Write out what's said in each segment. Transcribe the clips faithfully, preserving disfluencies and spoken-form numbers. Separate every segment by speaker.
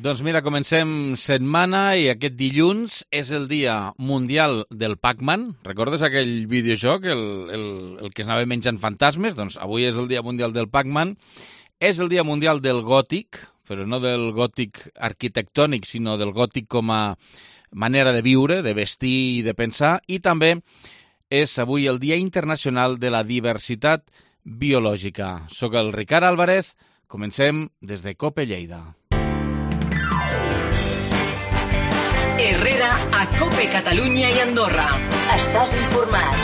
Speaker 1: Doncs mira, comencem setmana i aquest dilluns és el dia mundial del Pac-Man. Recordes aquell videojoc, el, el, el que es anava menjant fantasmes? Doncs avui és el dia mundial del Pac-Man. És el dia mundial del gòtic, però no del gòtic arquitectònic, sinó del gòtic com a manera de viure, de vestir i de pensar. I també és avui el dia internacional de la diversitat biològica. Soc el Ricard Álvarez. Comencem des de COPE Lleida.
Speaker 2: Herrera a COPE Catalunya i Andorra. Estàs informat.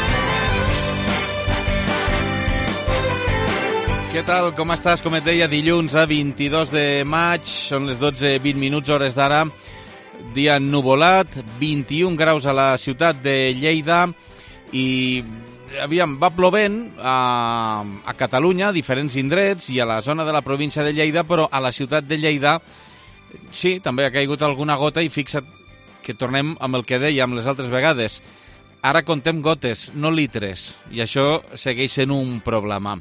Speaker 1: Què tal? Com estàs? Com et deia, dilluns a vint-i-dos de maig, són les dotze i vint minuts hores d'ara, dia ennuvolat, vint-i-un graus a la ciutat de Lleida i aviam, va plovent a, a Catalunya, a diferents indrets i a la zona de la província de Lleida, però a la ciutat de Lleida sí, també ha caigut alguna gota i fixa't que tornem amb el que dèiem les altres vegades. Ara contem gotes, no litres, i això segueix sent un problema.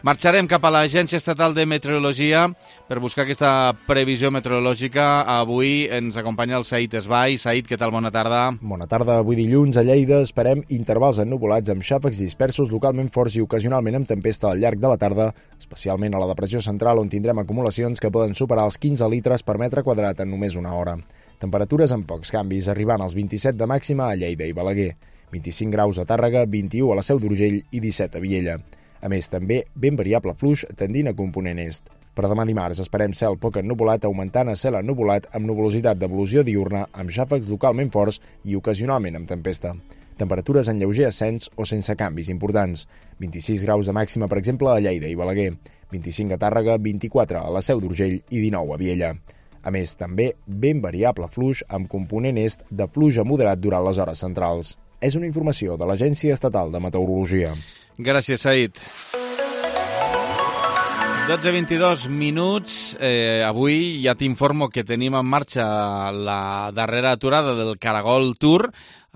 Speaker 1: Marxarem cap a l'Agència Estatal de Meteorologia per buscar aquesta previsió meteorològica. Avui ens acompanya el Said Esbai. Said, què tal? Bona tarda.
Speaker 3: Bona tarda. Avui dilluns a Lleida esperem intervals ennuvolats amb xàfecs dispersos localment forts i ocasionalment amb tempesta al llarg de la tarda, especialment a la depressió central, on tindrem acumulacions que poden superar els quinze litres per metre quadrat en només una hora. Temperatures amb pocs canvis, arribant als vint-i-set de màxima a Lleida i Balaguer, vint-i-cinc graus a Tàrrega, vint-i-u a la Seu d'Urgell i disset a Viella. A més, també ben variable fluix tendint a component est. Per demà dimarts esperem cel poc ennuvolat, augmentant a cel ennuvolat amb nuvolositat d'evolució diurna, amb xàfecs localment forts i ocasionalment amb tempesta. Temperatures en lleuger ascens o sense canvis importants. vint-i-sis graus de màxima, per exemple, a Lleida i Balaguer, vint-i-cinc a Tàrrega, vint-i-quatre a la Seu d'Urgell i dinou a Viella. A més, també ben variable fluix amb component est de fluix a moderat durant les hores centrals. És una informació de l'Agència Estatal de Meteorologia.
Speaker 1: Gràcies, Said. dotze i vint-i-dos minuts. Eh, avui ja t'informo que tenim en marxa la darrera aturada del Caragol Tour.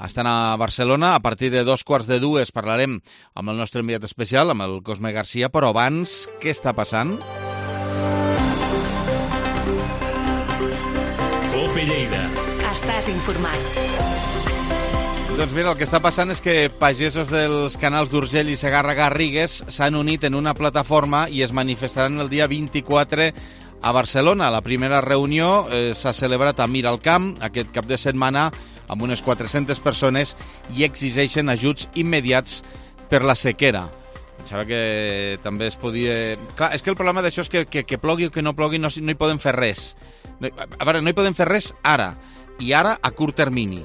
Speaker 1: Estan a Barcelona. A partir de dos quarts de dues parlarem amb el nostre enviat especial, amb el Cosme Garcia. Però abans, què està passant?
Speaker 2: COPE Lleida. Estàs informat.
Speaker 1: Doncs mira, el que està passant és que pagesos dels canals d'Urgell i Segarra-Garrigues s'han unit en una plataforma i es manifestaran el dia vint-i-quatre a Barcelona. La primera reunió eh, s'ha celebrat a Miralcamp aquest cap de setmana amb unes quatre-centes persones i exigeixen ajuts immediats per la sequera. Pensava que també es podia... Clar, és que el problema d'això és que, que, que plogui o que no plogui no, no hi podem fer res. No, a veure, no hi podem fer res ara, i ara a curt termini.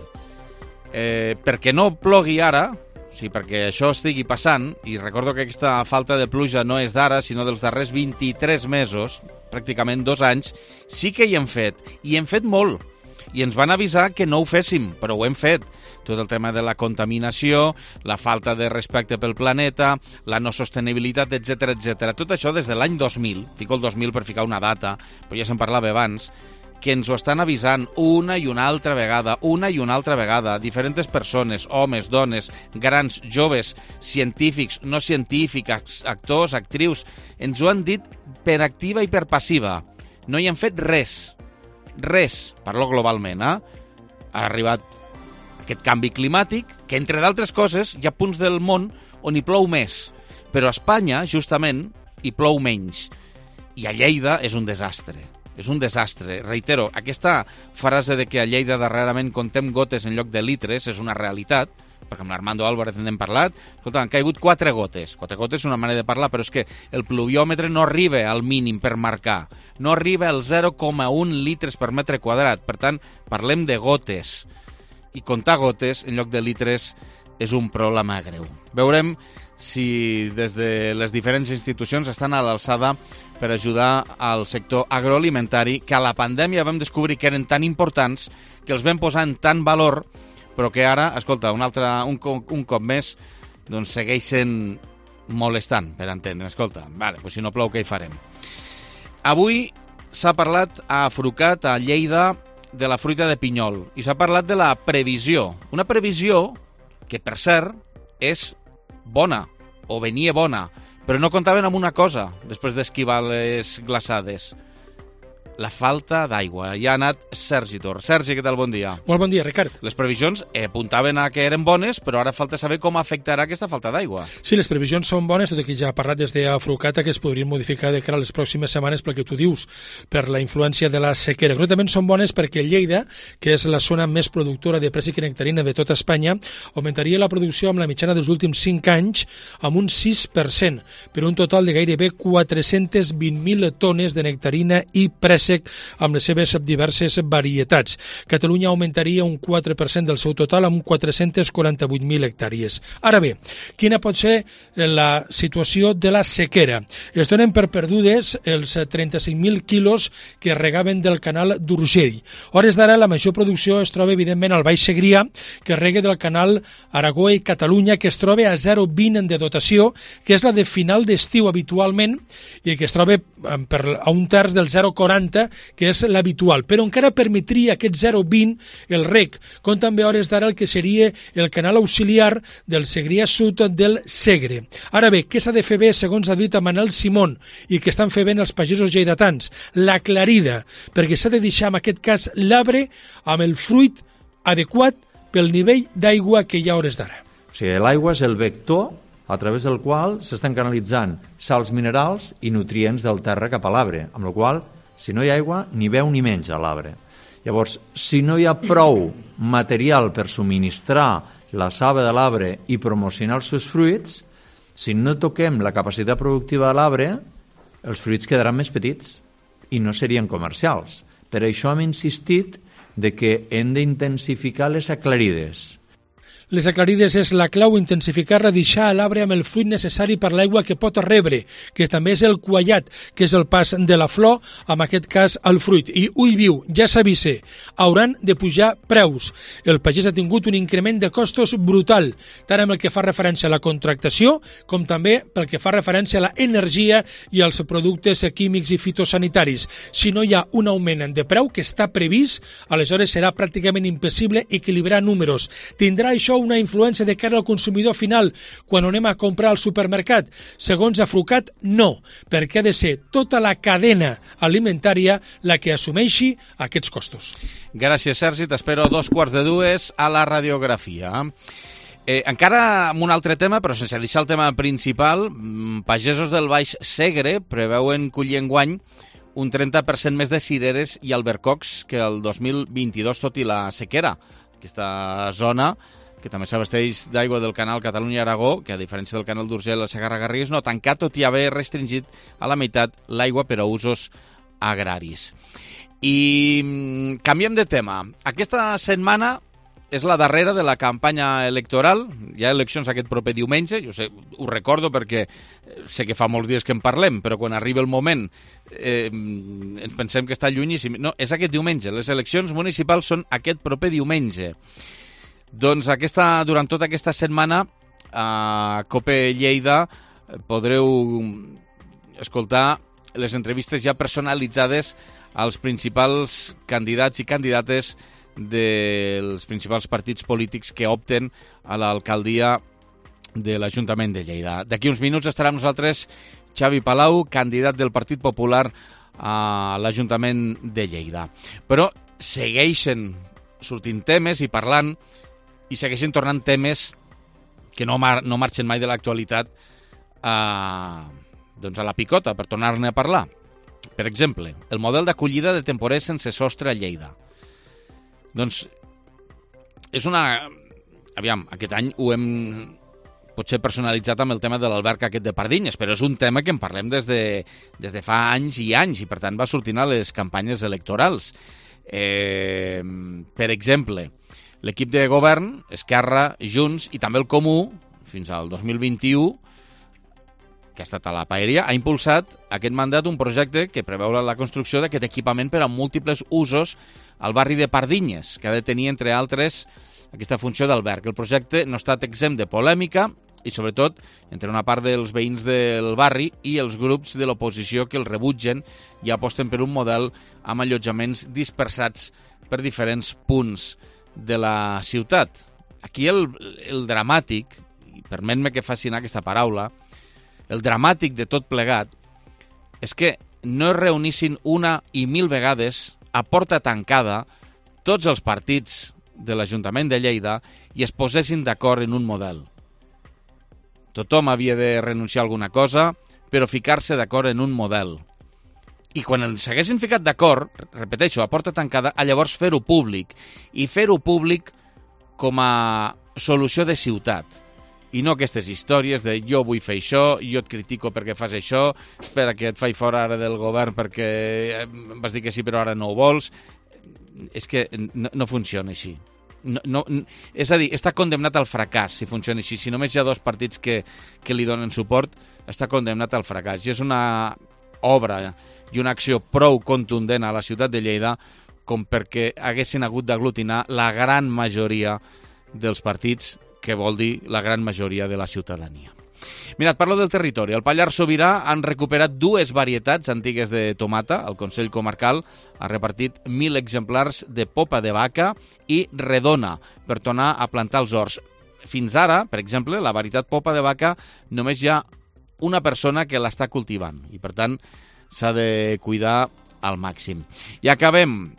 Speaker 1: Eh, perquè no plogui ara, o sigui, perquè això estigui passant, i recordo que aquesta falta de pluja no és d'ara, sinó dels darrers vint-i-tres mesos, pràcticament dos anys, sí que hi hem fet, i hem fet molt, i ens van avisar que no ho féssim, però ho hem fet. Tot el tema de la contaminació, la falta de respecte pel planeta, la no sostenibilitat, etcètera, etcètera. Tot això des de l'any dos mil, fico el dos mil per ficar una data, però ja se'n parlava abans, que ens ho estan avisant una i una altra vegada, una i una altra vegada, diferents persones, homes, dones, grans, joves, científics, no científics, actors, actrius, ens ho han dit per activa i per passiva. No hi han fet res, res, parlo globalment, eh? Ha arribat aquest canvi climàtic, que entre d'altres coses hi ha punts del món on hi plou més, però a Espanya, justament, hi plou menys. I a Lleida és un desastre. És un desastre. Reitero, aquesta frase de que a Lleida darrerament contem gotes en lloc de litres és una realitat, perquè amb l'Armando Álvarez n'hem parlat. Escolta, han caigut quatre gotes. Quatre gotes és una manera de parlar, però és que el pluviòmetre no arriba al mínim per marcar. No arriba al zero coma un litres per metre quadrat. Per tant, parlem de gotes. I comptar gotes en lloc de litres és un problema greu. Veurem si des de les diferents institucions estan a l'alçada per ajudar al sector agroalimentari, que a la pandèmia vam descobrir que eren tan importants, que els vam posar en tant valor, però que ara, escolta, un, altre, un, un cop més, doncs segueixen molestant, per entendre. Escolta, vale, doncs si no plou, què hi farem? Avui s'ha parlat a Frucat, a Lleida, de la fruita de pinyol, i s'ha parlat de la previsió. Una previsió que, per cert, és bona, o venia bona, però no comptaven amb una cosa després d'esquivar les glaçades. la falta d'aigua. Ja ha anat Sergi Tor. Sergi, què tal? Bon dia.
Speaker 4: Molt bon dia, Ricard.
Speaker 1: Les previsions eh, apuntaven a que eren bones, però ara falta saber com afectarà aquesta falta d'aigua.
Speaker 4: Sí, les previsions són bones, tot i que ja ha parlat des d'Afrucata que es podrien modificar de cara a les pròximes setmanes pel que tu dius, per la influència de la sequera. Concretament són bones perquè Lleida, que és la zona més productora de préssec i nectarina de tota Espanya, augmentaria la producció amb la mitjana dels últims cinc anys amb un sis per cent, per un total de gairebé quatre-cents vint mil tones de nectarina i préssec amb les seves diverses varietats. Catalunya augmentaria un quatre per cent del seu total amb quatre-cents quaranta-vuit mil hectàrees. Ara bé, quina pot ser la situació de la sequera? Es donen per perdudes els trenta-cinc mil quilos que regaven del canal d'Urgell. A hores d'ara, la major producció es troba, evidentment, al Baix Segrià, que rega del canal Aragó i Catalunya, que es troba a zero coma vint de dotació, que és la de final d'estiu habitualment, i que es troba per, a un terç del zero coma quaranta, que és l'habitual, però encara permetria aquest zero coma vint el reg, com també a hores d'ara el que seria el canal auxiliar del Segrià Sud del Segre. Ara bé, què s'ha de fer bé, segons ha dit a Manel Simón, i que estan fent bé els pagesos lleidatans? L'aclarida, perquè s'ha de deixar en aquest cas l'arbre amb el fruit adequat pel nivell d'aigua que hi ha a hores d'ara.
Speaker 5: O sigui, l'aigua és el vector a través del qual s'estan canalitzant sals minerals i nutrients del terra cap a l'arbre, amb la qual cosa, si no hi ha aigua, ni veu ni menja l'arbre. Llavors, si no hi ha prou material per subministrar la saba de l'arbre i promocionar els seus fruits, si no toquem la capacitat productiva de l'arbre, els fruits quedaran més petits i no serien comercials. Per això hem insistit de que hem d'intensificar les aclarides.
Speaker 4: Les aclarides és la clau, intensificar-la, deixar l'arbre amb el fruit necessari per l'aigua que pot rebre, que també és el quallat, que és el pas de la flor, en aquest cas el fruit. I ull viu, ja s'avisa, hauran de pujar preus. El pagès ha tingut un increment de costos brutal, tant amb el que fa referència a la contractació, com també pel que fa referència a l'energia i als productes químics i fitosanitaris. Si no hi ha un augment de preu que està previst, aleshores serà pràcticament impossible equilibrar números. Tindrà això una influència de cara al consumidor final quan anem a comprar al supermercat? Segons Afrucat, no, perquè ha de ser tota la cadena alimentària la que assumeixi aquests costos.
Speaker 1: Gràcies, Sergi. T'espero a dos quarts de dues a la radiografia. Eh, encara amb un altre tema, però sense deixar el tema principal, pagesos del Baix Segre preveuen collir enguany un trenta per cent més de cireres i albercocs que el dos mil vint-i-dos, tot i la sequera. Aquesta zona, que també s'abasteix d'aigua del canal Catalunya-Aragó, que a diferència del canal d'Urgell a Segarra-Garrigues no ha tancat, tot i haver restringit a la meitat l'aigua per a usos agraris. I canviem de tema. Aquesta setmana és la darrera de la campanya electoral. Hi ha eleccions aquest proper diumenge, jo sé, ho recordo perquè sé que fa molts dies que en parlem, però quan arriba el moment eh, ens pensem que està llunyíssim. No, és aquest diumenge. Les eleccions municipals són aquest proper diumenge. Doncs aquesta, durant tota aquesta setmana a COPE Lleida podreu escoltar les entrevistes ja personalitzades als principals candidats i candidates dels principals partits polítics que opten a l'alcaldia de l'Ajuntament de Lleida. D'aquí uns minuts estarà amb nosaltres Xavi Palau, candidat del Partit Popular a l'Ajuntament de Lleida. Però segueixen sortint temes i parlant i segueixen tornant temes que no, mar no marxen mai de l'actualitat a, doncs a la picota per tornar-ne a parlar. Per exemple, el model d'acollida de temporers sense sostre a Lleida. Doncs és una... Aviam, aquest any ho hem potser personalitzat amb el tema de l'alberg aquest de Pardinyes, però és un tema que en parlem des de, des de fa anys i anys i per tant va sortint a les campanyes electorals. Eh, per exemple, l'equip de govern, Esquerra, Junts i també el Comú, fins al dos mil vint-i-u, que ha estat a la paeria, ha impulsat aquest mandat un projecte que preveu la construcció d'aquest equipament per a múltiples usos al barri de Pardinyes, que ha de tenir, entre altres, aquesta funció d'alberg. El projecte no ha estat exempt de polèmica i, sobretot, entre una part dels veïns del barri i els grups de l'oposició que el rebutgen i aposten per un model amb allotjaments dispersats per diferents punts de la ciutat. Aquí el, el dramàtic, i permet-me que faci anar aquesta paraula, el dramàtic de tot plegat és que no es reunissin una i mil vegades a porta tancada tots els partits de l'Ajuntament de Lleida i es posessin d'acord en un model. Tothom havia de renunciar a alguna cosa, però ficar-se d'acord en un model. I quan s'haguessin ficat d'acord, repeteixo, a porta tancada, a llavors fer-ho públic. I fer-ho públic com a solució de ciutat. I no aquestes històries de jo vull fer això, jo et critico perquè fas això, espera que et faig fora ara del govern perquè vas dir que sí però ara no ho vols. És que no, no funciona així. No, no, és a dir, està condemnat al fracàs si funciona així. Si només hi ha dos partits que, que li donen suport, està condemnat al fracàs. I és una obra i una acció prou contundent a la ciutat de Lleida com perquè haguessin hagut d'aglutinar la gran majoria dels partits, que vol dir la gran majoria de la ciutadania. Mirad, parlo del territori. Al Pallars Sobirà han recuperat dues varietats antigues de tomata. El Consell Comarcal ha repartit mil exemplars de popa de vaca i redona per tornar a plantar els horts. Fins ara, per exemple, la varietat popa de vaca només hi ha una persona que l'està cultivant i, per tant, s'ha de cuidar al màxim. I acabem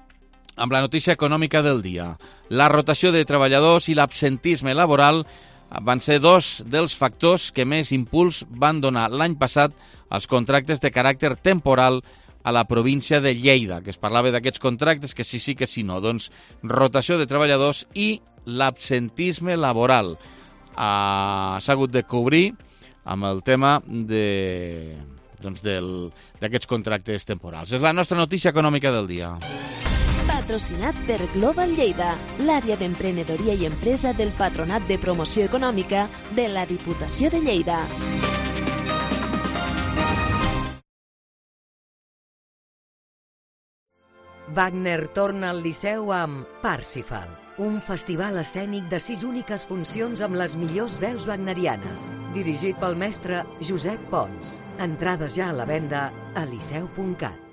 Speaker 1: amb la notícia econòmica del dia. La rotació de treballadors i l'absentisme laboral van ser dos dels factors que més impuls van donar l'any passat als contractes de caràcter temporal a la província de Lleida, que es parlava d'aquests contractes, que sí, sí, que sí, no. Doncs rotació de treballadors i l'absentisme laboral. Ah, s'ha hagut de cobrir amb el tema de, doncs del, d'aquests contractes temporals. És la nostra notícia econòmica del dia.
Speaker 6: Patrocinat per Global Lleida, l'àrea d'emprenedoria i empresa del Patronat de Promoció Econòmica de la Diputació de Lleida.
Speaker 2: Wagner torna al Liceu amb Parsifal, un festival escènic de sis úniques funcions amb les millors veus wagnerianes, dirigit pel mestre Josep Pons. Entrades ja a la venda a liceu punt cat.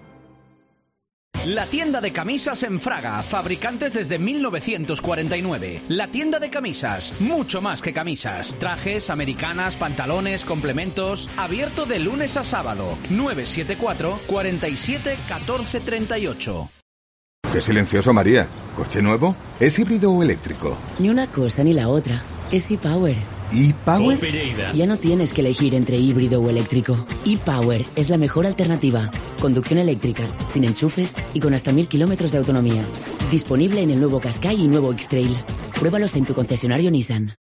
Speaker 7: La tienda de camisas en Fraga, fabricantes desde mil novecientos cuarenta y nueve. La tienda de camisas, mucho más que camisas. Trajes, americanas, pantalones, complementos. Abierto de lunes a sábado. nueve siete cuatro, cuatro siete, uno cuatro tres ocho.
Speaker 8: Qué silencioso, María. ¿Coche nuevo? ¿Es híbrido o eléctrico?
Speaker 9: Ni una cosa ni la otra. Es ePower.
Speaker 8: ¿ePower?
Speaker 9: Ya no tienes que elegir entre híbrido o eléctrico. ePower es la mejor alternativa. Conducción eléctrica, sin enchufes y con hasta mil kilómetros de autonomía. Disponible en el nuevo Qashqai y nuevo X-Trail. Pruébalos en tu concesionario Nissan.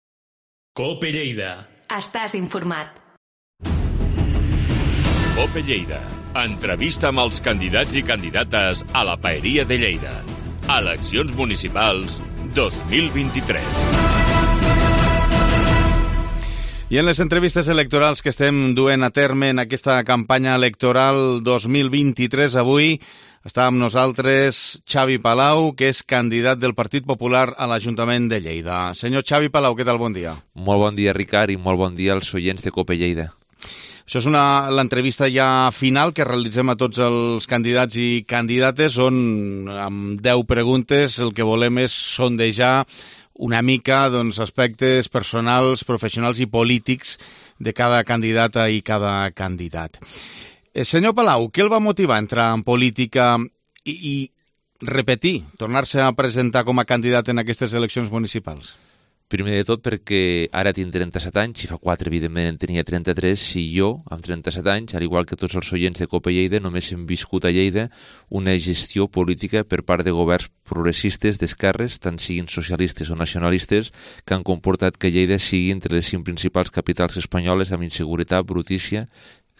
Speaker 10: Cope Lleida.
Speaker 2: Estàs informat.
Speaker 10: Cope Lleida. Entrevista amb els candidats i candidates a la Paeria de Lleida. Eleccions municipals dos mil vint-i-tres.
Speaker 1: I en les entrevistes electorals que estem duent a terme en aquesta campanya electoral dos mil vint-i-tres, avui està amb nosaltres Xavi Palau, que és candidat del Partit Popular a l'Ajuntament de Lleida. Senyor Xavi Palau, què tal? Bon dia.
Speaker 11: Molt bon dia, Ricard, i molt bon dia als oients de Cope Lleida.
Speaker 1: Això és una, l'entrevista ja final que realitzem a tots els candidats i candidates, on amb deu preguntes el que volem és sondejar una mica doncs, aspectes personals, professionals i polítics de cada candidata i cada candidat. Eh, senyor Palau, què el va motivar a entrar en política i, i repetir, tornar-se a presentar com a candidat en aquestes eleccions municipals?
Speaker 11: Primer de tot perquè ara tinc trenta-set anys, i fa quatre, evidentment, en tenia trenta-tres, i jo, amb trenta-set anys, al igual que tots els oients de Cope Lleida, només hem viscut a Lleida una gestió política per part de governs progressistes d'esquerres, tant siguin socialistes o nacionalistes, que han comportat que Lleida sigui entre les cinc principals capitals espanyoles amb inseguretat, brutícia,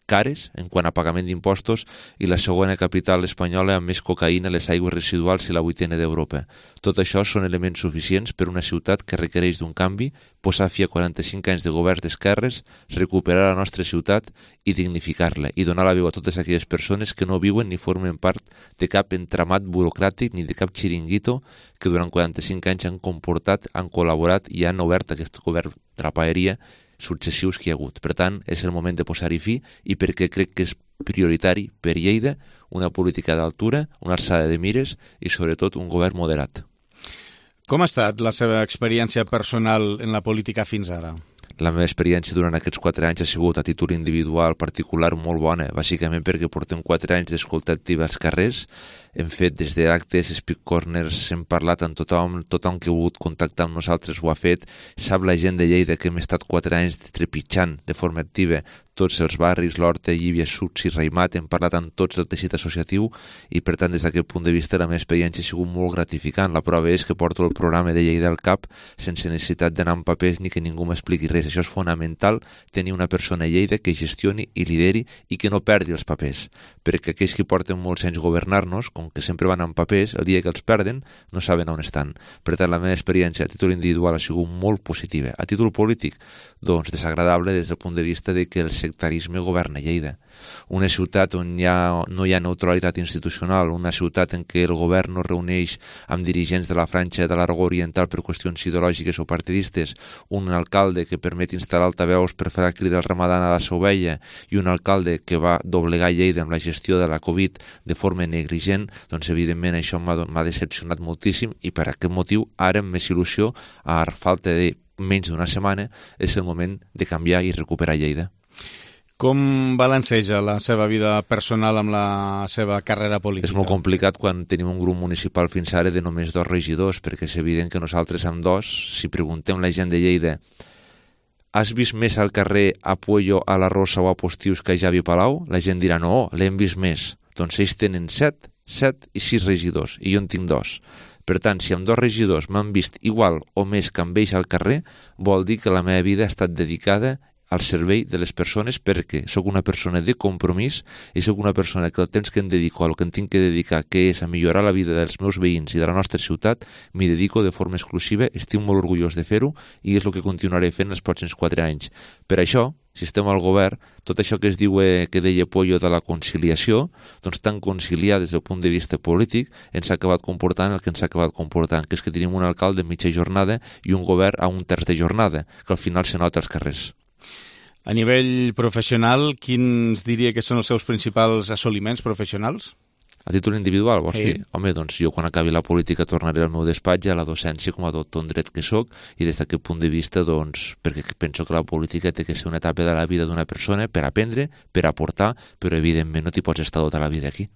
Speaker 11: cares en quant a pagament d'impostos i la segona capital espanyola amb més cocaïna, les aigües residuals i la vuitena d'Europa. Tot això són elements suficients per una ciutat que requereix d'un canvi, posar fi a quaranta-cinc anys de governs d'esquerres, recuperar la nostra ciutat i dignificar-la i donar la veu a totes aquelles persones que no viuen ni formen part de cap entramat burocràtic ni de cap xiringuito que durant quaranta-cinc anys han comportat, han col·laborat i han obert aquest govern de la paeria successius que hi ha hagut. Per tant, és el moment de posar-hi fi i perquè crec que és prioritari per Lleida una política d'altura, una alçada de mires i sobretot un govern moderat.
Speaker 1: Com ha estat la seva experiència personal en la política fins ara?
Speaker 11: La meva experiència durant aquests quatre anys ha sigut a títol individual particular molt bona, bàsicament perquè portem quatre anys d'escolta activa als carrers, hem fet des d'actes, speak corners, hem parlat amb tothom, tothom que ha volgut contactar amb nosaltres ho ha fet, sap la gent de Lleida que hem estat quatre anys trepitjant de forma activa tots els barris, l'Horta, Llívia, Suts i Raimat, hem parlat amb tots el teixit associatiu i per tant des d'aquest punt de vista la meva experiència ha sigut molt gratificant. La prova és que porto el programa de Lleida al cap sense necessitat d'anar amb papers ni que ningú m'expliqui res. Això és fonamental, tenir una persona a Lleida que gestioni i lideri i que no perdi els papers, perquè aquells que porten molts anys governar-nos, com que sempre van amb papers, el dia que els perden no saben on estan. Per tant, la meva experiència a títol individual ha sigut molt positiva. A títol polític, doncs desagradable des del punt de vista de que el sectarisme governa Lleida. Una ciutat on hi ha, no hi ha neutralitat institucional, una ciutat en què el govern no reuneix amb dirigents de la franja de l'Aragó Oriental per qüestions ideològiques o partidistes, un alcalde que permet instal·lar altaveus per fer la crida al Ramadan a la seva ovella i un alcalde que va doblegar Lleida amb la gestió de la Covid de forma negligent, doncs evidentment això m'ha decepcionat moltíssim i per aquest motiu ara amb més il·lusió, a falta de menys d'una setmana, és el moment de canviar i recuperar Lleida.
Speaker 1: Com balanceja la seva vida personal amb la seva carrera política?
Speaker 11: És molt complicat quan tenim un grup municipal fins ara de només dos regidors, perquè és evident que nosaltres amb dos, si preguntem a la gent de Lleida, has vist més al carrer a Puello, a la Rosa o a Postius que a Javi Palau? La gent dirà, no, l'hem vist més. Doncs ells tenen set, set i sis regidors, i jo en tinc dos. Per tant, si amb dos regidors m'han vist igual o més que amb ells al carrer, vol dir que la meva vida ha estat dedicada al servei de les persones perquè sóc una persona de compromís i sóc una persona que el temps que em dedico a el que em tinc que dedicar, que és a millorar la vida dels meus veïns i de la nostra ciutat, m'hi dedico de forma exclusiva, estic molt orgullós de fer-ho i és el que continuaré fent els pròxims quatre anys. Per això, si estem al govern, tot això que es diu eh, que deia Pollo de la conciliació, doncs tan conciliar des del punt de vista polític ens ha acabat comportant el que ens ha acabat comportant, que és que tenim un alcalde de mitja jornada i un govern a un terç de jornada, que al final se nota als carrers.
Speaker 1: A nivell professional, quins diria que són els seus principals assoliments professionals?
Speaker 11: A títol individual, vols
Speaker 1: sí.
Speaker 11: dir? Home, doncs jo quan acabi la política tornaré al meu despatx a la docència com a doctor en dret que sóc i des d'aquest punt de vista, doncs, perquè penso que la política té que ser una etapa de la vida d'una persona per aprendre, per aportar, però evidentment no t'hi pots estar tota la vida aquí.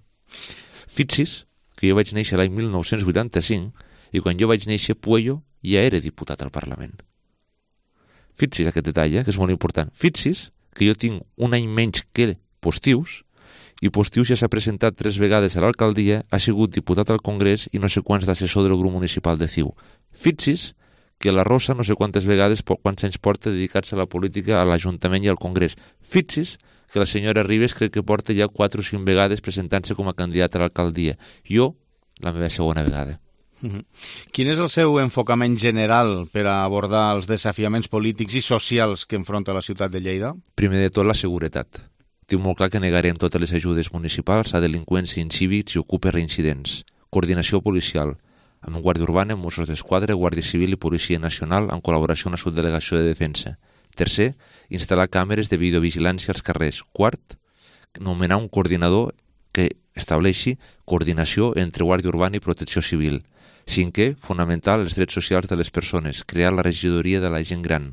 Speaker 11: Fixi's que jo vaig néixer l'any mil nou-cents vuitanta-cinc i quan jo vaig néixer Puello ja era diputat al Parlament. Fixi's aquest detall, eh, que és molt important. Fixi's que jo tinc un any menys que Postius i Postius ja s'ha presentat tres vegades a l'alcaldia, ha sigut diputat al Congrés i no sé quants d'assessor del grup municipal de C I U. Fixi's que la Rosa no sé quantes vegades, quants anys porta dedicats a la política a l'Ajuntament i al Congrés. Fixi's que la senyora Ribes crec que porta ja quatre o cinc vegades presentant-se com a candidat a l'alcaldia. Jo, la meva segona vegada.
Speaker 1: Uh-huh. Quin és el seu enfocament general per a abordar els desafiaments polítics i socials que enfronta la ciutat de Lleida?
Speaker 11: Primer de tot, la seguretat. Tinc molt clar que negarem totes les ajudes municipals a delinqüents incívics i ocupes reincidents. Coordinació policial, amb Guàrdia Urbana, Mossos d'Esquadra, Guàrdia Civil i Policia Nacional en col·laboració amb la Subdelegació de Defensa. Tercer, instal·lar càmeres de videovigilància als carrers. Quart, nomenar un coordinador que estableixi coordinació entre Guàrdia Urbana i Protecció Civil. Cinquè, fonamental els drets socials de les persones, crear la regidoria de la gent gran.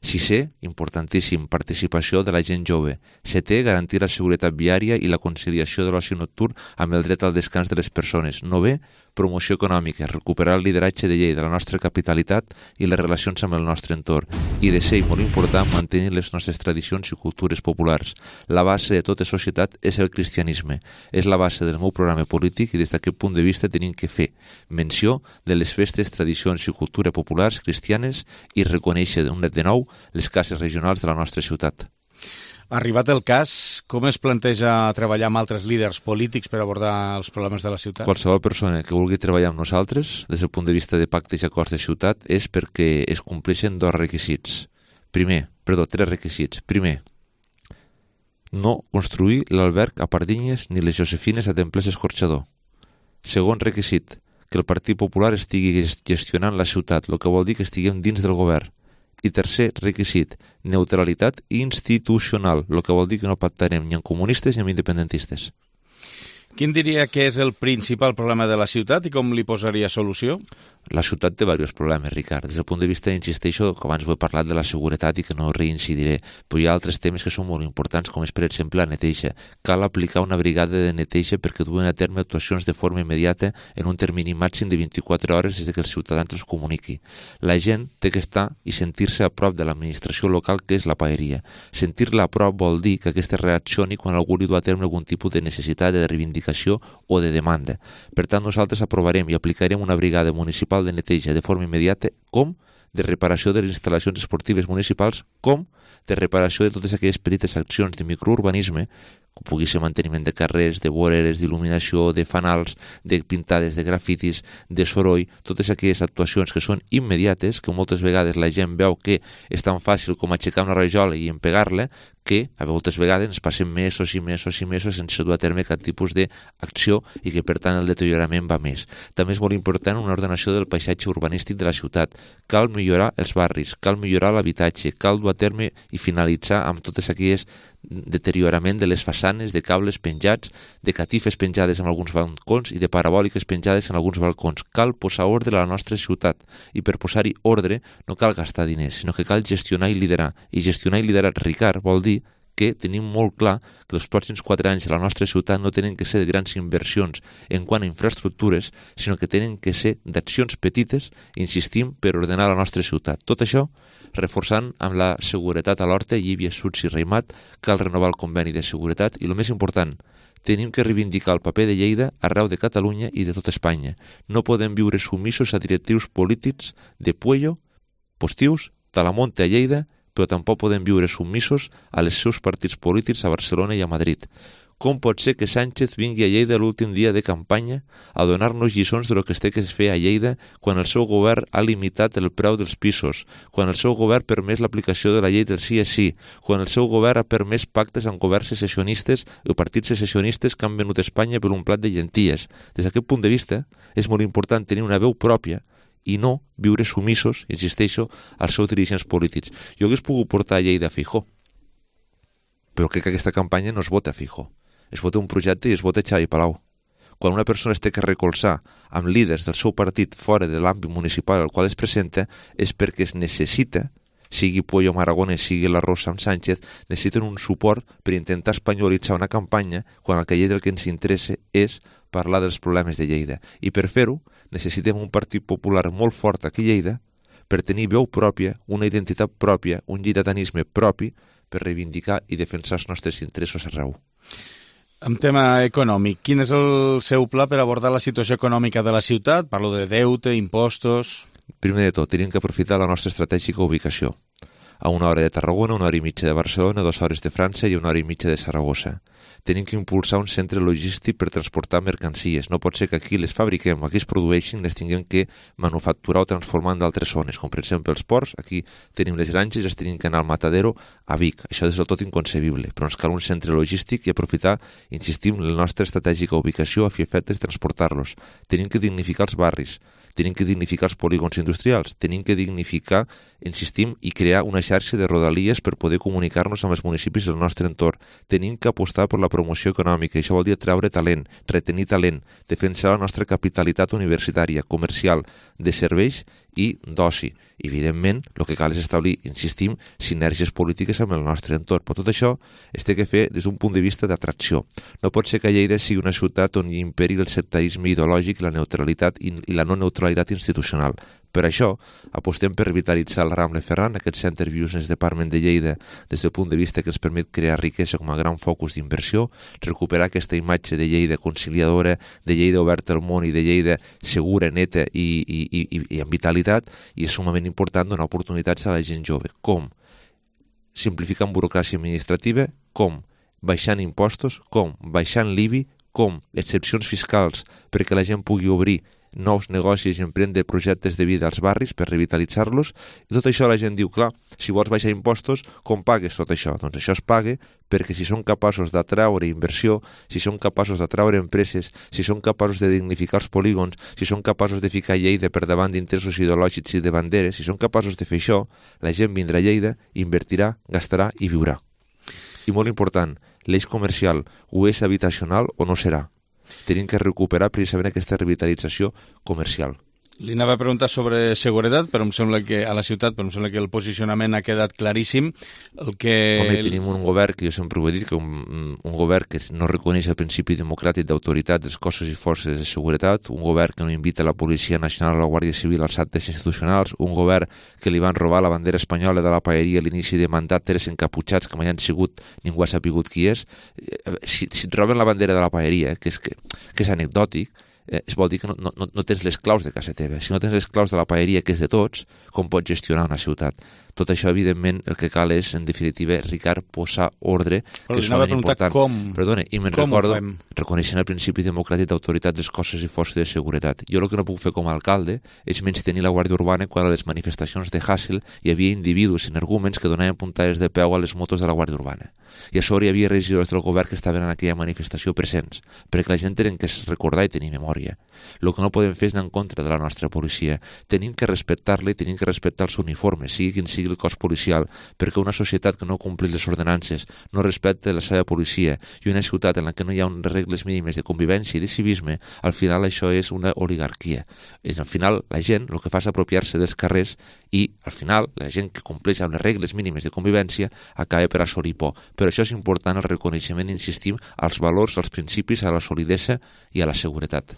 Speaker 11: Sisè, importantíssim, participació de la gent jove. Setè, garantir la seguretat viària i la conciliació de l'oci nocturn amb el dret al descans de les persones. Novè, promoció econòmica, recuperar el lideratge de Lleida, la nostra capitalitat i les relacions amb el nostre entorn. I desè, i molt important, mantenir les nostres tradicions i cultures populars. La base de tota societat és el cristianisme. És la base del meu programa polític i des d'aquest punt de vista tenim que fer menció de les festes, tradicions i cultura populars cristianes i reconèixer de nou les cases regionals de la nostra ciutat.
Speaker 1: Arribat el cas, com es planteja treballar amb altres líders polítics per abordar els problemes de la ciutat?
Speaker 11: Qualsevol persona que vulgui treballar amb nosaltres, des del punt de vista de pactes i acords de ciutat, és perquè es compleixen dos requisits. Primer, perdó, tres requisits. Primer, no construir l'alberg a Pardinyes ni les Josefines a Templers Escorxador. Segon requisit, que el Partit Popular estigui gestionant la ciutat, el que vol dir que estiguem dins del govern. I tercer requisit, neutralitat institucional, el que vol dir que no pactarem ni amb comunistes ni amb independentistes.
Speaker 1: Quin diria que és el principal problema de la ciutat i com li posaria solució?
Speaker 11: La ciutat té diversos problemes, Ricard. Des del punt de vista, insisteixo, que abans ho he parlat de la seguretat i que no reincidiré, però hi ha altres temes que són molt importants, com és, per exemple, la neteja. Cal aplicar una brigada de neteja perquè duen a terme actuacions de forma immediata en un termini màxim de vint-i-quatre hores des que els ciutadans els comuniqui. La gent té que estar i sentir-se a prop de l'administració local, que és la paeria. Sentir-la a prop vol dir que aquesta reaccioni quan algú li du a terme algun tipus de necessitat, de reivindicació o de demanda. Per tant, nosaltres aprovarem i aplicarem una brigada municipal de neteja de forma immediata, com de reparació de les instal·lacions esportives municipals, com de reparació de totes aquelles petites accions de microurbanisme, com pugui ser manteniment de carrers, de voreres, d'il·luminació, de fanals, de pintades, de grafitis, de soroll, totes aquelles actuacions que són immediates, que moltes vegades la gent veu que és tan fàcil com aixecar una rajola i empegar-la, que a moltes vegades ens passem mesos i mesos i mesos sense dur a terme cap tipus d'acció i que per tant el deteriorament va més. També és molt important una ordenació del paisatge urbanístic de la ciutat. Cal millorar els barris, cal millorar l'habitatge, cal dur a terme i finalitzar amb totes aquelles deteriorament de les façanes, de cables penjats, de catifes penjades en alguns balcons i de parabòliques penjades en alguns balcons. Cal posar ordre a la nostra ciutat i per posar-hi ordre no cal gastar diners, sinó que cal gestionar i liderar. I gestionar i liderar, Ricard, vol dir que tenim molt clar que els pròxims quatre anys a la nostra ciutat no tenen que ser de grans inversions en quant a infraestructures, sinó que tenen que ser d'accions petites, insistim, per ordenar la nostra ciutat. Tot això reforçant amb la seguretat a l'Horta, Llívia, Suts i Reimat, cal renovar el conveni de seguretat i, el més important, tenim que reivindicar el paper de Lleida arreu de Catalunya i de tot Espanya. No podem viure submissos a directius polítics de Puello, Postius, Talamonte a Lleida, però tampoc podem viure submissos a les seus partits polítics a Barcelona i a Madrid. Com pot ser que Sánchez vingui a Lleida l'últim dia de campanya a donar-nos lliçons de lo que es té que fer a Lleida quan el seu govern ha limitat el preu dels pisos, quan el seu govern ha permès l'aplicació de la llei del sí és sí, quan el seu govern ha permès pactes amb governs secessionistes o partits secessionistes que han venut a Espanya per un plat de llenties? Des d'aquest punt de vista, és molt important tenir una veu pròpia i no viure sumissos, insisteixo, als seus dirigents polítics. Jo hagués pogut portar a Lleida a Feijóo, però crec que aquesta campanya no es vota a Feijóo. Es vota un projecte i es vota Xavi Palau. Quan una persona es té que recolzar amb líders del seu partit fora de l'àmbit municipal al qual es presenta és perquè es necessita, sigui Puello Aragonès, sigui la Rosa amb Sánchez, necessiten un suport per intentar espanyolitzar una campanya quan el que Lleida el que ens interessa és parlar dels problemes de Lleida. I per fer-ho necessitem un partit popular molt fort aquí a Lleida per tenir veu pròpia, una identitat pròpia, un lleidatanisme propi per reivindicar i defensar els nostres interessos arreu.
Speaker 1: En tema econòmic, quin és el seu pla per abordar la situació econòmica de la ciutat? Parlo de deute, impostos...
Speaker 11: Primer de tot, tenim que aprofitar la nostra estratègica ubicació. A una hora de Tarragona, una hora i mitja de Barcelona, dues hores de França i una hora i mitja de Saragossa. Tenim que impulsar un centre logístic per transportar mercancies. No pot ser que aquí les fabriquem, aquí es produeixin, les tinguem que manufacturar o transformar en d'altres zones, com per exemple els ports. Aquí tenim les granges i les tenim que anar al Matadero a Vic. Això és del tot inconcebible, però ens cal un centre logístic i aprofitar, insistim, la nostra estratègica ubicació a fi efectes de transportar-los. Tenim que dignificar els barris, tenim que dignificar els polígons industrials, tenim que dignificar, insistim, i crear una xarxa de rodalies per poder comunicar-nos amb els municipis del nostre entorn. Tenim que apostar per la promoció econòmica, això vol dir treure talent, retenir talent, defensar la nostra capitalitat universitària, comercial, de serveis i d'oci. Evidentment, el que cal és establir, insistim, sinergies polítiques amb el nostre entorn. Però tot això es té que fer des d'un punt de vista d'atracció. No pot ser que Lleida sigui una ciutat on hi imperi el sectarisme ideològic i la neutralitat i la no neutralitat institucional. Per això, apostem per revitalitzar el Ramble Ferran, aquest Center Business Department de Lleida, des del punt de vista que ens permet crear riquesa com a gran focus d'inversió, recuperar aquesta imatge de Lleida conciliadora, de Lleida oberta al món i de Lleida segura, neta i, i, i, i amb vitalitat, i és sumament important donar oportunitats a la gent jove. Com? Simplificant burocràcia administrativa, com? Baixant impostos, com? Baixant l'I B I, com? Excepcions fiscals perquè la gent pugui obrir nous negocis i emprendre projectes de vida als barris per revitalitzar-los, i tot això la gent diu, clar, si vols baixar impostos, com pagues tot això? Doncs això es paga perquè si són capaços d'atraure inversió, si són capaços d'atraure empreses, si són capaços de dignificar els polígons, si són capaços de ficar Lleida per davant d'interessos ideològics i de banderes, si són capaços de fer això, la gent vindrà a Lleida, invertirà, gastarà i viurà. I molt important, l'eix comercial o és habitacional o no serà. Tenim que recuperar precisament aquesta revitalització comercial.
Speaker 1: Li anava a preguntar sobre seguretat, però em sembla que a la ciutat, però em sembla que el posicionament ha quedat claríssim. El que...
Speaker 11: Home, tenim un govern, que jo sempre ho he dit, que un, un govern que no reconeix el principi democràtic d'autoritat dels cossos i forces de seguretat, un govern que no invita la Policia Nacional o la Guàrdia Civil als actes institucionals, un govern que li van robar la bandera espanyola de la paeria a l'inici de mandat, tres encaputxats que mai han sigut, ningú ha sapigut qui és. Si, si et roben la bandera de la paeria, que és, que, que és anecdòtic, Eh, es vol dir que no, no, no tens les claus de casa teva. Si no tens les claus de la paeria, que és de tots, com pots gestionar una ciutat? Tot això, evidentment, el que cal és, en definitiva, Ricard, posar ordre, que és molt important.
Speaker 1: Com,
Speaker 11: Perdona, i me'n
Speaker 1: com
Speaker 11: recordo, reconeixent el principi democràtic d'autoritat dels cossos i forces de seguretat. Jo el que no puc fer com a alcalde és menys tenir la Guàrdia Urbana quan a les manifestacions de Hassel hi havia individus energúmens que donaven puntades de peu a les motos de la Guàrdia Urbana. I a sobre hi havia regidors del govern que estaven en aquella manifestació presents, perquè la gent tenen que recordar i tenir memòria. El que no podem fer és anar en contra de la nostra policia. Tenim que respectar-la i tenim que respectar els uniformes, sigui quin sigui el cos policial, perquè una societat que no compleix les ordenances, no respecta la seva policia, i una ciutat en la que no hi ha unes regles mínimes de convivència i de civisme, al final això és una oligarquia. És, al final, la gent el que fa és apropiar-se dels carrers i, al final, la gent que compleix amb les regles mínimes de convivència acaba per assolir por. Però això és important, el reconeixement, insistim, als valors, als principis, a la solidesa i a la seguretat.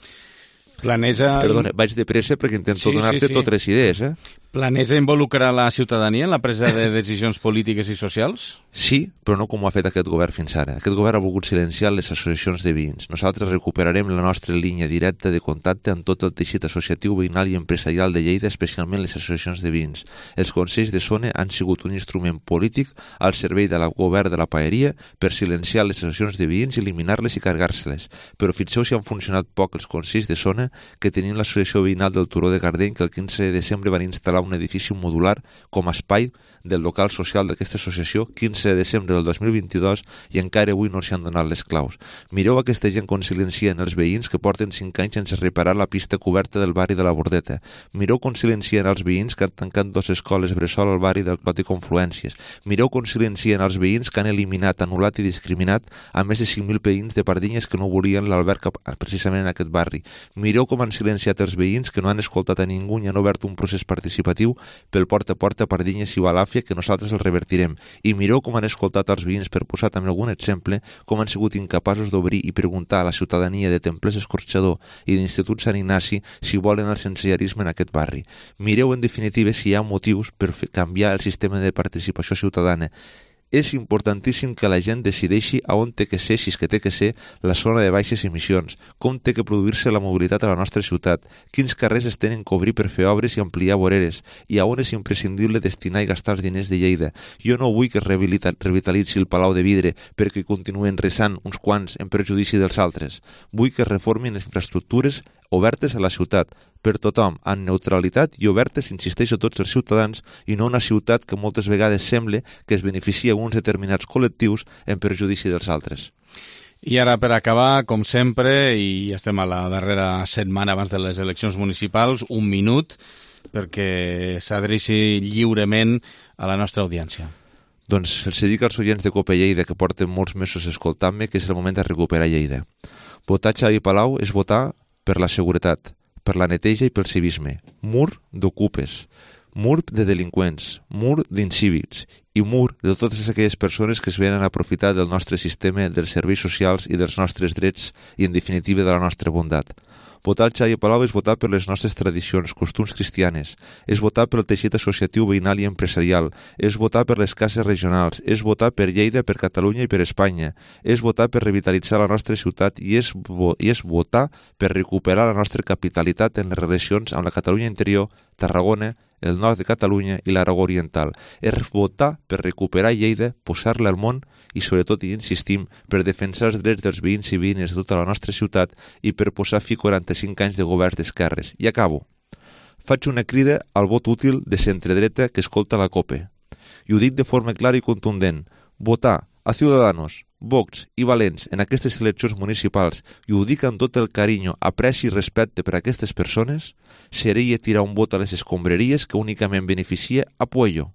Speaker 1: Planeja...
Speaker 11: Perdona, vaig de pressa perquè intento sí, donar-te sí, sí. totes les idees, eh?
Speaker 1: Planeja involucrar la ciutadania en la presa de decisions polítiques i socials?
Speaker 11: Sí, però no com ho ha fet aquest govern fins ara. Aquest govern ha volgut silenciar les associacions de veïns. Nosaltres recuperarem la nostra línia directa de contacte amb tot el teixit associatiu, veïnal i empresarial de Lleida, especialment les associacions de veïns. Els consells de zona han sigut un instrument polític al servei del govern de la paeria per silenciar les associacions de veïns, eliminar-les i cargar-se-les. Però fixeu si han funcionat poc els consells de zona que tenien l'associació veïnal del Turó de Gardeny, que el quinze de desembre van instal·lar un edifici modular com a espai del local social d'aquesta associació, quinze de desembre del dos mil vint-i-dos, i encara avui no s'hi han donat les claus. Mireu aquesta gent com silencien els veïns que porten cinc anys sense reparar la pista coberta del barri de la Bordeta. Mireu com silencien els veïns que han tancat dues escoles bressol al barri del Clot i Confluències. Mireu com silencien els veïns que han eliminat, anul·lat i discriminat a més de cinc mil veïns de Pardinyes que no volien l'alberg precisament en aquest barri. Mireu com han silenciat els veïns que no han escoltat a ningú i han obert un procés participatiu pel porta a porta a Pardinyes i Balàfia, que nosaltres el revertirem. I mireu com han escoltat els veïns, per posar també algun exemple, com han sigut incapaços d'obrir i preguntar a la ciutadania de Templers Escorxador i d'Institut Sant Ignasi si volen el sensellarisme en aquest barri. Mireu, en definitiva, si hi ha motius per canviar el sistema de participació ciutadana. És importantíssim que la gent decideixi a on té que ser, si és que té que ser, la zona de baixes emissions, com té que produir-se la mobilitat a la nostra ciutat, quins carrers es tenen que obrir per fer obres i ampliar voreres, i a on és imprescindible destinar i gastar els diners de Lleida. Jo no vull que es revitalitzi el Palau de Vidre perquè continuen resant uns quants en perjudici dels altres. Vull que es reformin les infraestructures obertes a la ciutat, per tothom, amb neutralitat i obertes, insisteixo, a tots els ciutadans, i no una ciutat que moltes vegades sembla que es beneficia uns determinats col·lectius en perjudici dels altres.
Speaker 1: I ara, per acabar, com sempre, i estem a la darrera setmana abans de les eleccions municipals, un minut perquè s'adreci lliurement a la nostra audiència.
Speaker 11: Doncs els dic als oients de Cope Lleida, que porten molts mesos escoltant-me, que és el moment de recuperar Lleida. Votar Xavi Palau és votar per la seguretat, per la neteja i pel civisme. Mur d'ocupes, mur de delinqüents, mur d'incívics i mur de totes aquelles persones que es venen a aprofitar del nostre sistema, dels serveis socials i dels nostres drets i, en definitiva, de la nostra bondat. Votar el Xavi Palau és votar per les nostres tradicions, costums cristianes, és votar pel teixit associatiu veïnal i empresarial, és votar per les cases regionals, és votar per Lleida, per Catalunya i per Espanya, és votar per revitalitzar la nostra ciutat i és, vo i és votar per recuperar la nostra capitalitat en les relacions amb la Catalunya interior, Tarragona, el nord de Catalunya i l'Aragó oriental. És votar per recuperar Lleida, posar-la al món i, sobretot, i insistim, per defensar els drets dels veïns i veïnes de tota la nostra ciutat i per posar fi a quaranta-cinc anys de governs d'esquerres. I acabo. Faig una crida al vot útil de centredreta que escolta la COPE. I ho dic de forma clara i contundent. Votar a Ciudadanos, Vox i Valents en aquestes eleccions municipals, i ho dic amb tot el carinyo, apreci i respecte per a aquestes persones, seria tirar un vot a les escombraries que únicament beneficia a Puello.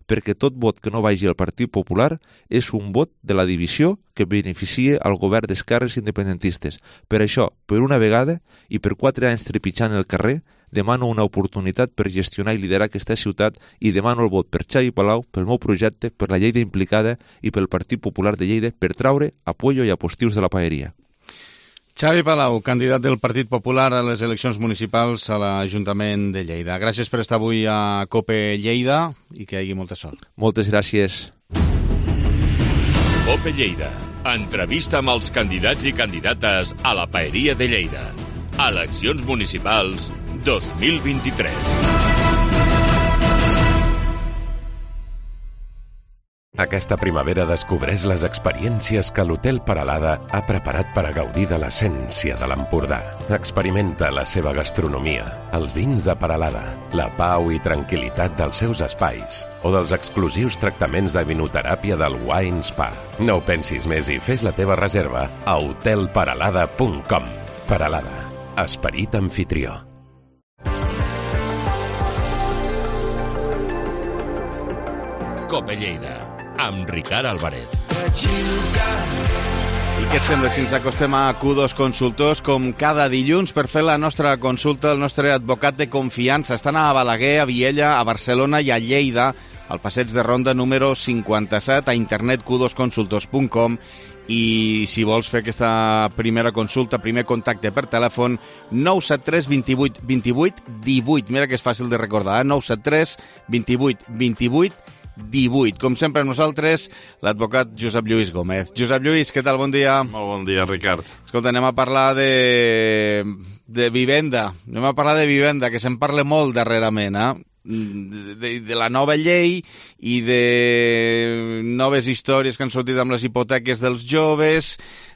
Speaker 11: Perquè tot vot que no vagi al Partit Popular és un vot de la divisió que beneficia al govern d'esquerres independentistes. Per això, per una vegada, i per quatre anys trepitjant el carrer, demano una oportunitat per gestionar i liderar aquesta ciutat i demano el vot per Xavi Palau, pel meu projecte, per la Lleida implicada i pel Partit Popular de Lleida per traure a Puello i a postius de la paeria.
Speaker 1: Xavi Palau, candidat del Partit Popular a les eleccions municipals a l'Ajuntament de Lleida. Gràcies per estar avui a COPE Lleida i que hi hagi molta sort.
Speaker 11: Moltes gràcies.
Speaker 10: COPE Lleida. Entrevista amb els candidats i candidates a la Paeria de Lleida. Eleccions municipals dos mil vint-i-tres.
Speaker 12: Aquesta primavera descobreix les experiències que l'Hotel Peralada ha preparat per a gaudir de l'essència de l'Empordà. Experimenta la seva gastronomia, els vins de Peralada, la pau i tranquil·litat dels seus espais o dels exclusius tractaments de vinoteràpia del Wine Spa. No ho pensis més i fes la teva reserva a hotel peralada punt com. Peralada, esperit anfitrió.
Speaker 10: COPE Lleida, amb Ricard Álvarez.
Speaker 1: I què et sembla si ens acostem a Q dos Consultors com cada dilluns per fer la nostra consulta? El nostre advocat de confiança estan a Balaguer, a Viella, a Barcelona i a Lleida, al passeig de Ronda número cinquanta-set, a internet q dos consultors punt com. I si vols fer aquesta primera consulta, primer contacte per telèfon, nou set tres vint vuit vint vuit divuit. Mira que és fàcil de recordar, eh? nou set tres vint vuit vint vuit divuit. Com sempre nosaltres, l'advocat Josep Lluís Gómez. Josep Lluís, què tal? Bon dia.
Speaker 13: Molt bon dia, Ricard.
Speaker 1: Escolta, anem a parlar de, de vivenda. Anem a parlar de vivenda, que se'n parla molt darrerament, eh? De, de, de la nova llei i de noves històries que han sortit amb les hipoteques dels joves.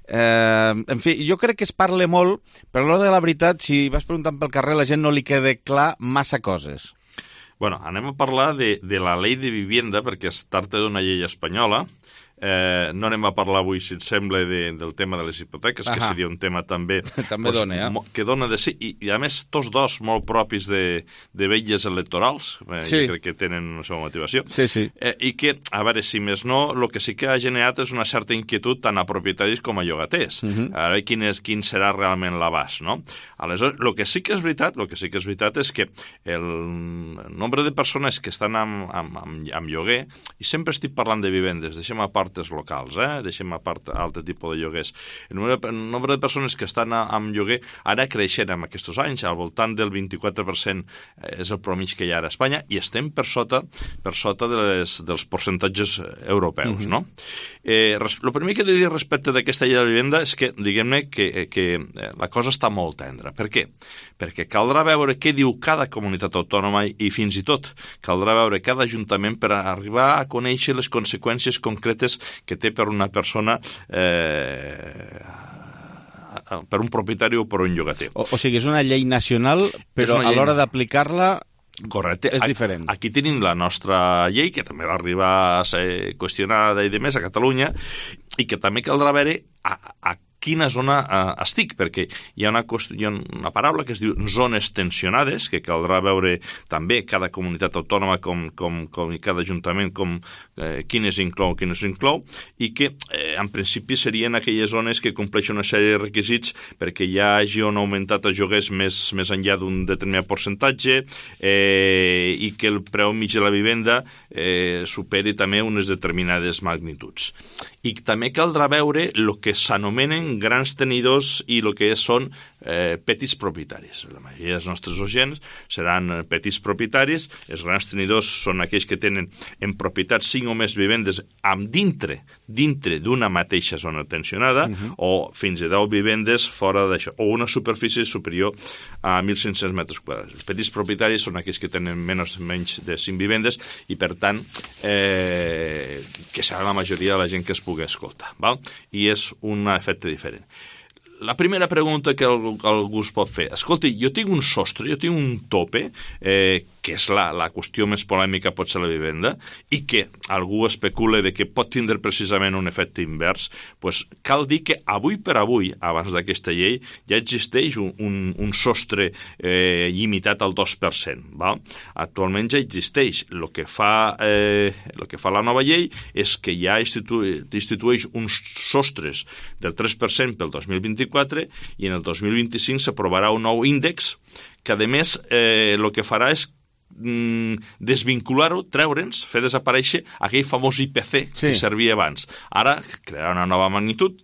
Speaker 1: Eh, en fi, jo crec que es parla molt, però a l'hora de la veritat, si vas preguntant pel carrer, la gent no li queda clar massa coses.
Speaker 13: Bueno, anem a parlar de, de la llei de vivienda, perquè es tracta d'una llei espanyola. Eh, no anem a parlar avui, si et sembla, de, del tema de les hipoteques, Aha. que seria un tema també,
Speaker 1: també
Speaker 13: pues,
Speaker 1: dona, eh?
Speaker 13: que dona de sí, i, i a més tots dos molt propis de, de vetlles electorals, eh, sí. crec que tenen una seva motivació,
Speaker 1: sí, sí.
Speaker 13: Eh, i que, a veure, si més no, el que sí que ha generat és una certa inquietud tant a propietaris com a llogaters. Uh -huh. A veure quin, és, quin serà realment l'abast, no? Aleshores, el que sí que és veritat, el que sí que és veritat és que el nombre de persones que estan amb, amb, amb, amb lloguer, i sempre estic parlant de vivendes, deixem a part els locals, eh? deixem a part altre tipus de lloguers. El nombre, el nombre de persones que estan a, amb lloguer ara creixen en aquests anys, al voltant del vint-i-quatre per cent és el promig que hi ha a Espanya, i estem per sota per sota de les, dels percentatges europeus, uh-huh. no? Eh, res, el primer que he de dir respecte d'aquesta llei de la vivenda és que, diguem-ne, que, que la cosa està molt tendra. Per què? Perquè caldrà veure què diu cada comunitat autònoma i fins i tot caldrà veure cada ajuntament per arribar a conèixer les conseqüències concretes que té per una persona, eh, per un propietari o per un llogater.
Speaker 1: O, o sigui, és una llei nacional, però a l'hora d'aplicar-la
Speaker 13: Correcte.
Speaker 1: És diferent.
Speaker 13: Aquí tenim la nostra llei, que també va arribar a ser qüestionada i de més a Catalunya, i que també caldrà veure a, a quina zona eh, estic, perquè hi ha, una, hi ha una paraula que es diu zones tensionades, que caldrà veure també cada comunitat autònoma com, com, com i cada ajuntament com eh, quines inclou, quines inclou, i que eh, en principi serien aquelles zones que compleixen una sèrie de requisits perquè hi hagi on augmentat els lloguers més, més enllà d'un determinat percentatge eh, i que el preu mig de la vivenda eh, superi també unes determinades magnituds. I també caldrà veure el que s'anomenen grans tenidors i el que són eh, petits propietaris. La majoria dels nostres oients seran eh, petits propietaris. Els grans tenidors són aquells que tenen en propietat cinc o més vivendes amb dintre dintre d'una mateixa zona tensionada, uh-huh. o fins a deu vivendes fora d'això, o una superfície superior a mil cinc-cents metres quadrats. Els petits propietaris són aquells que tenen menys, menys de cinc vivendes i, per tant, eh, que serà la majoria de la gent que es pugui escoltar. Val? I és un efecte diferent. La primera pregunta que algú es pot fer, escolti, jo tinc un sostre, jo tinc un tope, eh, que és la, la qüestió més polèmica pot ser la vivenda, i que algú especula de que pot tindre precisament un efecte invers, pues cal dir que avui per avui, abans d'aquesta llei, ja existeix un, un, un sostre eh, limitat al dos per cent. Val? Actualment ja existeix. El que fa, eh, el que fa la nova llei és que ja institu institueix uns sostres del tres per cent pel dos mil vint-i-quatre i en el dos mil vint-i-cinc s'aprovarà un nou índex que, a més, eh, el que farà és desvincular-ho, treure'ns, fer desaparèixer aquell famós I P C sí. que servia abans. Ara crearà una nova magnitud,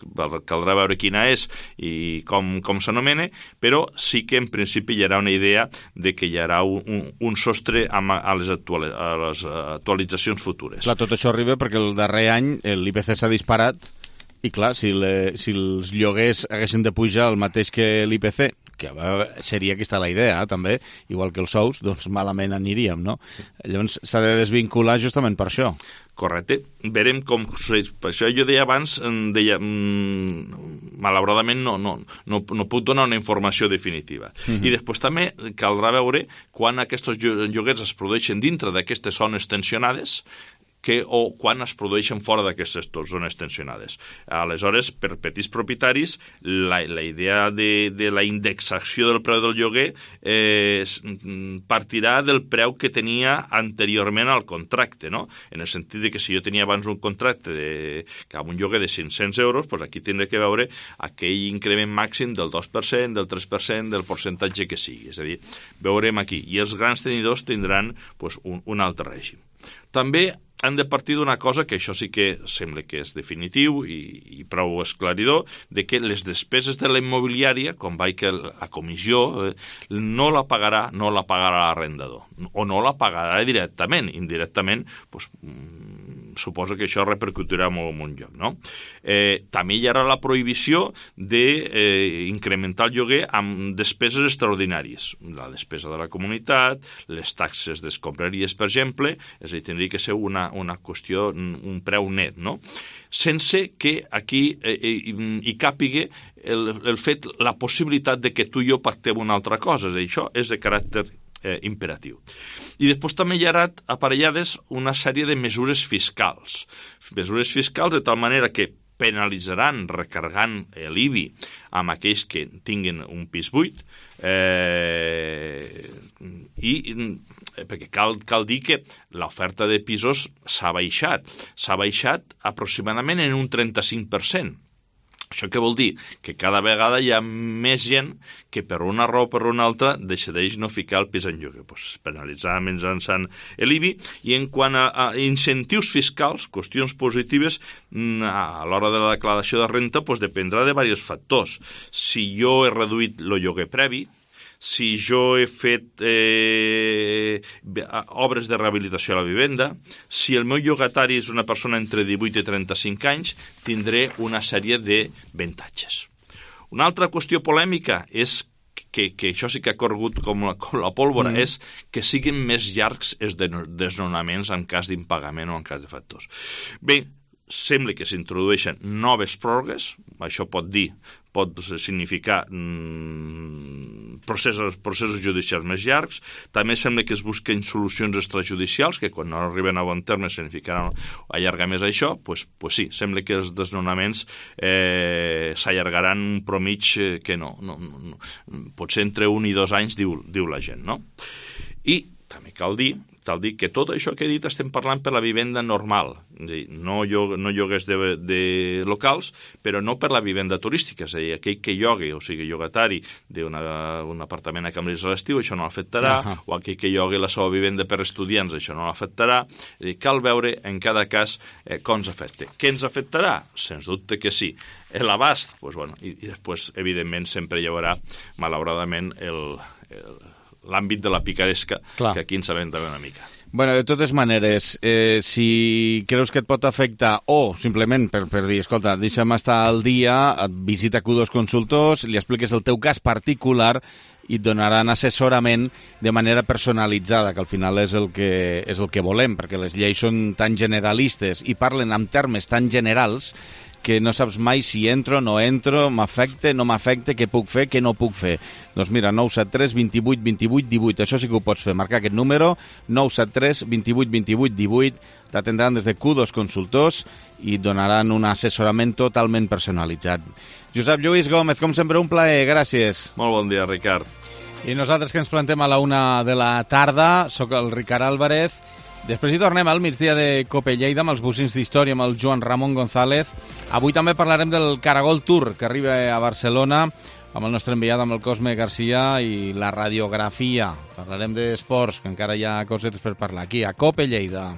Speaker 13: caldrà veure quina és i com, com s'anomena, però sí que en principi hi haurà una idea de que hi haurà un, un, un sostre amb, a, les actual, a les actualitzacions futures.
Speaker 1: Clar, tot això arriba perquè el darrer any l'I P C s'ha disparat i clar, si, le, si els lloguers haguessin de pujar el mateix que l'I P C, que seria aquesta la idea, eh, també, igual que els sous, doncs malament aniríem, no? Llavors s'ha de desvincular justament per això.
Speaker 13: Correcte. Verem com succeeix. Per això jo deia abans, deia, mmm, malauradament no, no, no, no puc donar una informació definitiva. Uh-huh. I després també caldrà veure quan aquests lloguers es produeixen dintre d'aquestes zones tensionades, que, o quan es produeixen fora d'aquestes zones tensionades. Aleshores, per petits propietaris, la, la idea de, de la indexació del preu del lloguer eh, partirà del preu que tenia anteriorment al contracte, no? En el sentit de que si jo tenia abans un contracte de, amb un lloguer de cinc-cents euros, doncs aquí tindré que veure aquell increment màxim del dos per cent, del tres per cent, del percentatge que sigui. És a dir, veurem aquí. I els grans tenidors tindran doncs, un, un altre règim. També han de partir d'una cosa que això sí que sembla que és definitiu i, i prou esclaridor, de que les despeses de la immobiliària, com va que la comissió, eh, no la pagarà no la pagarà l'arrendador, o no la pagarà directament. Indirectament, doncs, mm, suposo que això repercutirà molt en un lloc, no? Eh, també hi haurà la prohibició d'incrementar eh, el lloguer amb despeses extraordinàries. La despesa de la comunitat, les taxes d'escombraries, per exemple, és a dir, tindria que ser una una qüestió, un preu net, no? Sense que aquí eh, hi càpiga el, el fet, la possibilitat de que tu i jo pactem una altra cosa. És a dir, això és de caràcter eh, imperatiu. I després també hi haurà aparellades una sèrie de mesures fiscals. Mesures fiscals de tal manera que penalitzaran recargant l'I B I amb aquells que tinguin un pis buit, eh, i perquè cal, cal dir que l'oferta de pisos s'ha baixat. S'ha baixat aproximadament en un trenta-cinc per cent. Això què vol dir? Que cada vegada hi ha més gent que per una raó o per una altra decideix no ficar el pis en lloguer. Pues penalitzar mitjançant l'I B I. I en quant a, a incentius fiscals, qüestions positives, a l'hora de la declaració de renta, pues dependrà de diversos factors. Si jo he reduït el lloguer previ, si jo he fet eh, obres de rehabilitació a la vivenda, si el meu llogatari és una persona entre divuit i trenta-cinc anys, tindré una sèrie d'avantatges. Una altra qüestió polèmica és que, que això sí que ha corregut com la, com la pólvora, mm. és que siguin més llargs els desnonaments en cas d'impagament o en cas de factors. Bé, sembla que s'introdueixen noves pròrrogues, això pot dir, pot significar mm, processos, processos judicials més llargs. També sembla que es busquen solucions extrajudicials, que quan no arriben a bon terme significaran allargar més això. Pues, pues sí, sembla que els desnonaments eh, s'allargaran un promig que no, no, no, potser entre un i dos anys, diu, diu la gent, no? I també cal dir Cal dir que tot això que he dit estem parlant per la vivenda normal, no, llog, no lloguers de, de locals, però no per la vivenda turística, és a dir, aquell que llogui, o sigui, llogatari d'un apartament a Cambrils a l'estiu, això no l'afectarà, uh -huh. o aquell que llogui la seva vivenda per estudiants, això no l'afectarà. Cal veure en cada cas eh, com ens afecta. Què ens afectarà? Sens dubte que sí. L'abast, pues, bueno, i, i després, evidentment, sempre hi haurà, malauradament, el... el l'àmbit de la picaresca, clar, que aquí en sabem també una mica.
Speaker 1: Bueno, de totes maneres, eh, si creus que et pot afectar o simplement per, per dir, escolta, deixa'm estar al dia, et visita Q dos Consultors, li expliques el teu cas particular i et donaran assessorament de manera personalitzada, que al final és el que, és el que volem, perquè les lleis són tan generalistes i parlen en termes tan generals que no saps mai si entro, no entro, m'afecta, no m'afecta, què puc fer, què no puc fer. Doncs mira, nou set tres, vint-i-vuit, vint-i-vuit, divuit, això sí que ho pots fer, marcar aquest número, nou set tres, vint-i-vuit, vint-i-vuit, divuit, t'atendran des de Q dos Consultors i et donaran un assessorament totalment personalitzat. Josep Lluís Gómez, com sempre, un plaer, gràcies.
Speaker 13: Molt bon dia, Ricard.
Speaker 1: I nosaltres que ens plantem a la una de la tarda, sóc el Ricard Álvarez. Després hi tornem al migdia de Cope Lleida amb els bocins d'història, amb el Joan Ramon González. Avui també parlarem del Caragol Tour, que arriba a Barcelona, amb el nostre enviat, amb el Cosme Garcia, i la radiografia. Parlarem d'esports, que encara hi ha cosetes per parlar aquí, a Cope Lleida.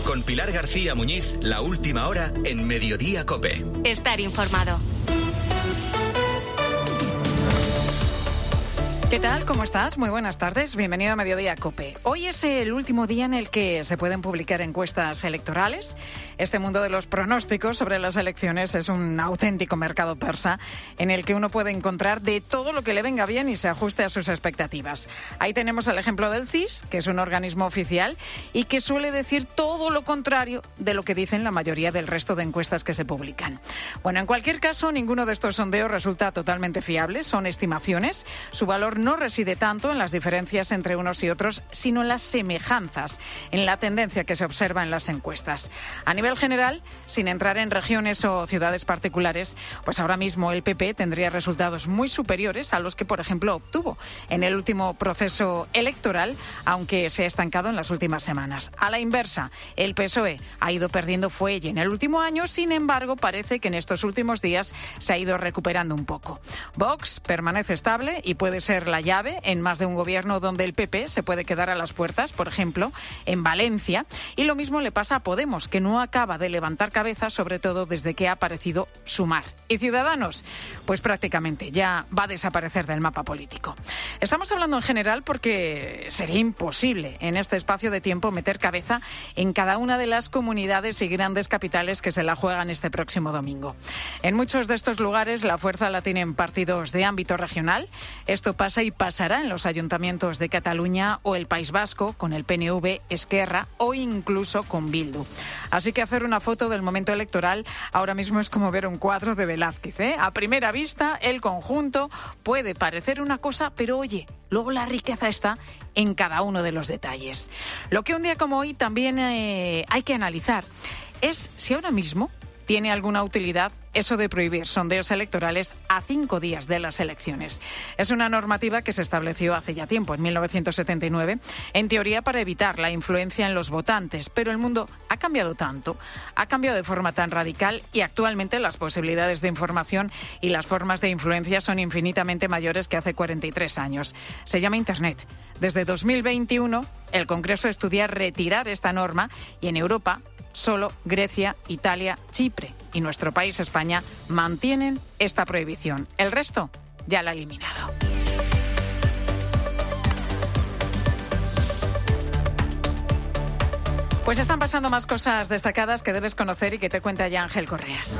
Speaker 14: Con Pilar García Muñiz, la última hora en Mediodía Cope.
Speaker 15: Estar informado. ¿Qué tal? ¿Cómo estás? Muy buenas tardes. Bienvenido a Mediodía Cope. Hoy es el último día en el que se pueden publicar encuestas electorales. Este mundo de los pronósticos sobre las elecciones es un auténtico mercado persa en el que uno puede encontrar de todo lo que le venga bien y se ajuste a sus expectativas. Ahí tenemos el ejemplo del C I S, que es un organismo oficial y que suele decir todo lo contrario de lo que dicen la mayoría del resto de encuestas que se publican. Bueno, en cualquier caso, ninguno de estos sondeos resulta totalmente fiable. Son estimaciones. Su valor no reside tanto en las diferencias entre unos y otros, sino en las semejanzas, en la tendencia que se observa en las encuestas. A nivel general, sin entrar en regiones o ciudades particulares, pues ahora mismo el P P tendría resultados muy superiores a los que, por ejemplo, obtuvo en el último proceso electoral, aunque se ha estancado en las últimas semanas. A la inversa, el P S O E ha ido perdiendo fuelle en el último año, sin embargo, parece que en estos últimos días se ha ido recuperando un poco. Vox permanece estable y puede ser la llave en más de un gobierno donde el P P se puede quedar a las puertas, por ejemplo, en Valencia. Y lo mismo le pasa a Podemos, que no acaba de levantar cabeza, sobre todo desde que ha aparecido Sumar. ¿Y Ciudadanos? Pues prácticamente ya va a desaparecer del mapa político. Estamos hablando en general porque sería imposible en este espacio de tiempo meter cabeza en cada una de las comunidades y grandes capitales que se la juegan este próximo domingo. En muchos de estos lugares la fuerza la tienen partidos de ámbito regional. Esto pasa y pasará en los ayuntamientos de Cataluña o el País Vasco, con el P N V, Esquerra o incluso con Bildu. Así que hacer una foto del momento electoral ahora mismo es como ver un cuadro de Velázquez, ¿eh? A primera vista, el conjunto puede parecer una cosa, pero oye, luego la riqueza está en cada uno de los detalles. Lo que un día como hoy también eh, hay que analizar es si ahora mismo tiene alguna utilidad eso de prohibir sondeos electorales a cinco días de las elecciones. Es una normativa que se estableció hace ya tiempo, en mil novecientos setenta y nueve, en teoría para evitar la influencia en los votantes, pero el mundo ha cambiado tanto, ha cambiado de forma tan radical y actualmente las posibilidades de información y las formas de influencia son infinitamente mayores que hace cuarenta y tres años. Se llama Internet. Desde dos mil veintiuno, el Congreso estudia retirar esta norma y en Europa solo Grecia, Italia, Chipre y nuestro país, España, mantienen esta prohibición. El resto ya la ha eliminado. Pues están pasando más cosas destacadas que debes conocer y que te cuenta ya Ángel Correas.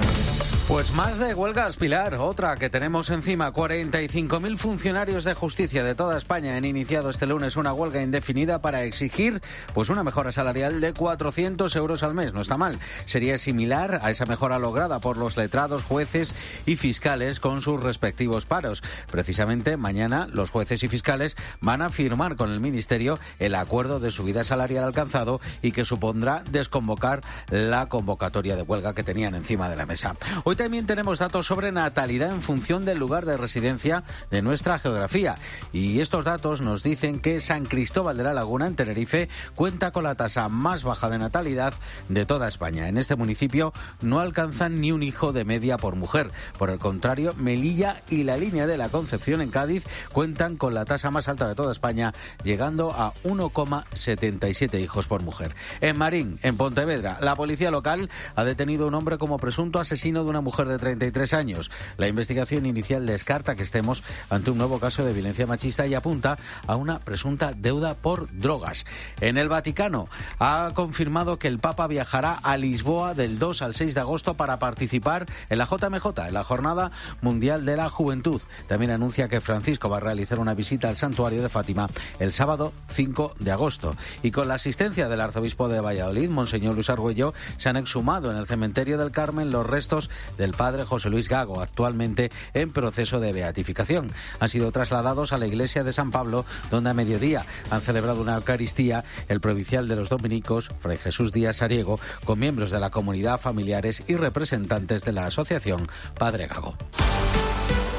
Speaker 16: Pues más de huelgas, Pilar. Otra que tenemos encima. cuarenta y cinco mil funcionarios de justicia de toda España han iniciado este lunes una huelga indefinida para exigir pues una mejora salarial de cuatrocientos euros al mes. No está mal. Sería similar a esa mejora lograda por los letrados, jueces y fiscales con sus respectivos paros. Precisamente mañana los jueces y fiscales van a firmar con el Ministerio el acuerdo de subida salarial alcanzado y que supondrá desconvocar la convocatoria de huelga que tenían encima de la mesa. Hoy también tenemos datos sobre natalidad en función del lugar de residencia de nuestra geografía. Y estos datos nos dicen que San Cristóbal de la Laguna, en Tenerife, cuenta con la tasa más baja de natalidad de toda España. En este municipio no alcanzan ni un hijo de media por mujer. Por el contrario, Melilla y la Línea de la Concepción, en Cádiz, cuentan con la tasa más alta de toda España, llegando a uno coma setenta y siete hijos por mujer. En Marín, en Pontevedra, la policía local ha detenido a un hombre como presunto asesino de una mujer de treinta y tres años. La investigación inicial descarta que estemos ante un nuevo caso de violencia machista y apunta a una presunta deuda por drogas. En el Vaticano ha confirmado que el Papa viajará a Lisboa del dos al seis de agosto para participar en la J M J, en la Jornada Mundial de la Juventud. También anuncia que Francisco va a realizar una visita al santuario de Fátima el sábado cinco de agosto. Y con la asistencia del arzobispo de Valladolid, Monseñor Luis Argüello, se han exhumado en el cementerio del Carmen los restos del padre José Luis Gago, actualmente en proceso de beatificación. Han sido trasladados a la iglesia de San Pablo, donde a mediodía han celebrado una Eucaristía el provincial de los dominicos, Fray Jesús Díaz Sariego, con miembros de la comunidad, familiares y representantes de la asociación Padre Gago.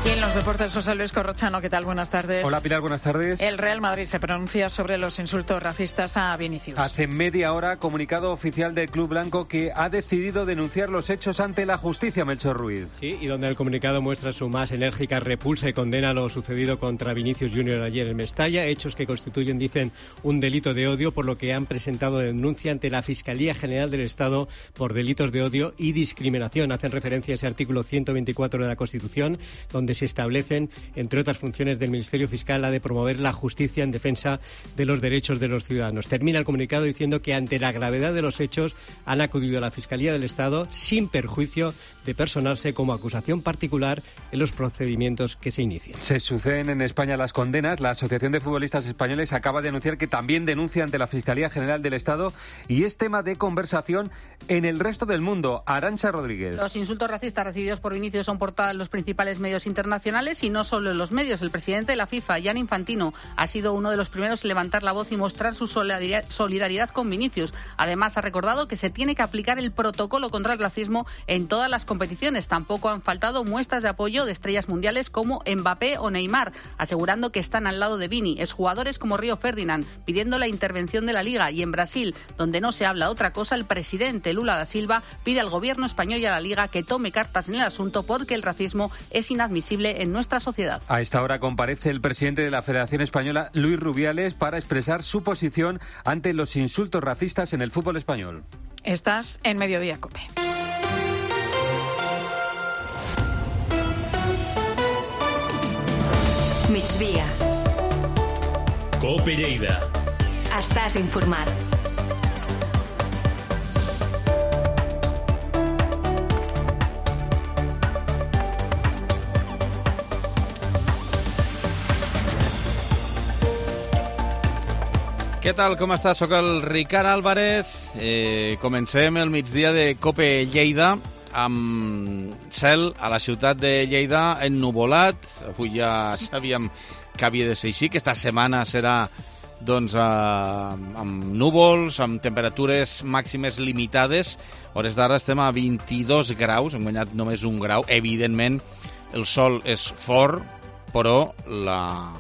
Speaker 15: Y en los deportes, José Luis Corrochano, ¿qué tal? Buenas tardes.
Speaker 17: Hola, Pilar, buenas tardes.
Speaker 15: El Real Madrid se pronuncia sobre los insultos racistas a Vinicius.
Speaker 17: Hace media hora, comunicado oficial del Club Blanco que ha decidido denunciar los hechos ante la justicia, Melchor Ruiz.
Speaker 18: Sí, y donde el comunicado muestra su más enérgica repulsa y condena lo sucedido contra Vinicius Junior ayer en Mestalla, hechos que constituyen, dicen, un delito de odio, por lo que han presentado denuncia ante la Fiscalía General del Estado por delitos de odio y discriminación. Hacen referencia a ese artículo ciento veinticuatro de la Constitución, donde se establecen, entre otras funciones del Ministerio Fiscal, la de promover la justicia en defensa de los derechos de los ciudadanos. Termina el comunicado diciendo que ante la gravedad de los hechos han acudido a la Fiscalía del Estado sin perjuicio de personarse como acusación particular en los procedimientos que se inician.
Speaker 17: Se suceden en España las condenas. La Asociación de Futbolistas Españoles acaba de anunciar que también denuncia ante la Fiscalía General del Estado y es tema de conversación en el resto del mundo. Arantxa Rodríguez.
Speaker 19: Los insultos racistas recibidos por Vinicius son portadas en los principales medios internacionales y no solo en los medios. El presidente de la FIFA, Gianni Infantino, ha sido uno de los primeros en levantar la voz y mostrar su solidaridad con Vinicius. Además, ha recordado que se tiene que aplicar el protocolo contra el racismo en todas las competiciones. Tampoco han faltado muestras de apoyo de estrellas mundiales como Mbappé o Neymar, asegurando que están al lado de Vini, exjugadores como Río Ferdinand, pidiendo la intervención de la Liga. Y en Brasil, donde no se habla otra cosa, el presidente Lula da Silva pide al gobierno español y a la Liga que tome cartas en el asunto porque el racismo es inadmisible en nuestra sociedad.
Speaker 17: A esta hora comparece el presidente de la Federación Española, Luis Rubiales, para expresar su posición ante los insultos racistas en el fútbol español.
Speaker 15: Estás en Mediodía COPE.
Speaker 20: Migdia.
Speaker 10: COPE Lleida.
Speaker 20: Estàs informat.
Speaker 1: Què tal, com estàs? Soc el Ricard Álvarez. Eh, comencem el migdia de COPE Lleida amb cel a la ciutat de Lleida ennuvolat. Avui ja sabíem que havia de ser així, que esta setmana serà doncs, eh, amb núvols, amb temperatures màximes limitades. A hores d'ara estem a vint-i-dos graus, hem guanyat només un grau. Evidentment, el sol és fort, però la,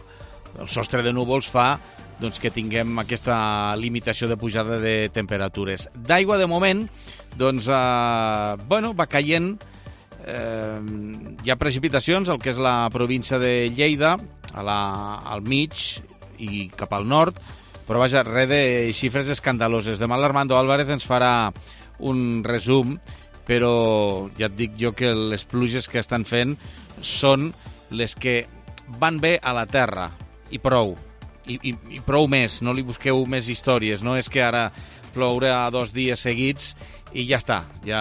Speaker 1: el sostre de núvols fa doncs, que tinguem aquesta limitació de pujada de temperatures. D'aigua, de moment, doncs, eh, bueno, va caient. Eh, hi ha precipitacions al que és la província de Lleida, a la, al mig i cap al nord, però vaja, res de xifres escandaloses. Demà l'Armando Álvarez ens farà un resum, però ja et dic jo que les pluges que estan fent són les que van bé a la terra, i prou. I, i, i prou més, no li busqueu més històries, no és que ara plourà dos dies seguits i ja està, ja,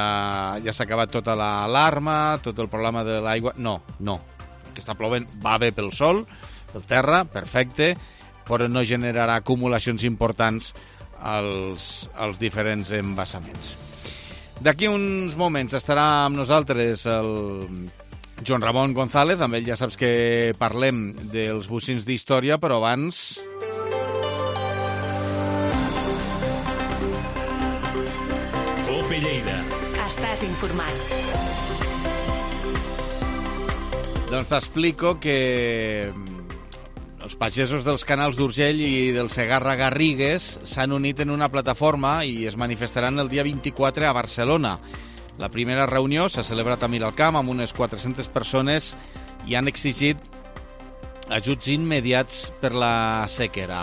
Speaker 1: ja s'ha acabat tota l'alarma, tot el problema de l'aigua. No, no, el que està plovent va bé pel sol, pel terra, perfecte, però no generarà acumulacions importants als, als diferents embassaments. D'aquí uns moments estarà amb nosaltres el Joan Ramon González, amb ell ja saps que parlem dels bocins d'història, però abans...
Speaker 20: COPE Lleida. Estàs informat.
Speaker 1: Doncs t'explico que els pagesos dels canals d'Urgell i del Segarra-Garrigues s'han unit en una plataforma i es manifestaran el dia vint-i-quatre a Barcelona. La primera reunió s'ha celebrat a Miralcamp amb unes quatre-centes persones i han exigit ajuts immediats per la sequera.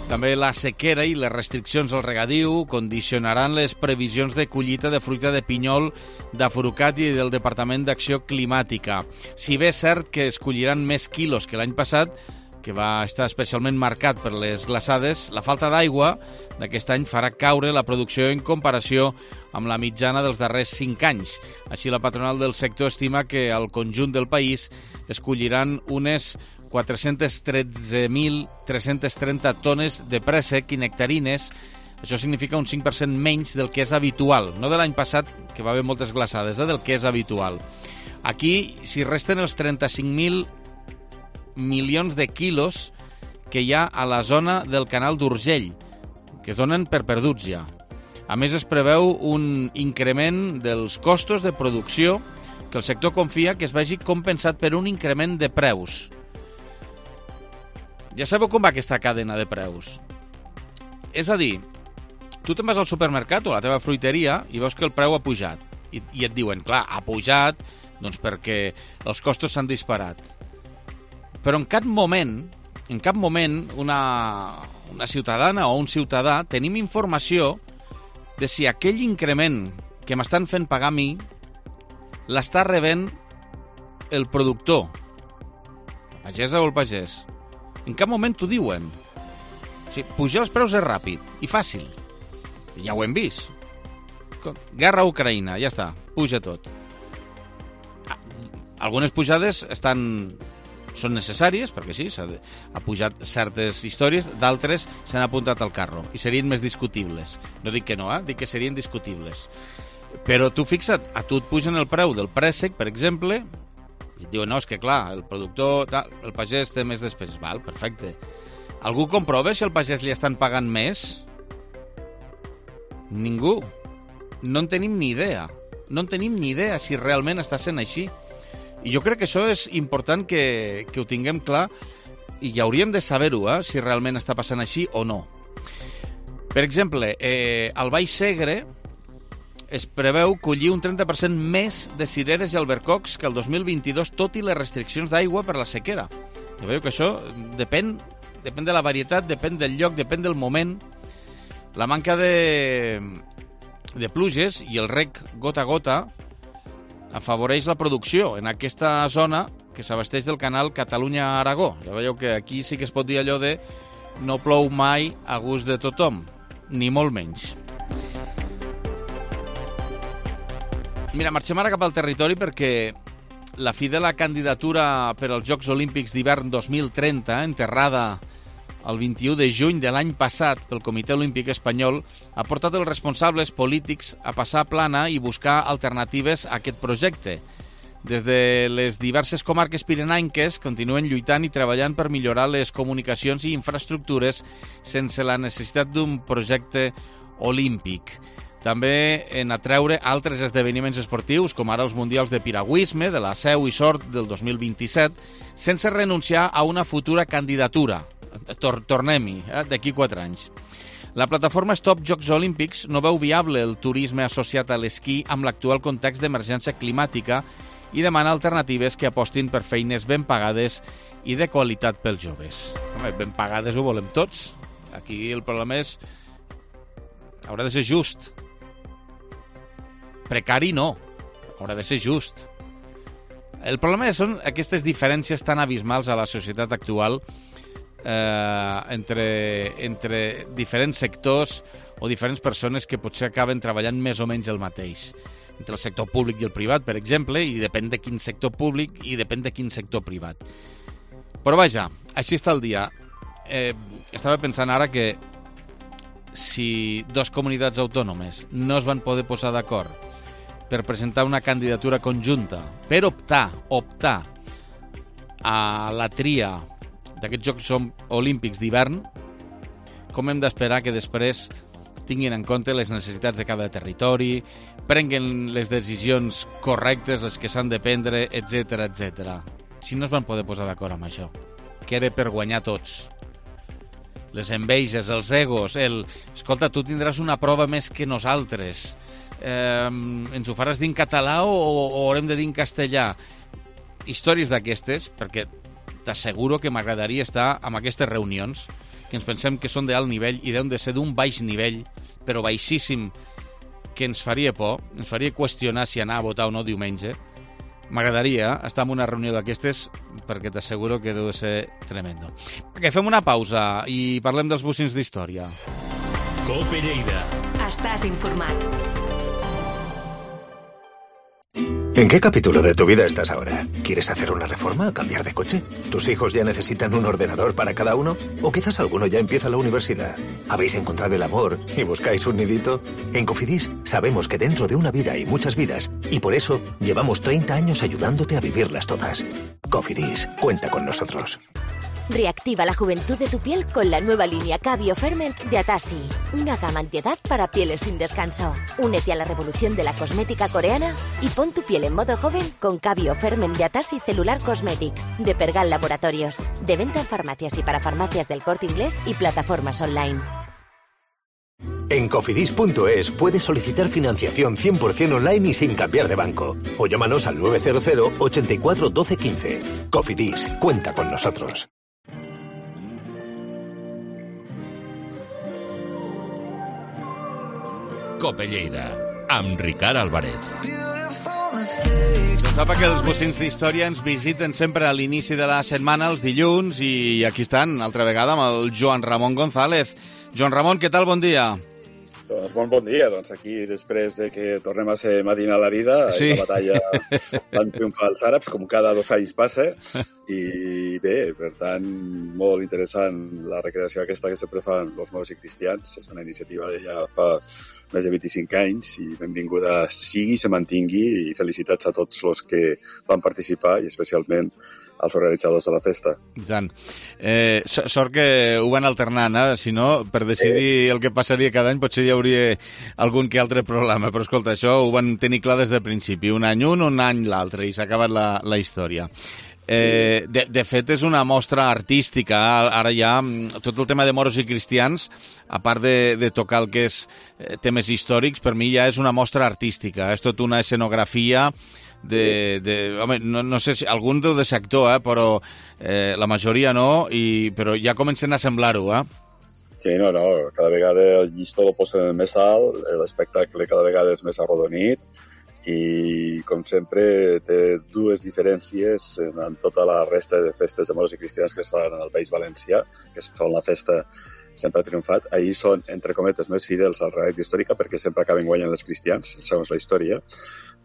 Speaker 1: També la sequera i les restriccions al regadiu condicionaran les previsions de collita de fruita de pinyol d'Afrucat i del Departament d'Acció Climàtica. Si bé és cert que es colliran més quilos que l'any passat, que va estar especialment marcat per les glaçades, la falta d'aigua d'aquest any farà caure la producció en comparació amb la mitjana dels darrers cinc anys. Així, la patronal del sector estima que al conjunt del país es colliran unes quatre-cents tretze mil tres-cents trenta tones de préssec i nectarines. Això significa un cinc per cent menys del que és habitual, no de l'any passat, que va haver moltes glaçades, eh, del que és habitual. Aquí s'hi resten els trenta-cinc mil milions de quilos que hi ha a la zona del canal d'Urgell, que es donen per perduts ja. A més, es preveu un increment dels costos de producció que el sector confia que es vegi compensat per un increment de preus. Ja sabeu com va aquesta cadena de preus. És a dir, tu te'n vas al supermercat o a la teva fruiteria i veus que el preu ha pujat. I, i et diuen, clar, ha pujat doncs perquè els costos s'han disparat. Però en cap moment, en cap moment una, una ciutadana o un ciutadà tenim informació de si aquell increment que m'estan fent pagar a mi l'està rebent el productor, la pagesa o el pagès. En cap moment t'ho diuen. O sigui, pujar els preus és ràpid i fàcil. Ja ho hem vist. Guerra a Ucraïna, ja està, puja tot. Algunes pujades estan, són necessàries, perquè sí, s'ha de, ha pujat certes històries, d'altres s'han apuntat al carro i serien més discutibles. No dic que no, eh? Dic que serien discutibles. Però tu fixa't, a tu et pugen el preu del préssec, per exemple, i et diuen, no, és que clar, el productor, el pagès té més despeses. Val, perfecte. Algú comprova si el pagès li estan pagant més? Ningú. No en tenim ni idea. No en tenim ni idea si realment està sent així. I jo crec que això és important que, que ho tinguem clar i ja hauríem de saber-ho, eh, si realment està passant així o no. Per exemple, eh, al Baix Segre es preveu collir un trenta per cent més de cireres i albercocs que el dos mil vint-i-dos, tot i les restriccions d'aigua per la sequera. Ja veieu que això depèn, depèn de la varietat, depèn del lloc, depèn del moment. La manca de, de pluges i el reg gota a gota afavoreix la producció en aquesta zona que s'abasteix del canal Catalunya-Aragó. Ja veieu que aquí sí que es pot dir allò de no plou mai a gust de tothom, ni molt menys. Mira, marxem ara cap al territori perquè la fi de la candidatura per als Jocs Olímpics d'hivern dos mil trenta, enterrada el vint-i-u de juny de l'any passat pel Comitè Olímpic Espanyol, ha portat els responsables polítics a passar plana i buscar alternatives a aquest projecte. Des de les diverses comarques pirenaiques continuen lluitant i treballant per millorar les comunicacions i infraestructures sense la necessitat d'un projecte olímpic. També en atreure altres esdeveniments esportius, com ara els Mundials de Piragüisme, de la Seu i Sort del dos mil vint-i-set, sense renunciar a una futura candidatura. Tor Tornem-hi, eh, d'aquí quatre anys. La plataforma Stop Jocs Olímpics no veu viable el turisme associat a l'esquí amb l'actual context d'emergència climàtica i demana alternatives que apostin per feines ben pagades i de qualitat pels joves. Home, ben pagades ho volem tots. Aquí el problema és... haurà de ser just. Precari no, haurà de ser just. El problema són aquestes diferències tan abismals a la societat actual eh, entre, entre diferents sectors o diferents persones que potser acaben treballant més o menys el mateix. Entre el sector públic i el privat, per exemple, i depèn de quin sector públic i depèn de quin sector privat. Però vaja, així està el dia. Eh, estava pensant ara que si dues comunitats autònomes no es van poder posar d'acord per presentar una candidatura conjunta, per optar, optar a la tria d'aquests Jocs Olímpics d'hivern, com hem d'esperar que després tinguin en compte les necessitats de cada territori, prenguen les decisions correctes, les que s'han de prendre, etcètera, etcètera. Si no es van poder posar d'acord amb això, que era per guanyar tots. Les enveges, els egos, el... Escolta, tu tindràs una prova més que nosaltres. Eh, ens ho faràs dir en català o, o haurem de dir en castellà? Històries d'aquestes, perquè t'asseguro que m'agradaria estar en aquestes reunions que ens pensem que són d'alt nivell i deuen de ser d'un baix nivell, però baixíssim, que ens faria por, ens faria qüestionar si anar a votar o no diumenge. M'agradaria estar en una reunió d'aquestes perquè t'asseguro que deu ser tremendo. Okay, fem una pausa i parlem dels bocins d'història.
Speaker 20: Cope Lleida. Estàs informat.
Speaker 21: ¿En qué capítulo de tu vida estás ahora? ¿Quieres hacer una reforma o cambiar de coche? ¿Tus hijos ya necesitan un ordenador para cada uno? ¿O quizás alguno ya empieza la universidad? ¿Habéis encontrado el amor y buscáis un nidito? En Cofidis sabemos que dentro de una vida hay muchas vidas y por eso llevamos treinta años ayudándote a vivirlas todas. Cofidis, cuenta con nosotros.
Speaker 22: Reactiva la juventud de tu piel con la nueva línea Cabio Ferment de Atasi. Una gama antiedad para pieles sin descanso. Únete a la revolución de la cosmética coreana y pon tu piel en modo joven con Cabio Ferment de Atasi Cellular Cosmetics de Pergal Laboratorios. De venta en farmacias y para farmacias del Corte Inglés y plataformas online.
Speaker 21: En cofidis punto es puedes solicitar financiación cien por ciento online y sin cambiar de banco. O llámanos al nueve cero cero, ochenta y cuatro, doce, quince. Cofidis, cuenta con nosotros.
Speaker 10: Cope Lleida, amb Ricard Álvarez.
Speaker 1: Doncs sap que els bocins d'història ens visiten sempre a l'inici de la setmana, els dilluns, i aquí estan, altra vegada, amb el Joan Ramon González. Joan Ramon, què tal? Bon dia.
Speaker 23: Doncs bon bon dia. Doncs aquí, després de que tornem a ser Medina a la vida, sí. La batalla van triomfar els àrabs, com cada dos anys passa, i bé, per tant, molt interessant la recreació aquesta que sempre fan els morts i cristians. És una iniciativa de ja fa més de vint-i-cinc anys i benvinguda sigui, se mantingui, i felicitats a tots els que van participar i especialment als organitzadors de la festa.
Speaker 1: I tant. Eh, sort que ho van alternant, eh? Si no, per decidir eh. el que passaria cada any potser hi hauria algun que altre problema, però escolta, això ho van tenir clar des del principi, un any un, un any l'altre, i s'ha acabat la, la història. Eh, de, de fet, és una mostra artística. Ara ja tot el tema de moros i cristians, a part de, de tocar el que és temes històrics, per mi ja és una mostra artística. És tot una escenografia de... de home, no, no sé si algun deu de ser actor, eh, però eh, la majoria no, i, però ja comencen a semblar-ho, eh?
Speaker 23: Sí, no, no, cada vegada el llistó el posen més alt, l'espectacle cada vegada és més arrodonit, i, com sempre, té dues diferències en tota la resta de festes de moros i cristians que es fan en el País Valencià, que són la festa sempre ha triomfat. Ahir són, entre cometes, més fidels a la realitat històrica perquè sempre acaben guanyant els cristians, segons la història,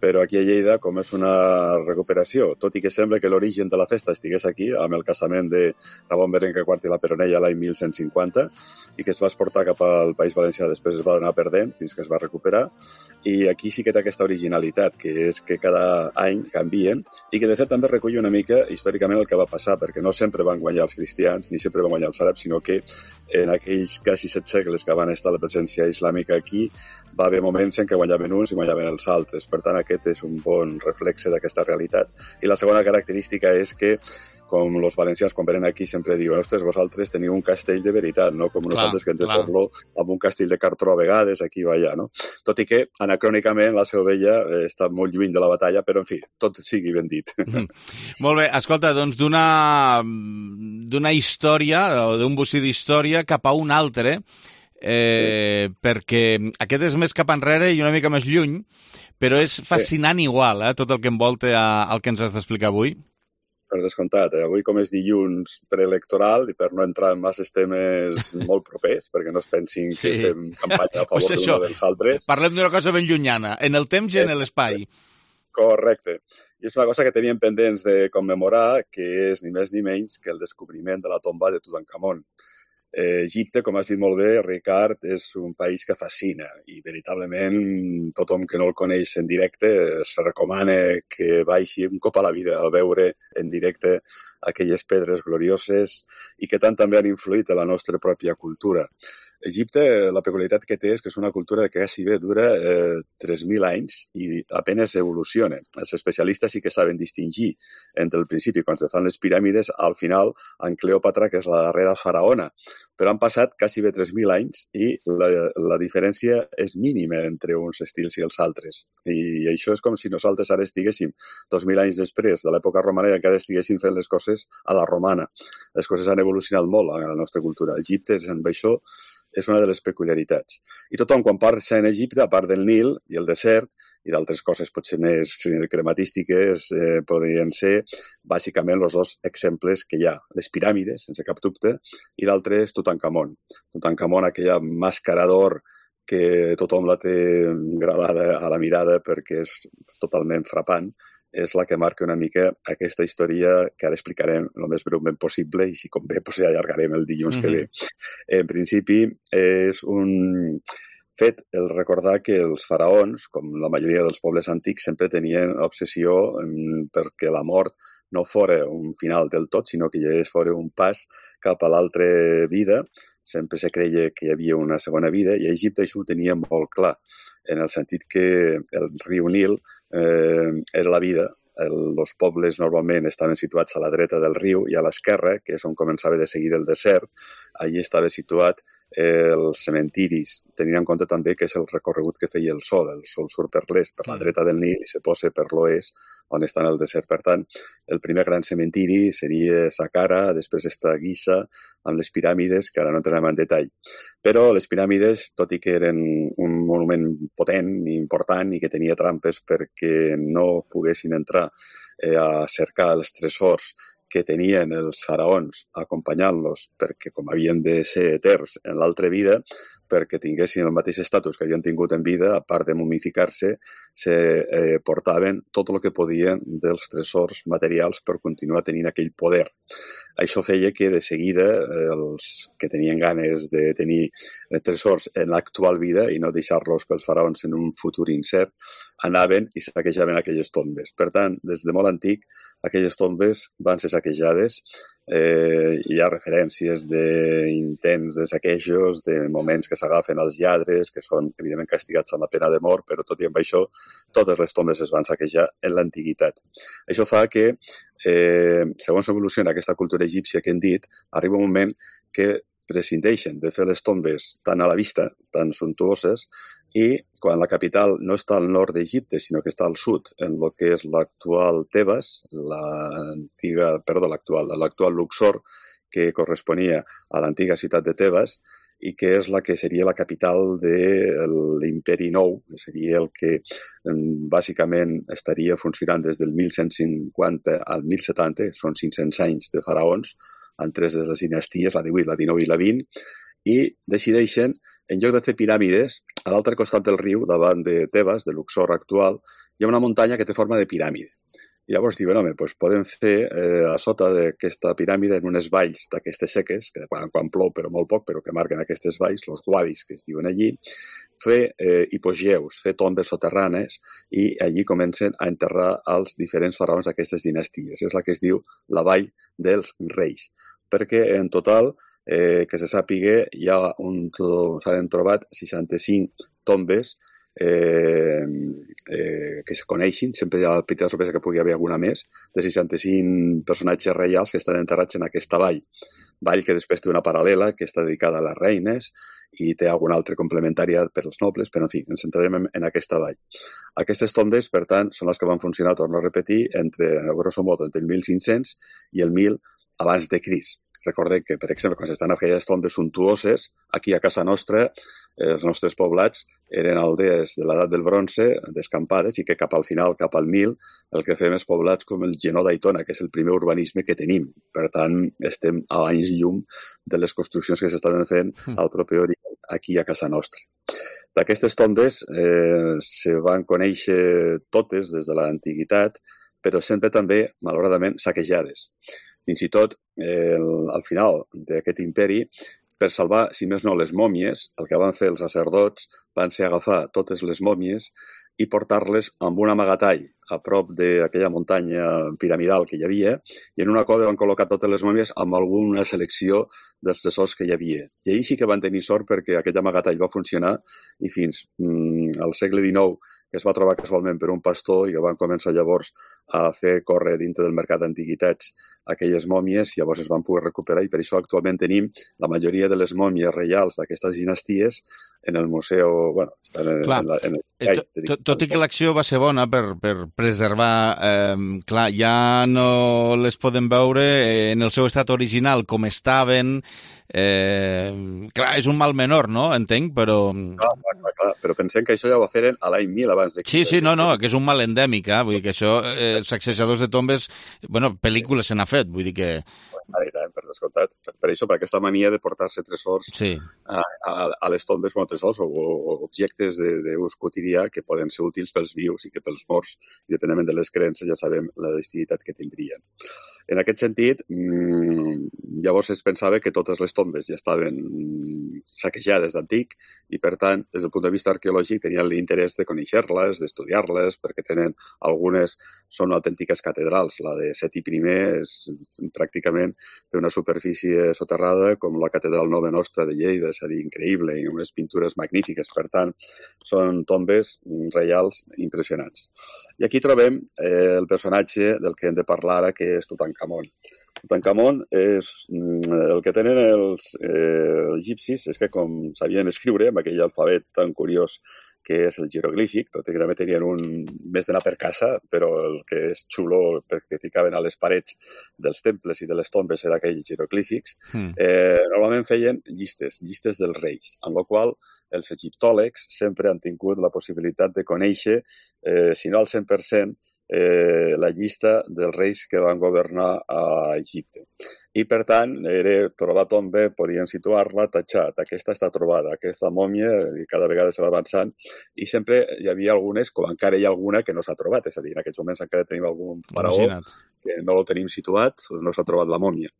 Speaker 23: però aquí a Lleida, com és una recuperació, tot i que sembla que l'origen de la festa estigués aquí, amb el casament de Ramon Berenguer quart i la Peronella l'any mil cent cinquanta, i que es va exportar cap al País Valencià, després es va anar perdent fins que es va recuperar, i aquí sí que té aquesta originalitat, que és que cada any canvien, i que de fet també recull una mica històricament el que va passar, perquè no sempre van guanyar els cristians, ni sempre van guanyar els àrabs, sinó que en aquells quasi set segles que van estar la presència islàmica aquí, va haver moments en què guanyaven uns i guanyaven els altres. Per tant, aquest és un bon reflexe d'aquesta realitat. I la segona característica és que, com els valencians quan venen aquí sempre diuen, ostres, vosaltres teniu un castell de veritat, no? Com nosaltres clar, que ens fer-lo amb un castell de cartró a vegades, aquí va allà, no? Tot i que, anacrònicament, la Seu Vella està molt lluny de la batalla, però, en fi, tot sigui ben dit.
Speaker 1: Mm. Molt bé, escolta, doncs d'una d'una història, o d'un bocí d'història, cap a un altre, eh, sí. perquè aquest és més cap enrere i una mica més lluny, però és fascinant sí. igual, eh, tot el que envolta el que ens has d'explicar avui.
Speaker 23: Per descomptat, eh? Avui com és dilluns preelectoral i per no entrar en masses temes molt propers, perquè no es pensin que sí. fem campanya a favor pues d'una dels altres.
Speaker 1: Parlem d'una cosa ben llunyana, en el temps i en l'espai.
Speaker 23: Correcte. I és una cosa que teníem pendents de commemorar, que és ni més ni menys que el descobriment de la tomba de Tutankamon. Eh, Egipte, com has dit molt bé, Ricard, és un país que fascina i veritablement tothom que no el coneix en directe es recomana que vagi un cop a la vida a veure en directe aquelles pedres glorioses i que tant també han influït en la nostra pròpia cultura. Egipte, la peculiaritat que té és que és una cultura que quasi bé dura eh, tres mil anys i apenas evoluciona. Els especialistes sí que saben distingir entre el principi, quan se fan les piràmides, al final, en Cleòpatra, que és la darrera faraona. Però han passat quasi bé tres mil anys i la, la diferència és mínima entre uns estils i els altres. I això és com si nosaltres ara estiguéssim dos mil anys després de l'època romana i encara estiguéssim fent les coses a la romana. Les coses han evolucionat molt en la nostra cultura. Egipte, amb això, és una de les peculiaritats. I tothom, quan parla en Egipte, a part del Nil i el desert, i d'altres coses potser més crematístiques, eh, podrien ser bàsicament els dos exemples que hi ha. Les piràmides, sense cap dubte, i l'altre és Tutankamon. Tutankamon, aquella màscara d'or que tothom la té gravada a la mirada perquè és totalment frapant, és la que marca una mica aquesta història que ara explicarem el més breument possible i si convé pues, ja allargarem el dilluns mm-hmm. que ve. En principi és un fet el recordar que els faraons, com la majoria dels pobles antics, sempre tenien obsessió perquè la mort no fora un final del tot, sinó que ja fora un pas cap a l'altra vida. Sempre se creia que hi havia una segona vida i a Egipte això ho tenia molt clar, en el sentit que el riu Nil eh, era la vida. Els pobles normalment estaven situats a la dreta del riu i a l'esquerra, que és on començava de seguida el desert, allí estava situat els cementiris, tenint en compte també que és el recorregut que feia el sol. El sol surt per l'est, per la dreta del Nil, i se posa per l'oest, on està el desert. Per tant, el primer gran cementiri seria Saqqara, després està Giza, amb les piràmides, que ara no entrem en detall. Però les piràmides, tot i que eren un monument potent i important i que tenia trampes perquè no poguessin entrar eh, a cercar els tresors que tenien els faraons acompanyant-los perquè com havien de ser eterns en l'altra vida, perquè tinguessin el mateix estatus que havien tingut en vida, a part de mumificar-se, se eh, portaven tot el que podien dels tresors materials per continuar tenint aquell poder. Això feia que de seguida eh, els que tenien ganes de tenir tresors en l'actual vida i no deixar-los pels faraons en un futur incert, anaven i saquejaven aquelles tombes. Per tant, des de molt antic, aquelles tombes van ser saquejades. Eh, hi ha referències d'intents de saquejos, de moments que s'agafen als lladres, que són evidentment castigats amb la pena de mort, però tot i amb això, totes les tombes es van saquejar en l'antiguitat. Això fa que, eh, segons evoluciona aquesta cultura egípcia que hem dit, arriba un moment que prescindeixen de fer les tombes tan a la vista, tan suntuoses, i quan la capital no està al nord d'Egipte, sinó que està al sud, en el que és l'actual Tebes, l'antiga, perdó, l'actual, l'actual Luxor, que corresponia a l'antiga ciutat de Tebes, i que és la que seria la capital de l'imperi nou, que seria el que bàsicament estaria funcionant des del mil cent cinquanta al mil setanta, són cinc-cents anys de faraons, en tres de les dinasties, la divuit, la dinou i la vint, i decideixen, en lloc de fer piràmides, a l'altre costat del riu, davant de Tebes, de Luxor actual, hi ha una muntanya que té forma de piràmide. I llavors diuen, home, doncs podem fer eh, a sota d'aquesta piràmide, en unes valls d'aquestes seques, que quan, quan plou però molt poc, però que marquen aquestes valls, els guadis que es diuen allí, fer eh, hipogeus, fer tombes soterranes, i allí comencen a enterrar els diferents faraons d'aquestes dinasties. És la que es diu la Vall dels Reis, perquè en total, eh, que se sàpiga, hi ha un, s'han trobat seixanta-cinc tombes Eh, eh, que es coneixin, sempre hi ha la petita sorpresa que pugui haver alguna més, de seixanta-cinc personatges reials que estan enterrats en aquesta vall. Vall que després té una paral·lela que està dedicada a les reines i té alguna altra complementària per als nobles, però en fi, ens centrarem en, en aquesta vall. Aquestes tombes, per tant, són les que van funcionar, torno a repetir, entre, grosso modo, entre el mil cinc-cents i el mil abans de Crist. Recordem que, per exemple, quan s'estan aquelles tombes suntuoses, aquí a casa nostra, els nostres poblats eren aldees de l'edat del bronze, descampades, i que cap al final, cap al mil, el que fem és poblats com el Genó d'Aitona, que és el primer urbanisme que tenim. Per tant, estem a anys llum de les construccions que s'estaven fent al proper Orient, aquí a casa nostra. D'aquestes tombes eh, se van conèixer totes des de l'antiguitat, però sempre també, malauradament, saquejades. Fins i tot, eh, al final d'aquest imperi, per salvar, si més no, les mòmies, el que van fer els sacerdots van ser agafar totes les mòmies i portar-les amb un amagatall a prop d'aquella muntanya piramidal que hi havia, i en una cova van col·locar totes les mòmies amb alguna selecció dels tresors que hi havia. I ahir sí que van tenir sort perquè aquell amagatall va funcionar i fins mm, al segle dinou, que es va trobar casualment per un pastor i que van començar llavors a fer córrer dintre del mercat d'antiguitats aquelles mòmies, llavors es van poder recuperar i per això actualment tenim la majoria de les mòmies reials d'aquestes dinasties en el museu, bueno, estan en,
Speaker 1: clar,
Speaker 23: en, la, en el...
Speaker 1: Tot, tot, tot i que l'acció va ser bona per, per preservar, eh, clar, ja no les podem veure en el seu estat original com estaven, eh, clar, és un mal menor, no? Entenc, però...
Speaker 23: Clar, clar, clar, però pensem que això ja ho feren a l'any mil abans de...
Speaker 1: Sí, sí, no, no, que és un mal endèmic, eh? Vull dir que això, eh, els sacsejadors de tombes, bueno, pel·lícules se n'ha fet, vull dir que...
Speaker 23: Per descomptat. Per, per això, per aquesta mania de portar-se tresors
Speaker 1: sí.
Speaker 23: a, a, a les tombes, bueno, tresors o, o objectes d'ús quotidià que poden ser útils pels vius i que pels morts, i depenent de les creences, ja sabem la destinitat que tindrien. En aquest sentit, mmm, llavors es pensava que totes les tombes ja estaven saquejades d'antic i, per tant, des del punt de vista arqueològic, tenien l'interès de conèixer-les, d'estudiar-les, perquè tenen algunes són autèntiques catedrals. La de Seti primer és pràcticament té una superfície soterrada com la catedral Nova Nostra de Lleida, és a dir, increïble, i unes pintures magnífiques. Per tant, són tombes reials impressionants. I aquí trobem eh, el personatge del que hem de parlar ara, que és Tutankamon. Tutankamon és el que tenen els eh, egipcis, és que com sabien escriure amb aquell alfabet tan curiós que és el jeroglífic, tot i que també tenien un més d'anar per casa, però el que és xulo perquè ficaven a les parets dels temples i de les tombes era aquells jeroglífics, mm. eh, normalment feien llistes, llistes dels reis, amb la qual els egiptòlegs sempre han tingut la possibilitat de conèixer, eh, si no al cent per cent, eh, la llista dels reis que van governar a Egipte. I, per tant, era trobar tomba, podien situar-la, tatxat, aquesta està trobada, aquesta mòmia, i cada vegada se va avançant, i sempre hi havia algunes, com encara hi ha alguna que no s'ha trobat, és a dir, en aquests moments encara tenim algun faraó que no el tenim situat, no s'ha trobat la mòmia.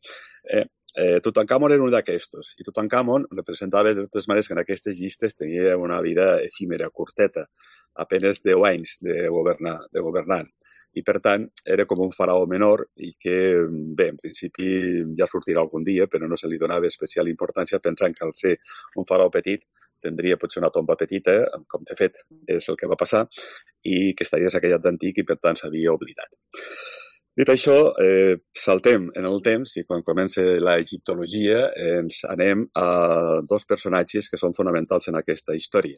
Speaker 23: Eh, eh, Tutankamon era un d'aquestos, i Tutankamon representava de totes maneres que en aquestes llistes tenia una vida efímera, curteta, apenes deu anys de governar, de governant. I, per tant, era com un faraó menor i que, bé, en principi ja sortirà algun dia, però no se li donava especial importància pensant que al ser un faraó petit tindria potser una tomba petita, com de fet és el que va passar, i que estaria saquejat d'antic i, per tant, s'havia oblidat. Dit això, eh, saltem en el temps i quan comença la egiptologia ens anem a dos personatges que són fonamentals en aquesta història.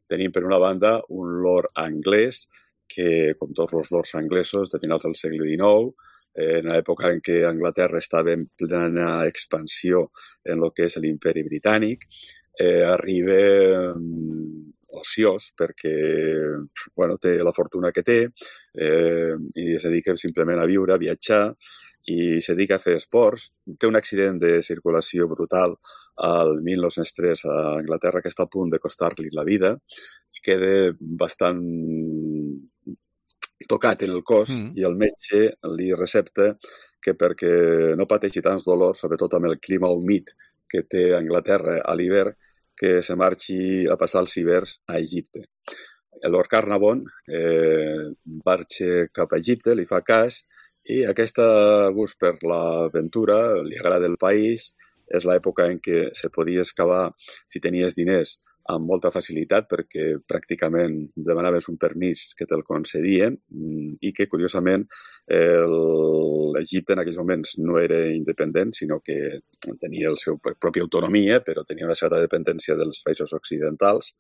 Speaker 23: Tenim, per una banda, un lord anglès que, com tots els lords anglesos de finals del segle dinou, en l'època en què Anglaterra estava en plena expansió en el que és l'imperi britànic, eh, arriba eh, ociós perquè bueno, té la fortuna que té eh, i es dedica simplement a viure, a viatjar i se dedica a fer esports. Té un accident de circulació brutal al mil nou-cents tres a Anglaterra que està a punt de costar-li la vida. Queda bastant tocat en el cos mm. i el metge li recepta que perquè no pateixi tants dolors, sobretot amb el clima humit que té Anglaterra a l'hivern, que se marxi a passar els hiverns a Egipte. El Lord Carnarvon eh, marxa cap a Egipte, li fa cas, i aquest gust per l'aventura, li agrada el país, és l'època en què se podia excavar, si tenies diners, amb molta facilitat perquè pràcticament demanaves un permís que te'l concedien i que, curiosament, l'Egipte en aquells moments no era independent, sinó que tenia la seva pròpia autonomia, però tenia una certa dependència dels països occidentals,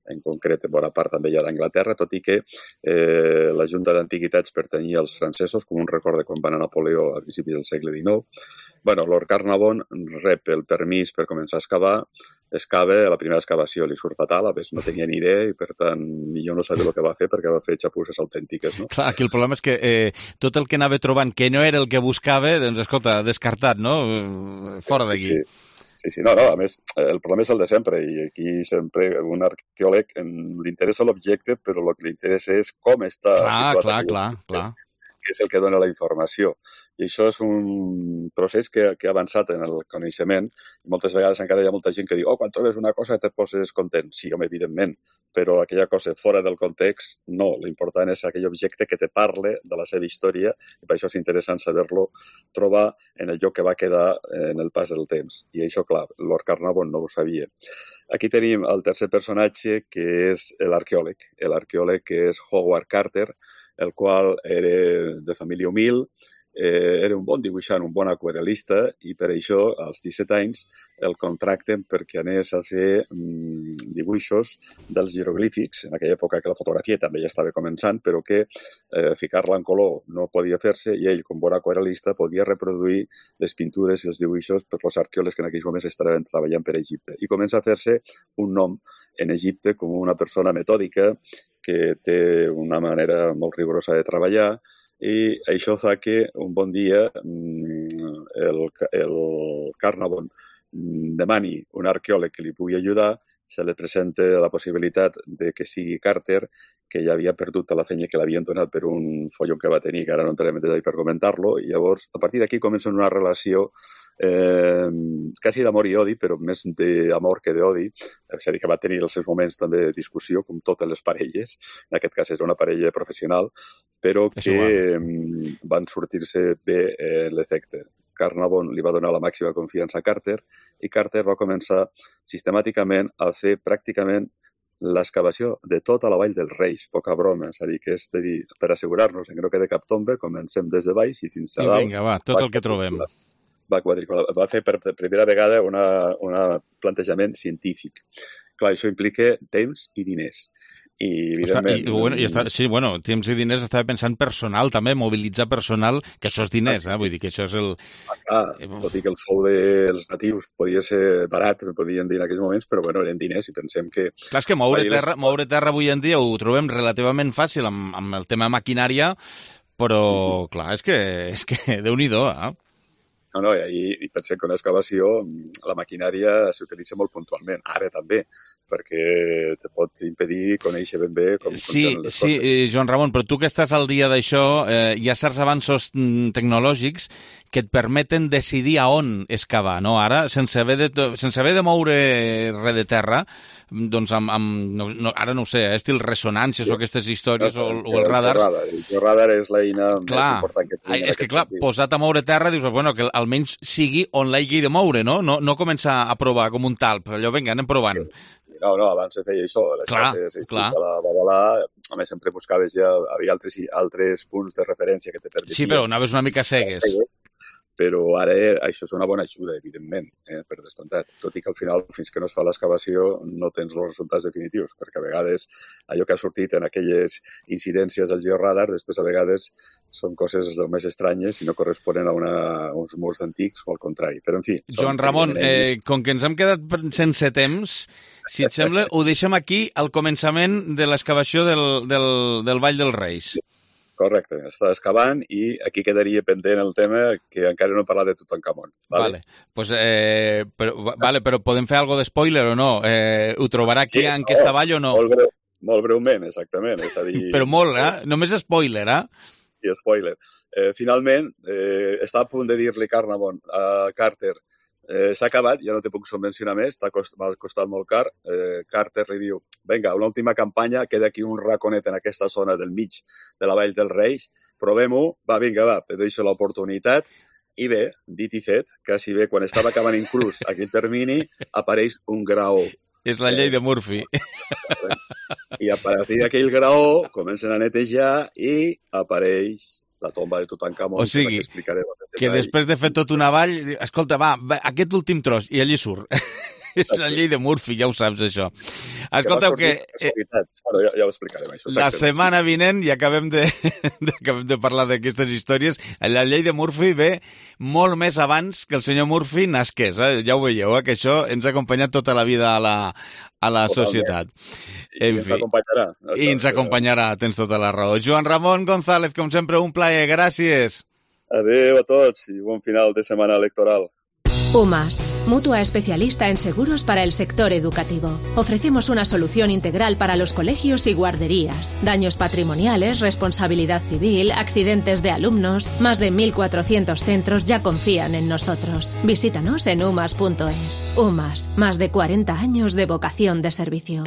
Speaker 23: en concret, bona part també hi ha d'Anglaterra, tot i que eh, la Junta d'Antiguitats pertanyia als francesos, com un record de quan va anar Napoleó a principis del segle dinou. Bueno, Lord Carnarvon rep el permís per començar a excavar, excava, la primera excavació li surt fatal, a més no tenia ni idea i per tant millor no sabia el que va fer perquè va fer xapusses autèntiques, no?
Speaker 1: Clar, aquí el problema és que eh, tot el que anava trobant que no era el que buscava, doncs escolta, descartat, no? Fora d'aquí.
Speaker 23: Sí, sí. Sí, sí, no, no, a més, el problema és el de sempre i aquí sempre un arqueòleg li interessa l'objecte però el que li interessa és com està
Speaker 1: clar,
Speaker 23: situat.
Speaker 1: Clar, clar, clar.
Speaker 23: Que és el que dona la informació. I això és un procés que, que ha avançat en el coneixement i moltes vegades encara hi ha molta gent que diu oh, quan trobes una cosa te poses content. Sí, home, evidentment, però aquella cosa fora del context, no. L'important és aquell objecte que te parle de la seva història i per això és interessant saber-lo trobar en el lloc que va quedar en el pas del temps. I això, clar, Lord Carnarvon no ho sabia. Aquí tenim el tercer personatge, que és l'arqueòleg. L'arqueòleg que és Howard Carter, el qual era de família humil, Eh, era un bon dibuixant, un bon aquarel·lista i per això als disset anys el contracten perquè anés a fer mm, dibuixos dels jeroglífics, en aquella època que la fotografia també ja estava començant, però que eh, ficar-la en color no podia fer-se i ell, com bon aquarel·lista, podia reproduir les pintures i els dibuixos per els arqueòlegs que en aquells moments estaven treballant per Egipte. I comença a fer-se un nom en Egipte com una persona metòdica que té una manera molt rigorosa de treballar i això fa que un bon dia el, el Carnarvon demani un arqueòleg que li pugui ajudar, se li presenta la possibilitat de que sigui Carter, que ja havia perdut la feina que l'havien donat per un follon que va tenir, que ara no entrarem en detall per comentar-lo, i llavors a partir d'aquí comença una relació eh, quasi d'amor i odi, però més d'amor que d'odi, és a dir, que va tenir els seus moments també de discussió, com totes les parelles, en aquest cas és una parella professional, però que eh, van sortir-se bé eh, l'efecte. Carnarvon li va donar la màxima confiança a Carter i Carter va començar sistemàticament a fer pràcticament l'excavació de tota la vall dels Reis, poca broma, és a dir, que és de dir, per assegurar-nos que no quede cap tomba, comencem des de baix i fins a dalt.
Speaker 1: I vinga, va, tot el que trobem.
Speaker 23: Va quadricular. Va fer per primera vegada un plantejament científic. Clar, això implica temps i diners. I, evidentment...
Speaker 1: I, bueno, i està, sí, bueno, temps i diners, estava pensant personal, també, mobilitzar personal, que això és diners, ah, sí. eh? Vull dir que això és el...
Speaker 23: Ah, clar, tot i que el sou dels natius podia ser barat, podien dir en aquells moments, però bueno, eren diners i pensem que...
Speaker 1: Clar, és que moure terra, les... moure terra avui en dia ho trobem relativament fàcil amb, amb el tema maquinària, però, mm-hmm. clar, és que, és que Déu-n'hi-do, eh?
Speaker 23: No, no, i, i pensem que una excavació, la maquinària s'utilitza molt puntualment, ara també, perquè te pot impedir conèixer ben bé com
Speaker 1: sí,
Speaker 23: funcionen les
Speaker 1: sí,
Speaker 23: coses.
Speaker 1: Sí, Joan Ramon, però tu que estàs al dia d'això, eh, hi ha certs avanços tecnològics que et permeten decidir a on excavar, no? Ara, sense haver de, sense haver de moure res de terra, doncs amb, amb no, no, ara no ho sé, eh, estil ressonàncies sí. o aquestes històries no, o, o els radars.
Speaker 23: El georradar és l'eina més important que tenim.
Speaker 1: És que clar, sentit. Posat a moure terra, dius, bueno, que almenys sigui on l'hagi de moure, no? No, no començar a provar com un talp, allò, vinga, anem provant.
Speaker 23: Sí. No, no, abans se feia això. Les
Speaker 1: clar,
Speaker 23: cartes,
Speaker 1: clar.
Speaker 23: La Babalà, a més, sempre buscaves ja, havia altres, altres punts de referència que te permetien.
Speaker 1: Sí, però anaves una mica cegues. cegues.
Speaker 23: Però ara això és una bona ajuda, evidentment, eh, per descomptat. Tot i que al final, fins que no es fa l'excavació, no tens els resultats definitius, perquè a vegades allò que ha sortit en aquelles incidències al georradar, després a vegades són coses del més estranyes i no corresponen a, una, a uns murs antics o al contrari. Però, en fi...
Speaker 1: Joan Ramon, eh, com que ens hem quedat sense temps, si et sembla, ho deixem aquí al començament de l'excavació del, del, del Vall dels Reis.
Speaker 23: Sí. Correcte, està excavant i aquí quedaria pendent el tema que encara no hem parlat de Tutankamon.
Speaker 1: Vale, vale. Pues, eh, però, vale, però podem fer alguna de spoiler o no? Eh, ho trobarà aquí sí, en aquesta no, vall o no?
Speaker 23: Molt, breu, molt breument, exactament. És a dir...
Speaker 1: Però molt, eh? Només spoiler, eh?
Speaker 23: Sí, spoiler. Eh, finalment, eh, està a punt de dir-li Carnarvon a Carter Eh, s'ha acabat, ja no te puc subvencionar més, m'ha costat molt car. Eh, Carter li diu, vinga, una última campanya, queda aquí un raconet en aquesta zona del mig de la Vall dels Reis, provem-ho, va, vinga, va, te deixo l'oportunitat. I bé, dit i fet, quasi bé, quan estava acabant inclús aquell termini, apareix un graó.
Speaker 1: És la llei de Murphy.
Speaker 23: I a partir d'aquell graó comencen a netejar i apareix la tomba de Tutankamon.
Speaker 1: O sigui, que, que després de fer tot una vall, escolta, va, va aquest últim tros, i allí surt. És la llei de Murphy, ja ho saps, això. Escolteu que...
Speaker 23: que bueno, ja, ja ho explicarem, això.
Speaker 1: La setmana vinent, i acabem de, de, acabem de parlar d'aquestes històries, la llei de Murphy ve molt més abans que el senyor Murphy nasqués. Eh? Ja ho veieu, eh? Que això ens ha acompanyat tota la vida a la, a la societat.
Speaker 23: I en ens fi. acompanyarà.
Speaker 1: I ens acompanyarà, tens tota la raó. Joan Ramon González, com sempre, un plaer. Gràcies.
Speaker 23: Adéu a tots i bon final de setmana electoral.
Speaker 3: UMAS, mutua especialista en seguros para el sector educativo. Ofrecemos una solución integral para los colegios y guarderías. Daños patrimoniales, responsabilidad civil, accidentes de alumnos. Más de mil cuatrocientos centros ya confían en nosotros. Visítanos en umas punto es. UMAS, más de cuarenta años de vocación de servicio.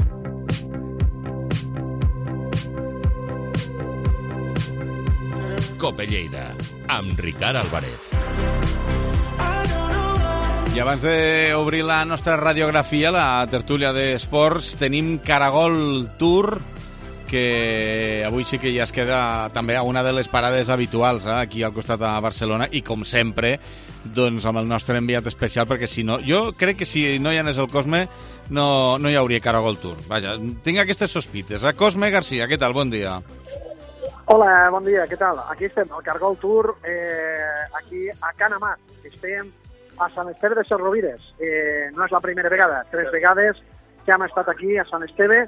Speaker 10: Cope Lleida, amb Ricard Álvarez.
Speaker 1: I abans d'obrir la nostra radiografia, la tertúlia d'esports, tenim Caragol Tour, que avui sí que ja es queda també a una de les parades habituals, eh, aquí al costat de Barcelona, i com sempre, doncs amb el nostre enviat especial, perquè si no, jo crec que si no hi anés el Cosme, no, no hi hauria Caragol Tour. Vaja, tinc aquestes sospites. Eh? Cosme García, què tal? Bon dia.
Speaker 4: Hola, bon dia, què tal? Aquí estem, al Caragol Tour, eh, aquí a Can Amat. Estem a Sant Esteve de ses Rovires. Eh, no és la primera vegada, tres vegades que hem estat aquí a Sant Esteve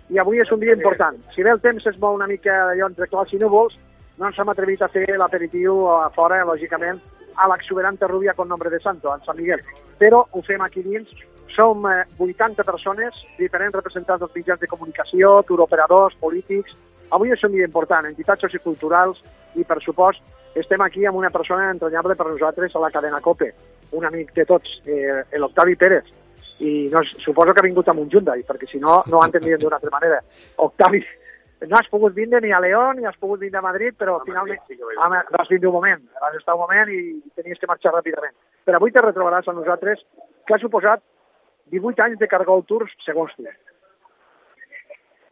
Speaker 4: i avui és un dia important. Si bé el temps es mou una mica d'allò entre clars i núvols, no ens hem atrevit a fer l'aperitiu a fora, lògicament, a l'exuberante rubia con nombre de santo, en Sant Miguel. Però ho fem aquí dins. Som eh, vuitanta persones, diferents representants dels mitjans de comunicació, turoperadors, polítics. Avui és un dia important, entitats socioculturals i, per supost, estem aquí amb una persona entranyable per nosaltres a la cadena COPE, un amic de tots, eh, l'Octavi Pérez. I no, suposo que ha vingut amb un Hyundai, perquè si no, no ho entendrien d'una altra manera. Octavi, no has pogut vindre ni a León, ni has pogut vindre a Madrid, però finalment ah, vas vindre un moment, vas estar un moment i tenies que marxar ràpidament. Però avui te retrobaràs amb nosaltres, que ha suposat divuit anys de Caragol Tours, segons tu.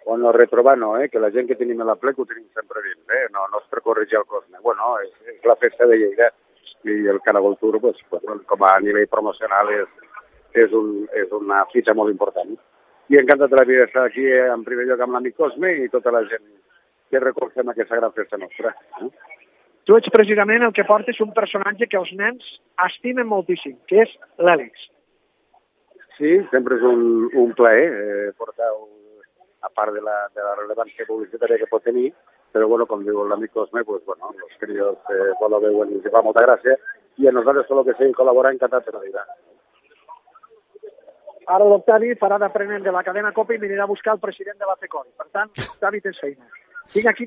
Speaker 5: Bueno, retrobar no, eh? Que la gent que tenim a la plec ho tenim sempre dins, eh? No, no és per corregir el Cosme. Bueno, és, és la festa de Lleida i el Caragol Tour, pues, pues, com a nivell promocional, és, és, un, és una fitxa molt important. I encantat de la vida estar aquí, eh, en primer lloc amb l'amic Cosme i tota la gent que recolzem aquesta gran festa nostra. Eh?
Speaker 4: Tu ets precisament el que portes un personatge que els nens estimen moltíssim, que és l'Àlex.
Speaker 5: Sí, sempre és un, un plaer eh, portar, a part de la, de la rellevància publicitària que pot tenir, però, bueno, com diu l'amic Cosme, pues, bueno, els críos eh, quan ho veuen i els fa molta gràcia, i a nosaltres tot el que sigui col·laborar encantat de la vida.
Speaker 4: Ara l'Octavi farà d'aprenent de la cadena COPE i m'anirà a buscar el president de la FECOI. Per tant, Octavi, tens feina. Tinc aquí,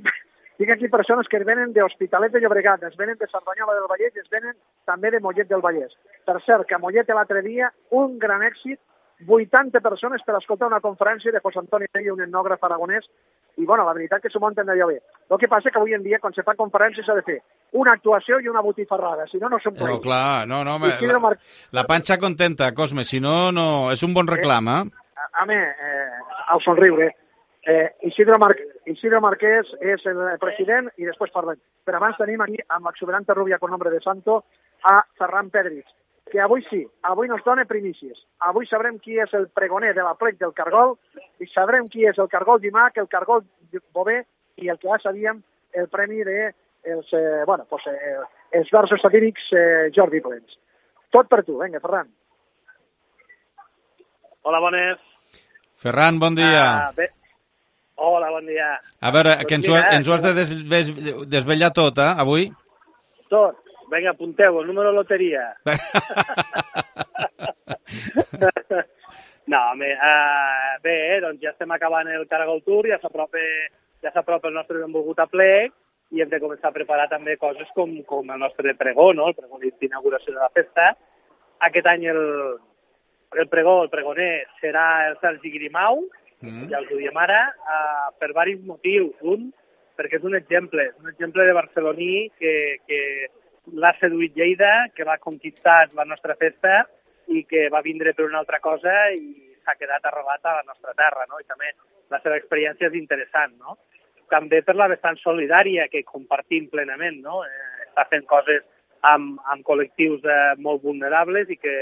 Speaker 4: tinc aquí persones que es venen d'Hospitalet de Llobregat, es venen de Cerdanyola del Vallès i es venen també de Mollet del Vallès. Per cert, que a Mollet l'altre dia, un gran èxit, vuitanta persones per escoltar una conferència de José Antonio Tello, un etnògraf aragonès, i, bueno, la veritat que s'ho munten d'allò bé. El que passa que avui en dia, quan se fa conferència, s'ha de fer una actuació i una botifarrada, si no, no són plens.
Speaker 1: No, clar, no, no, me, la, Mar... la panxa contenta, Cosme, si no, no, és un bon reclam, eh?
Speaker 4: eh a mi, eh, al somriure, eh, Isidro, Mar... Isidro Marquès és el president i després parlem. Però abans tenim aquí, amb l'exuberante rubia con nombre de santo, a Ferran Pedrich, que avui sí, avui nos dona primícies. Avui sabrem qui és el pregoner de la plec del Cargol i sabrem qui és el Cargol d'Imac, el Cargol Bové i el que ja sabíem, el premi de els, eh, bueno, pues, eh, els versos satírics eh, Jordi Plens. Tot per tu, vinga, Ferran.
Speaker 24: Hola, bones.
Speaker 1: Ferran, bon dia.
Speaker 24: Uh, Hola, bon dia.
Speaker 1: A veure, que ens ho, ens ho has de des, des, desvetllar tot, eh, avui?
Speaker 24: Tot. Vinga, apunteu, el número de loteria. No, home, uh, bé, doncs ja estem acabant el Caragol Tour, ja s'apropa ja s'apropa el nostre benvolgut aplec i hem de començar a preparar també coses com, com el nostre pregó, no? El pregó d'inauguració de la festa. Aquest any el, el pregó, el pregoner, serà el Sergi Grimau, mm. ja us ho diem ara, uh, per diversos motius. Un, perquè és un exemple, un exemple de barceloní que, que l'ha seduït Lleida, que l'ha conquistat la nostra festa i que va vindre per una altra cosa i s'ha quedat arrelat a la nostra terra, no? I també la seva experiència és interessant, no? També per la vessant solidària que compartim plenament, no? Eh, està fent coses amb, amb col·lectius eh, molt vulnerables i que,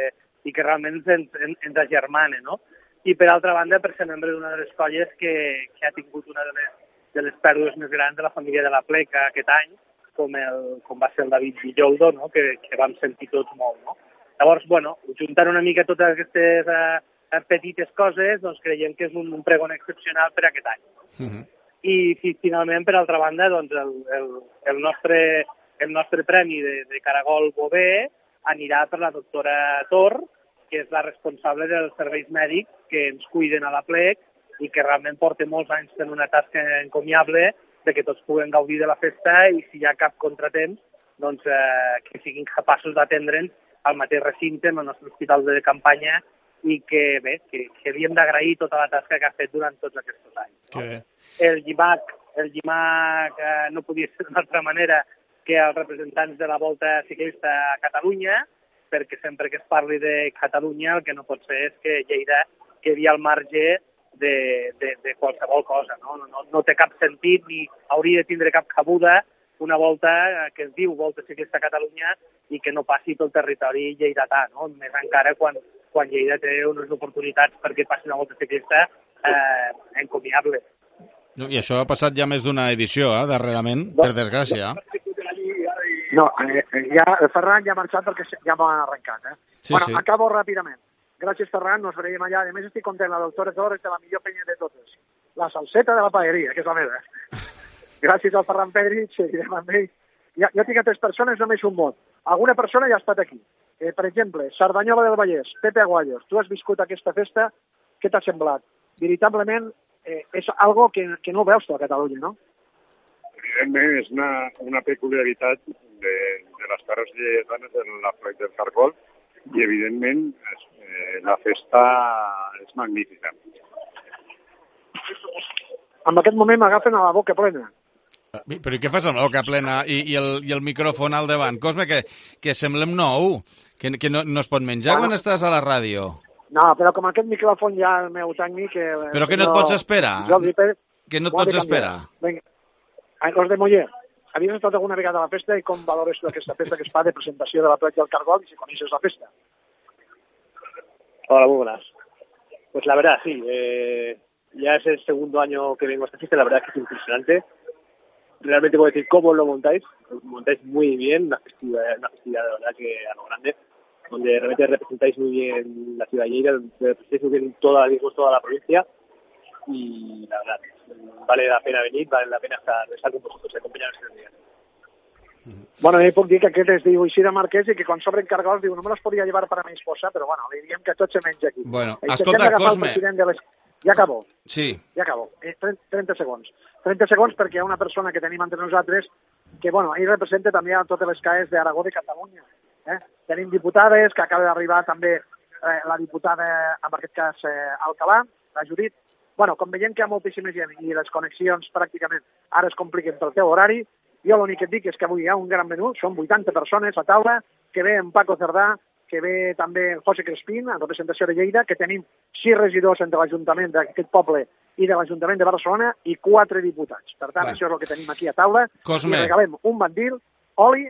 Speaker 24: i que realment ens, ens, ens agermana, no? I per altra banda, per ser membre d'una de les colles que, que ha tingut una de les, de les pèrdues més grans de la família de la Pleca aquest any, com, el, com va ser el David Villoldo, no? que, que vam sentir tots molt. No? Llavors, bueno, juntant una mica totes aquestes eh, petites coses, doncs creiem que és un, un pregon excepcional per aquest any. Uh-huh. I, i finalment, per altra banda, doncs el, el, el, nostre, el nostre premi de, de Caragol Bové anirà per la doctora Tor, que és la responsable dels serveis mèdics que ens cuiden a l'Aplec i que realment porta molts anys fent una tasca encomiable de que tots puguem gaudir de la festa i si hi ha cap contratemps, doncs eh, que siguin capaços d'atendre'ns al mateix recinte, en el nostre hospital de campanya, i que, bé, que, que li hem d'agrair tota la tasca que ha fet durant tots aquests anys. No?
Speaker 1: Que...
Speaker 24: El llimac, el llimac eh, no podia ser d'una altra manera que els representants de la Volta Ciclista a Catalunya, perquè sempre que es parli de Catalunya el que no pot ser és que Lleida quedi al marge de, de, de qualsevol cosa. No? No, no té cap sentit ni hauria de tindre cap cabuda una volta que es diu Volta Ciclista a Catalunya i que no passi pel territori lleidatà, no? Més encara quan, quan Lleida té unes oportunitats perquè passi una volta ciclista eh, encomiable.
Speaker 1: I això ha passat ja més d'una edició, eh, darrerament, per desgràcia.
Speaker 4: No, eh, ja, el Ferran ja ha marxat perquè ja m'ha arrencat. Eh?
Speaker 1: Sí,
Speaker 4: bueno,
Speaker 1: sí.
Speaker 4: Acabo ràpidament. Gràcies, Ferran, nos veiem allà. A més, estic content, la doctora Torres de la millor penya de totes. La salseta de la paeria, que és la meva. Gràcies al Ferran Pedri, seguirem amb ell. Ja, jo tinc a tres persones, només un mot. Alguna persona ja ha estat aquí. Eh, per exemple, Cerdanyola del Vallès, Pepe Aguayos, tu has viscut aquesta festa, què t'ha semblat? Veritablement, eh, és algo que, que no veus tu a Catalunya, no?
Speaker 5: Evidentment, és una, una peculiaritat de, de les terres lleidatanes en la plec del Cargol i, evidentment, és, eh, la festa és magnífica.
Speaker 4: En aquest moment m'agafen a la boca plena.
Speaker 1: Però i què fas amb la boca plena i, i, el, i el micròfon al davant? Cosme, que, que semblem nou, que, que no, no es pot menjar quan estàs a la ràdio.
Speaker 4: No, però com aquest micròfon ja el meu tècnic... Eh,
Speaker 1: però que no et pots esperar?
Speaker 4: Pérez,
Speaker 1: que no et pots esperar?
Speaker 4: Vinga, los de Moller, havies estat alguna vegada a la festa i com valores tu aquesta festa que es fa de presentació de la platja del Cargol y si coneixes la festa?
Speaker 24: Hola, muy buenas. Pues la verdad, sí. Eh, ya es el segundo año que vengo a esta fiesta, la verdad es que es impresionante. Realmente puedo decir cómo lo montáis. Lo montáis muy bien, una festividad, una festividad de verdad que a lo grande, donde realmente representáis muy bien la ciudad de Lleida, donde representáis muy bien toda, toda la provincia y la verdad, vale la pena venir, vale la pena estar, estar con vosotros, acompañaros este día.
Speaker 4: Bueno, jo puc dir que aquest es diu Isidre Marquès i que quan s'obren cargols diu no me los podria llevar para mi esposa, però bueno, li diríem que tot se menja aquí.
Speaker 1: Bueno,
Speaker 4: I
Speaker 1: escolta, Cosme...
Speaker 4: De les... Ja acabo.
Speaker 1: Sí.
Speaker 4: Ja acabo. Eh, trenta segons. trenta segons perquè hi ha una persona que tenim entre nosaltres que, bueno, ahir representa també a totes les C A Es d'Aragó de Catalunya. Eh? Tenim diputades, que acaba d'arribar també eh, la diputada, en aquest cas, eh, Alcalà, la Judit. Bueno, com veiem que hi ha moltíssima gent i les connexions pràcticament ara es compliquen pel teu horari, jo l'únic que et dic és que avui hi ha un gran menú, són vuitanta persones a taula, que ve en Paco Cerdà, que ve també el José Crespín, en representació de Lleida, que tenim sis regidors entre l'Ajuntament d'aquest poble i de l'Ajuntament de Barcelona i quatre diputats. Per tant, bueno, això és el que tenim aquí a taula.
Speaker 1: Cosme.
Speaker 4: I regalem un bandil, oli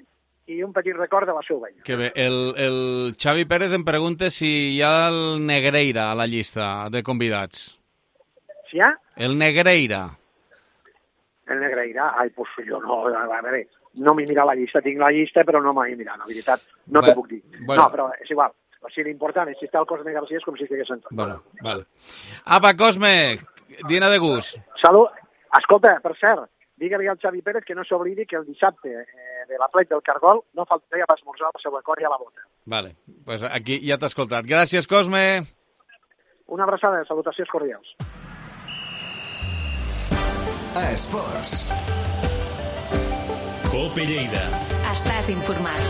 Speaker 4: i un petit record de la seva veïna.
Speaker 1: Que bé. El, el Xavi Pérez em pregunta si hi ha el Negreira a la llista de convidats.
Speaker 4: Si hi ha?
Speaker 1: El Negreira.
Speaker 4: El Negreira? Ai, pues jo no, a veure, no m'he mirat la llista, tinc la llista, però no m'he mirat, la veritat, no
Speaker 1: Va,
Speaker 4: t'ho puc dir.
Speaker 1: bueno.
Speaker 4: No, però és igual. O sigui, l'important és si està el Cosme García és com si estigués sentat.
Speaker 1: Bueno, vale. Apa, Cosme, dina de gust.
Speaker 4: Salut. Escolta, per cert, digue-li al Xavi Pérez que no s'oblidi que el dissabte eh, de la plec del Cargol no faltaria per esmorzar la seva cor i a la bota.
Speaker 1: Vale, pues aquí ja t'he escoltat. Gràcies, Cosme.
Speaker 4: Una abraçada, salutacions cordials.
Speaker 20: A Esports.
Speaker 14: Cope Lleida.
Speaker 20: Estàs informat.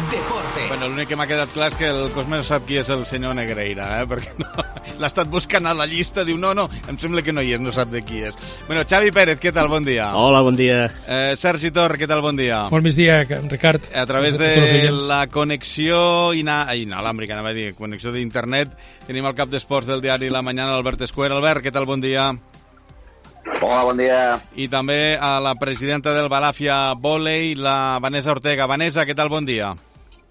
Speaker 20: Deportes.
Speaker 1: Bueno, l'únic que m'ha quedat clar és que el Cosme no sap qui és el senyor Negreira, eh? Perquè no, l'ha estat buscant a la llista, diu, no, no, em sembla que no hi és, no sap de qui és. Bueno, Xavi Pérez, què tal? Bon dia.
Speaker 6: Hola, bon dia.
Speaker 1: Eh, Sergi Tor, què tal? Bon dia.
Speaker 7: Bon migdia, Ricard.
Speaker 1: A través de la connexió ina... inalàmbrica, anava a dir, connexió d'internet, tenim el cap d'esports del diari La Mañana, Albert Escuer. Albert, què tal? Bon dia.
Speaker 8: Hola, bon dia.
Speaker 1: I també a la presidenta del Balàfia Volei, la Vanessa Ortega. Vanessa, què tal? Bon dia.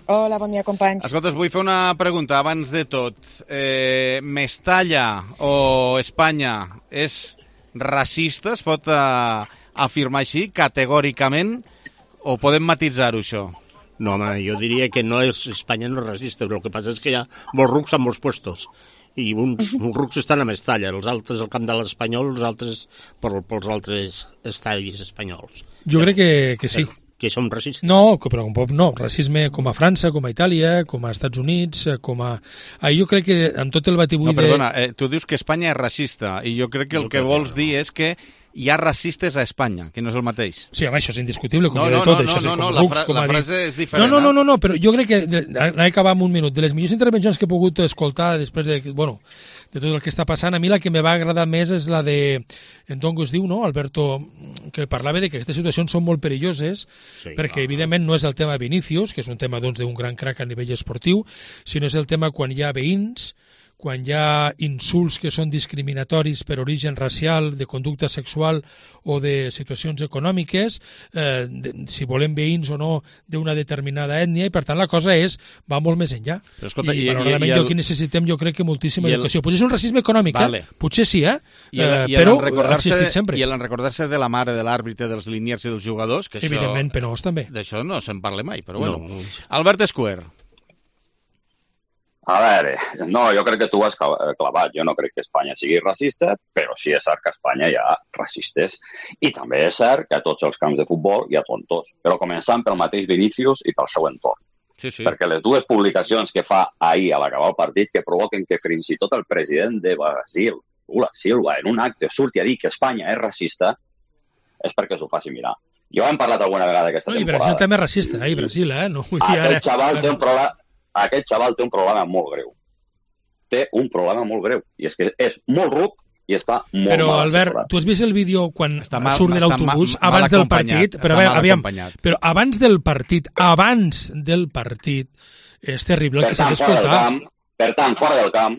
Speaker 9: Hola, bon dia, companys.
Speaker 1: Escolta, us vull fer una pregunta abans de tot. Eh, Mestalla o Espanya és racista? Es pot eh, afirmar així, categòricament? O podem matisar-ho, això?
Speaker 6: No, home, jo diria que no és, Espanya no és racista, però el que passa és que hi ha molts rucs a molts puestos. I uns, uns rucs estan a Mestalla, els altres al camp de l'Espanyol, els altres per, pels altres estadis espanyols.
Speaker 7: Jo crec que, que sí.
Speaker 6: que som racistes.
Speaker 2: No, però no, racisme com a França, com a Itàlia, com a Estats Units, com a... Ah, jo crec que amb tot el batibull...
Speaker 1: No, perdona, eh, tu dius que Espanya és racista, i jo crec que el
Speaker 6: Jo
Speaker 1: que
Speaker 6: crec
Speaker 1: vols
Speaker 6: que no.
Speaker 1: dir és que hi ha racistes a Espanya, que no és el mateix.
Speaker 2: Sí, home, això és indiscutible, com
Speaker 1: No,
Speaker 2: no,
Speaker 1: no,
Speaker 2: tot,
Speaker 1: no,
Speaker 2: això.
Speaker 1: no,
Speaker 2: com
Speaker 1: no, la
Speaker 2: Rux,
Speaker 1: fra-
Speaker 2: com
Speaker 1: la
Speaker 2: ha dit.
Speaker 1: frase és diferent,
Speaker 2: No, no, no,
Speaker 1: eh?
Speaker 2: no, no, però jo crec que... Anem a acabar amb un minut. De les millors intervencions que he pogut escoltar després de... Bueno, de tot el que està passant, a mi la que me va agradar més és la de... En Tongo es diu, no?, Alberto, que parlava de que aquestes situacions són molt perilloses,
Speaker 6: Sí,
Speaker 2: perquè
Speaker 6: va.
Speaker 2: evidentment no és el tema Vinícius, que és un tema doncs d'un gran crac a nivell esportiu, sinó és el tema quan hi ha veïns, quan hi ha insults que són discriminatoris per origen racial, de conducta sexual o de situacions econòmiques, eh, de, si volem veïns o no d'una determinada ètnia, i per tant la cosa és, va molt més enllà.
Speaker 1: Però escolta,
Speaker 2: I,
Speaker 1: i- i-
Speaker 2: malauradament
Speaker 1: i el-
Speaker 2: jo aquí necessitem, jo crec que moltíssima
Speaker 1: i el-
Speaker 2: educació. Potser és un racisme econòmic,
Speaker 1: Vale.
Speaker 2: eh? Potser sí, eh?
Speaker 1: I el,
Speaker 2: eh
Speaker 1: i el
Speaker 2: però ha
Speaker 1: recordar-se
Speaker 2: existit sempre.
Speaker 1: i el recordar-se de la mare de l'àrbitre, dels liniers i dels jugadors, que això...
Speaker 2: Evidentment, penós també.
Speaker 1: D'això no se'n parla mai, però bueno.
Speaker 6: No.
Speaker 1: Albert Escuer.
Speaker 8: A veure, no, jo crec que tu has clavat. Jo no crec que Espanya sigui racista, però sí és cert que a Espanya hi ha racistes. I també és cert que a tots els camps de futbol hi ha tontos, però començant pel mateix Vinícius i pel seu entorn.
Speaker 1: Sí, sí.
Speaker 8: Perquè les dues publicacions que fa ahir a l'acabar el partit que provoquen que fins i tot el president de Brasil, Lula Silva, en un acte surti a dir que Espanya és racista, és perquè s'ho faci mirar. Jo hem parlat alguna vegada aquesta
Speaker 2: No, I
Speaker 8: temporada.
Speaker 2: Brasil també és racista, eh? I Brasil, eh? No, vull dir,
Speaker 8: Aquest
Speaker 2: ara...
Speaker 8: xaval té un problema, aquest xaval té un problema molt greu. Té un problema molt greu. I és que és molt ruc i està molt
Speaker 2: Però,
Speaker 8: mal
Speaker 2: Albert,
Speaker 8: assessorat.
Speaker 2: tu has vist el vídeo quan
Speaker 1: Està mal-
Speaker 2: surt de
Speaker 1: està
Speaker 2: l'autobús
Speaker 1: ma- mal
Speaker 2: abans del
Speaker 1: acompanyat,
Speaker 2: partit? Però,
Speaker 1: està
Speaker 2: a veure,
Speaker 1: mal
Speaker 2: aviam,
Speaker 1: acompanyat.
Speaker 2: però abans del partit, abans del partit, és terrible el
Speaker 8: Per
Speaker 2: que s'ha
Speaker 8: tant, fora del
Speaker 2: d'escoltar.
Speaker 8: camp, per tant, fora del camp,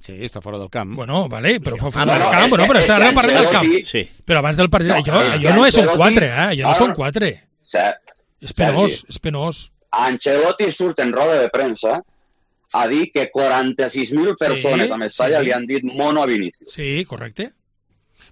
Speaker 1: Sí, està fora del camp.
Speaker 2: Bueno, vale, però fora
Speaker 8: Ah, no,
Speaker 2: del
Speaker 8: no,
Speaker 2: camp,
Speaker 8: és
Speaker 2: bueno,
Speaker 8: que-
Speaker 2: però
Speaker 8: és
Speaker 2: està
Speaker 8: que
Speaker 2: ara parlant del camp.
Speaker 8: Ancelotti-
Speaker 6: Sí.
Speaker 2: Però abans del partit,
Speaker 8: No,
Speaker 2: allò,
Speaker 8: és
Speaker 2: allò
Speaker 8: que
Speaker 2: no són
Speaker 8: Ancelotti-
Speaker 2: quatre, eh? Allò no
Speaker 8: no,
Speaker 2: són
Speaker 8: no.
Speaker 2: quatre.
Speaker 8: Ser-
Speaker 2: És penós,
Speaker 8: Sergi,
Speaker 2: és penós.
Speaker 8: Ancelotti surt en roda de premsa a dir que quaranta-sis mil persones
Speaker 2: Sí,
Speaker 8: a Mestalla
Speaker 2: sí.
Speaker 8: li han dit mono a Vinícius.
Speaker 2: Sí, correcte.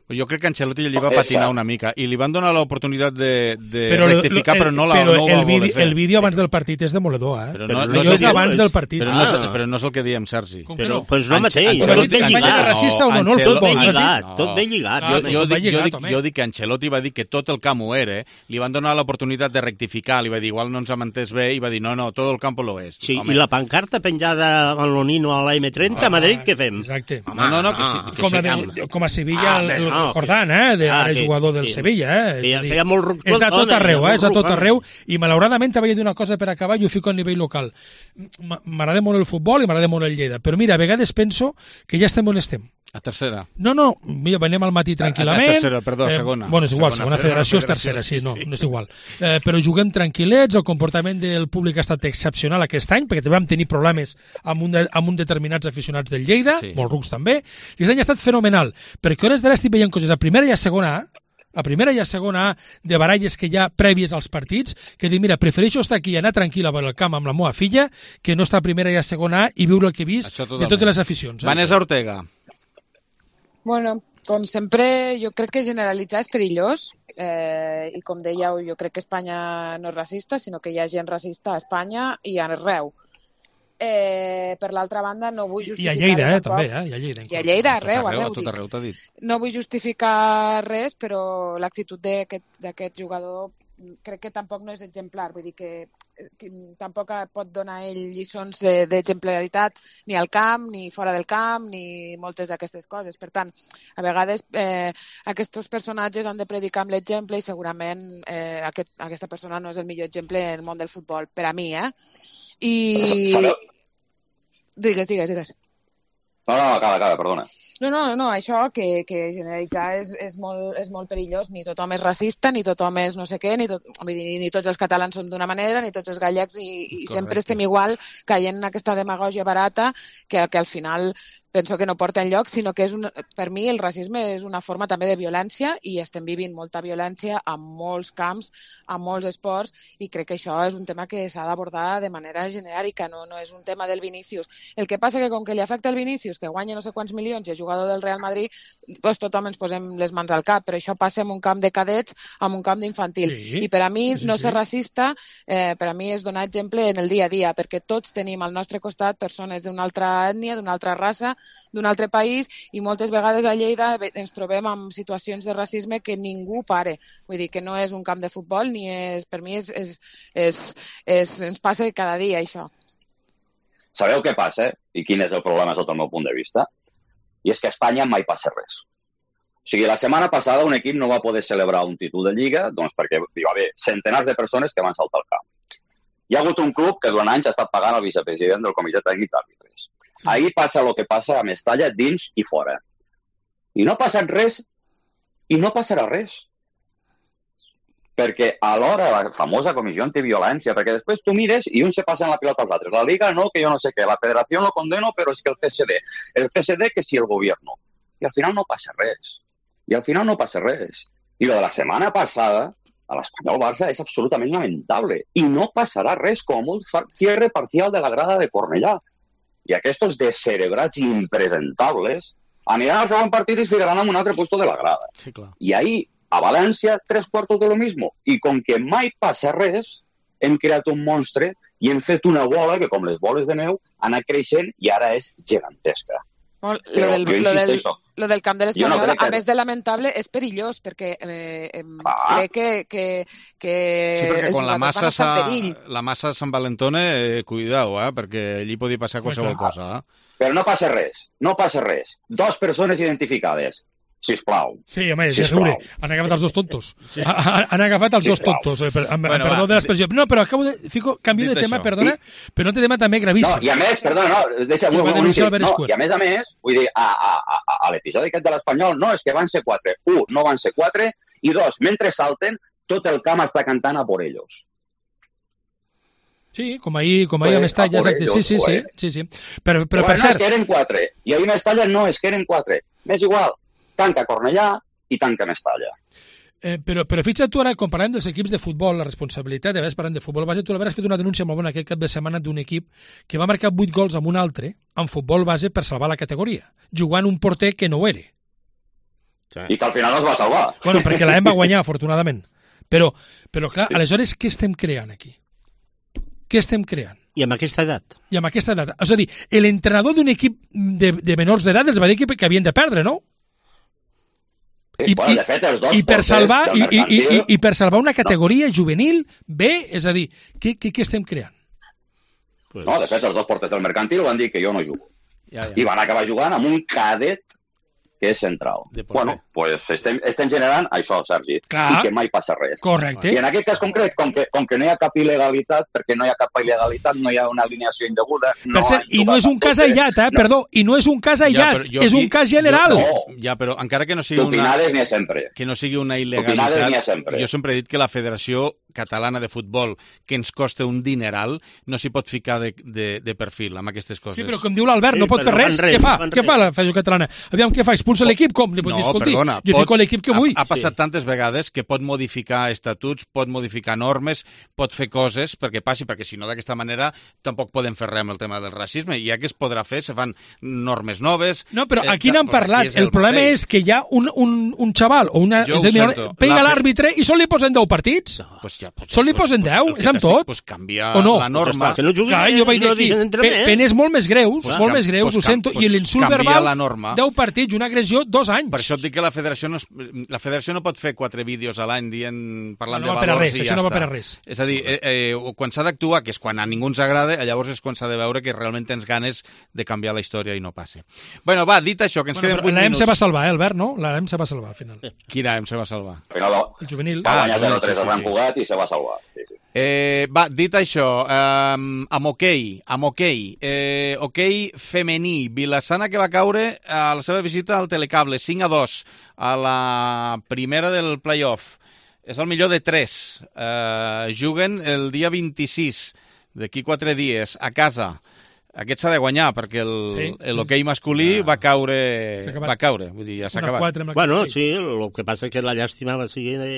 Speaker 1: Jo crec que Ancelotti li va
Speaker 8: És
Speaker 1: patinar
Speaker 8: cert.
Speaker 1: una mica i li van donar l'oportunitat de, de
Speaker 2: Però, lo-
Speaker 1: rectificar,
Speaker 2: el-
Speaker 1: però no, la,
Speaker 2: però
Speaker 1: no ho va
Speaker 2: el
Speaker 1: voler
Speaker 2: vídeo,
Speaker 1: fer.
Speaker 2: el vídeo abans del partit és demoledor, eh?
Speaker 1: Però
Speaker 6: Però
Speaker 1: no,
Speaker 6: no
Speaker 1: no,
Speaker 2: Allò
Speaker 1: és
Speaker 2: és
Speaker 1: el que-
Speaker 2: abans del partit.
Speaker 1: Però no, és,
Speaker 6: Ah.
Speaker 1: però no és el que diem, Sergi.
Speaker 2: Com que
Speaker 6: Però
Speaker 2: no?
Speaker 6: pues no mateix,
Speaker 1: Ancelotti-
Speaker 6: tot ben
Speaker 2: Espanya
Speaker 6: lligat.
Speaker 2: era racista o no? No el
Speaker 1: Ancelotti-
Speaker 2: futbol,
Speaker 6: Tot ben
Speaker 2: has dit?
Speaker 6: lligat,
Speaker 1: No.
Speaker 6: tot ben lligat.
Speaker 2: Ah,
Speaker 1: Jo,
Speaker 2: com
Speaker 1: jo,
Speaker 2: va
Speaker 1: dic, jo,
Speaker 2: lligat,
Speaker 1: dic,
Speaker 2: home.
Speaker 1: jo dic que Ancelotti va dir que tot el camp ho era, eh? Li van donar l'oportunitat de rectificar, li va dir, igual no ens hem entès bé, i va dir, no, no, tot el campo lo és.
Speaker 6: Sí,
Speaker 1: Home.
Speaker 6: i la pancarta penjada al Nonino a la eme trenta a Madrid, què fem?
Speaker 2: Exacte.
Speaker 1: No, no, no, que sí, que
Speaker 2: Com,
Speaker 1: sí,
Speaker 2: la
Speaker 1: que-
Speaker 2: de, com a Sevilla,
Speaker 6: Ah,
Speaker 2: el, el
Speaker 6: no,
Speaker 2: Jordán, eh? De,
Speaker 6: Ah,
Speaker 2: ara
Speaker 6: sí,
Speaker 2: jugador del
Speaker 6: sí.
Speaker 2: Sevilla, eh? És
Speaker 6: Feia-
Speaker 2: a dir,
Speaker 6: feia molt ruc
Speaker 2: És a tot
Speaker 6: tot,
Speaker 2: arreu,
Speaker 6: eh?
Speaker 2: eh? És a
Speaker 6: Molt
Speaker 2: tot
Speaker 6: ruc,
Speaker 2: arreu. I malauradament te vaig dir una cosa per acabar i ho fico a nivell local. M- M'agrada molt el futbol i m'agrada molt el Lleida, però mira, a vegades penso que ja estem on estem.
Speaker 1: A tercera.
Speaker 2: No, no, mira, venim al matí tranquil·lament.
Speaker 1: A tercera, perdó, segona.
Speaker 2: Bueno, és igual,
Speaker 1: Segona
Speaker 2: segona federació és
Speaker 1: federació,
Speaker 2: tercera, sí,
Speaker 1: sí,
Speaker 2: no,
Speaker 1: sí.
Speaker 2: no és igual. Eh, però juguem tranquil·lets, el comportament del públic ha estat excepcional aquest any, perquè també vam tenir problemes amb un, de, amb un determinats aficionats del Lleida,
Speaker 1: Sí.
Speaker 2: molts rucs també, i aquest any ha estat fenomenal, perquè hores d'ara estic veient coses a primera i a segona A, a primera i a segona A de baralles que hi ha prèvies als partits, que dic, mira, prefereixo estar aquí i anar tranquil a veure el camp amb la meva filla que no estar a primera i a segona A i viure el que he vist
Speaker 1: Això
Speaker 2: de
Speaker 1: totalment.
Speaker 2: totes les aficions. Eh?
Speaker 1: Vanessa Ortega.
Speaker 9: Bueno, com sempre, jo crec que generalitzar és perillós eh, i com dèieu, jo crec que Espanya no és racista, sinó que hi ha gent racista a Espanya i arreu. Eh, per l'altra banda, no vull
Speaker 2: I
Speaker 9: justificar...
Speaker 2: a Lleida, eh,
Speaker 9: tampoc.
Speaker 2: també, eh? I a Lleida.
Speaker 9: I a Lleida, arreu,
Speaker 1: Tot arreu,
Speaker 9: arreu,
Speaker 1: a tot
Speaker 9: dic.
Speaker 1: arreu, t'ha dit.
Speaker 9: No vull justificar res, però l'actitud d'aquest d'aquest jugador crec que tampoc no és exemplar, vull dir que, que tampoc pot donar ell lliçons de- d'exemplaritat ni al camp, ni fora del camp, ni moltes d'aquestes coses. Per tant, a vegades eh, aquests personatges han de predicar amb l'exemple i segurament eh, aquest, aquesta persona no és el millor exemple en el món del futbol, per a mi, eh? I... Digues, digues, digues.
Speaker 8: No, no, acaba, acaba, perdona.
Speaker 9: No, no, no, això que, que generalitzar és, és, molt, és molt perillós. Ni tothom és racista, ni tothom és no sé què, ni, tot, vull dir, ni tots els catalans són d'una manera, ni tots els gallecs, i, i sempre estem igual caient en aquesta demagògia barata que, que al final penso que no porta enlloc, sinó que és un, per mi el racisme és una forma també de violència i estem vivint molta violència a molts camps, a molts esports, i crec que això és un tema que s'ha d'abordar de manera genèrica, no, no és un tema del Vinícius. El que passa que com que li afecta el Vinícius, que guanya no sé quants milions i és jugador del Real Madrid, doncs tothom ens posem les mans al cap, però això passa en un camp de cadets, en un camp d'infantil.
Speaker 2: Sí,
Speaker 9: I per a mi
Speaker 2: sí, sí,
Speaker 9: no
Speaker 2: sí.
Speaker 9: ser racista, eh, per a mi és donar exemple en el dia a dia, perquè tots tenim al nostre costat persones d'una altra ètnia, d'una altra raça, d'un altre país, i moltes vegades a Lleida ens trobem amb situacions de racisme que ningú pare. Vull dir que no és un camp de futbol, ni és, per mi és, és, és, és, ens passa cada dia, això.
Speaker 8: Sabeu què passa? I quin és el problema sota el meu punt de vista? I és que a Espanya mai passa res. O sigui, la setmana passada un equip no va poder celebrar un títol de Lliga doncs perquè hi va haver centenars de persones que van saltar al camp. Hi ha hagut un club que durant anys ha estat pagant el vicepresident del comitè tècnic d'àrbitres. Sí. Ahir passa el que passa a Mestalla, dins i fora. I no ha passat res, i no passarà res. Perquè alhora la famosa comissió antiviolència, perquè després tu mires i uns se passen la pilota als altres. La Liga no, que jo no sé què. La Federació lo condeno, però és que el C S D. El C S D que si el gobierno. I al final no passa res. I al final no passa res. I lo de la setmana passada, a l'Espanyol-Barça, és absolutament lamentable. I no passarà res, com molt cierre parcial de la grada de Cornellà. I aquests descerebrats impresentables aniran al segon partit i es ficaran en un altre puesto de la grada.
Speaker 1: Sí, clar.
Speaker 8: I ahí, a València, tres quartos de lo mismo. I com que mai passa res, hem creat un monstre i hem fet una bola que, com les boles de neu, ha anat creixent i ara és gegantesca.
Speaker 9: Lo del, lo, del, lo del camp de l'Espanyol, no que... a més de lamentable, és perillós, perquè eh, ah. crec que, que, que
Speaker 1: sí, perquè quan la massa,
Speaker 9: perill.
Speaker 1: la massa s'envalentona, eh, cuidao, eh, perquè allí podria passar qualsevol ah. cosa. Eh?
Speaker 8: Però no passa res, no passa res. Dos persones identificades. Sisplau.
Speaker 2: Sí, home, és riure. Han agafat els dos tontos. Sí. Han agafat els dos tontos. Eh, per, amb, bueno, perdó va, de l'expressió. No, però acabo de... Fico, canvio de tema, això. Perdona, sí. Però no té tema també gravíssim.
Speaker 8: No, i a més, perdona, no, deixa... Sí, un, un, un, no, i a més a més, vull dir, a, a, a, a l'episodi aquest de l'Espanyol, no, és que van ser quatre. Un, no van ser quatre, i dos, mentre salten, tot el camp està cantant a por ellos.
Speaker 2: Sí, com ahir, com ahir pues, a Mestalla, exacte. Ellos, sí, sí, sí, sí, sí. Però, però, però per cert...
Speaker 8: No, és que eren quatre. I ahir a Mestalla no, és que eren quatre. M'és igual. Tanca Cornellà i tanca Mestalla.
Speaker 2: Eh, però, però fixa't tu ara, quan parlem dels equips de futbol, la responsabilitat, de vegades parlem de futbol base, tu l'hauràs fet una denúncia molt bona aquest cap de setmana d'un equip que va marcar vuit gols amb un altre en futbol base per salvar la categoria, jugant un porter que no ho era.
Speaker 8: Sí. I que al final no es va salvar.
Speaker 2: Bueno, perquè la hem va guanyar, afortunadament. Però, però clar, sí. Aleshores, què estem creant aquí? Què estem creant?
Speaker 6: I amb aquesta edat?
Speaker 2: I amb aquesta edat. És a dir, l'entrenador d'un equip de, de menors d'edat els va dir que, que havien de perdre, no?
Speaker 8: I, bueno, de fet, els dos
Speaker 2: i, per salvar, i, i, i, i per salvar una categoria no. juvenil B, és a dir, què, què, què estem creant?
Speaker 8: Pues... No, de fet, els dos porters del mercantil van dir que jo no jugo. Ja, ja. I van acabar jugant amb un cadet que és central. Bueno, pues estem, estem generant això, Sergi,
Speaker 2: clar.
Speaker 8: I que mai passa res.
Speaker 2: Correcte.
Speaker 8: I en aquest cas concret, com que, com que no hi ha cap il·legalitat, perquè no hi ha cap il·legalitat, no hi ha una alineació indeguda...
Speaker 2: No per cert, i no és un cas aïllat, eh? No. Perdó, i no és un cas aïllat, ja, és un cas general.
Speaker 8: Jo,
Speaker 1: no. Ja, però encara que no sigui
Speaker 8: una...
Speaker 1: Ni
Speaker 8: sempre.
Speaker 1: Que no sigui una il·legalitat, sempre. Jo sempre he dit que la Federació Catalana de Futbol, que ens costa un dineral, no s'hi pot ficar de, de, de perfil amb aquestes coses.
Speaker 2: Sí, però com diu l'Albert, no sí, pot fer res. res. Què fa? Què fa la Federació Catalana? Aviam, què fa? Expulsa l'equip? Com? Li pot dir, escolti, perdona, jo pot, fico l'equip que vull.
Speaker 1: Ha, ha passat sí. tantes vegades que pot modificar estatuts, pot modificar normes, pot fer coses perquè passi, perquè si no d'aquesta manera tampoc podem fer res amb el tema del racisme. I ja que es podrà fer, se fan normes noves...
Speaker 2: No, però aquí n'han parlat. El, el problema mateix. És que hi ha un, un, un xaval o una... És dir, pega l'àrbitre i sol li posen deu partits. No, pues ja, pues, sol li posen deu, és amb tot.
Speaker 1: Pues canvia
Speaker 2: no?
Speaker 1: la norma.
Speaker 6: Que no juguin,
Speaker 2: clar, jo vaig dir aquí, pe penes molt més greus,
Speaker 1: pues
Speaker 2: molt més greus,
Speaker 1: pues
Speaker 2: ho sento,
Speaker 1: pues
Speaker 2: i l'insult verbal,
Speaker 1: la norma.
Speaker 2: deu partits, una agressió, dos anys.
Speaker 1: Per això et dic que la federació no, es, la federació no pot fer quatre vídeos a l'any dient, parlant
Speaker 2: no, no
Speaker 1: de valors
Speaker 2: res,
Speaker 1: i ja
Speaker 2: no
Speaker 1: està.
Speaker 2: Va per a res.
Speaker 1: És a dir, eh, eh, quan s'ha d'actuar, que és quan a ningú ens agrada, llavors és quan s'ha de veure que realment tens ganes de canviar la història i no passe. Bueno, va, dit això, que ens
Speaker 2: bueno,
Speaker 1: queden vuit
Speaker 2: minuts.
Speaker 1: L'A M
Speaker 2: se va salvar, eh, Albert, no? L'A M se va salvar, al final.
Speaker 1: Quina A M se va salvar?
Speaker 2: El juvenil.
Speaker 8: Va guanyar zero tres al Gran Cugat i se va salvar. Sí, sí.
Speaker 1: Eh, va, dit això, eh, amb hoquei, amb hoquei, eh, hoquei femení, Vilassana que va caure a la seva visita al Telecable, cinc a dos, a la primera del playoff. És el millor de tres. Eh, juguen el dia vint-i-sis, d'aquí quatre dies, a casa. Aquest s'ha de guanyar, perquè l'hoquei sí, masculí sí. va caure, va caure, vull dir, ja s'ha acabat.
Speaker 6: Bueno, sí, el que passa és que la llàstima va ser de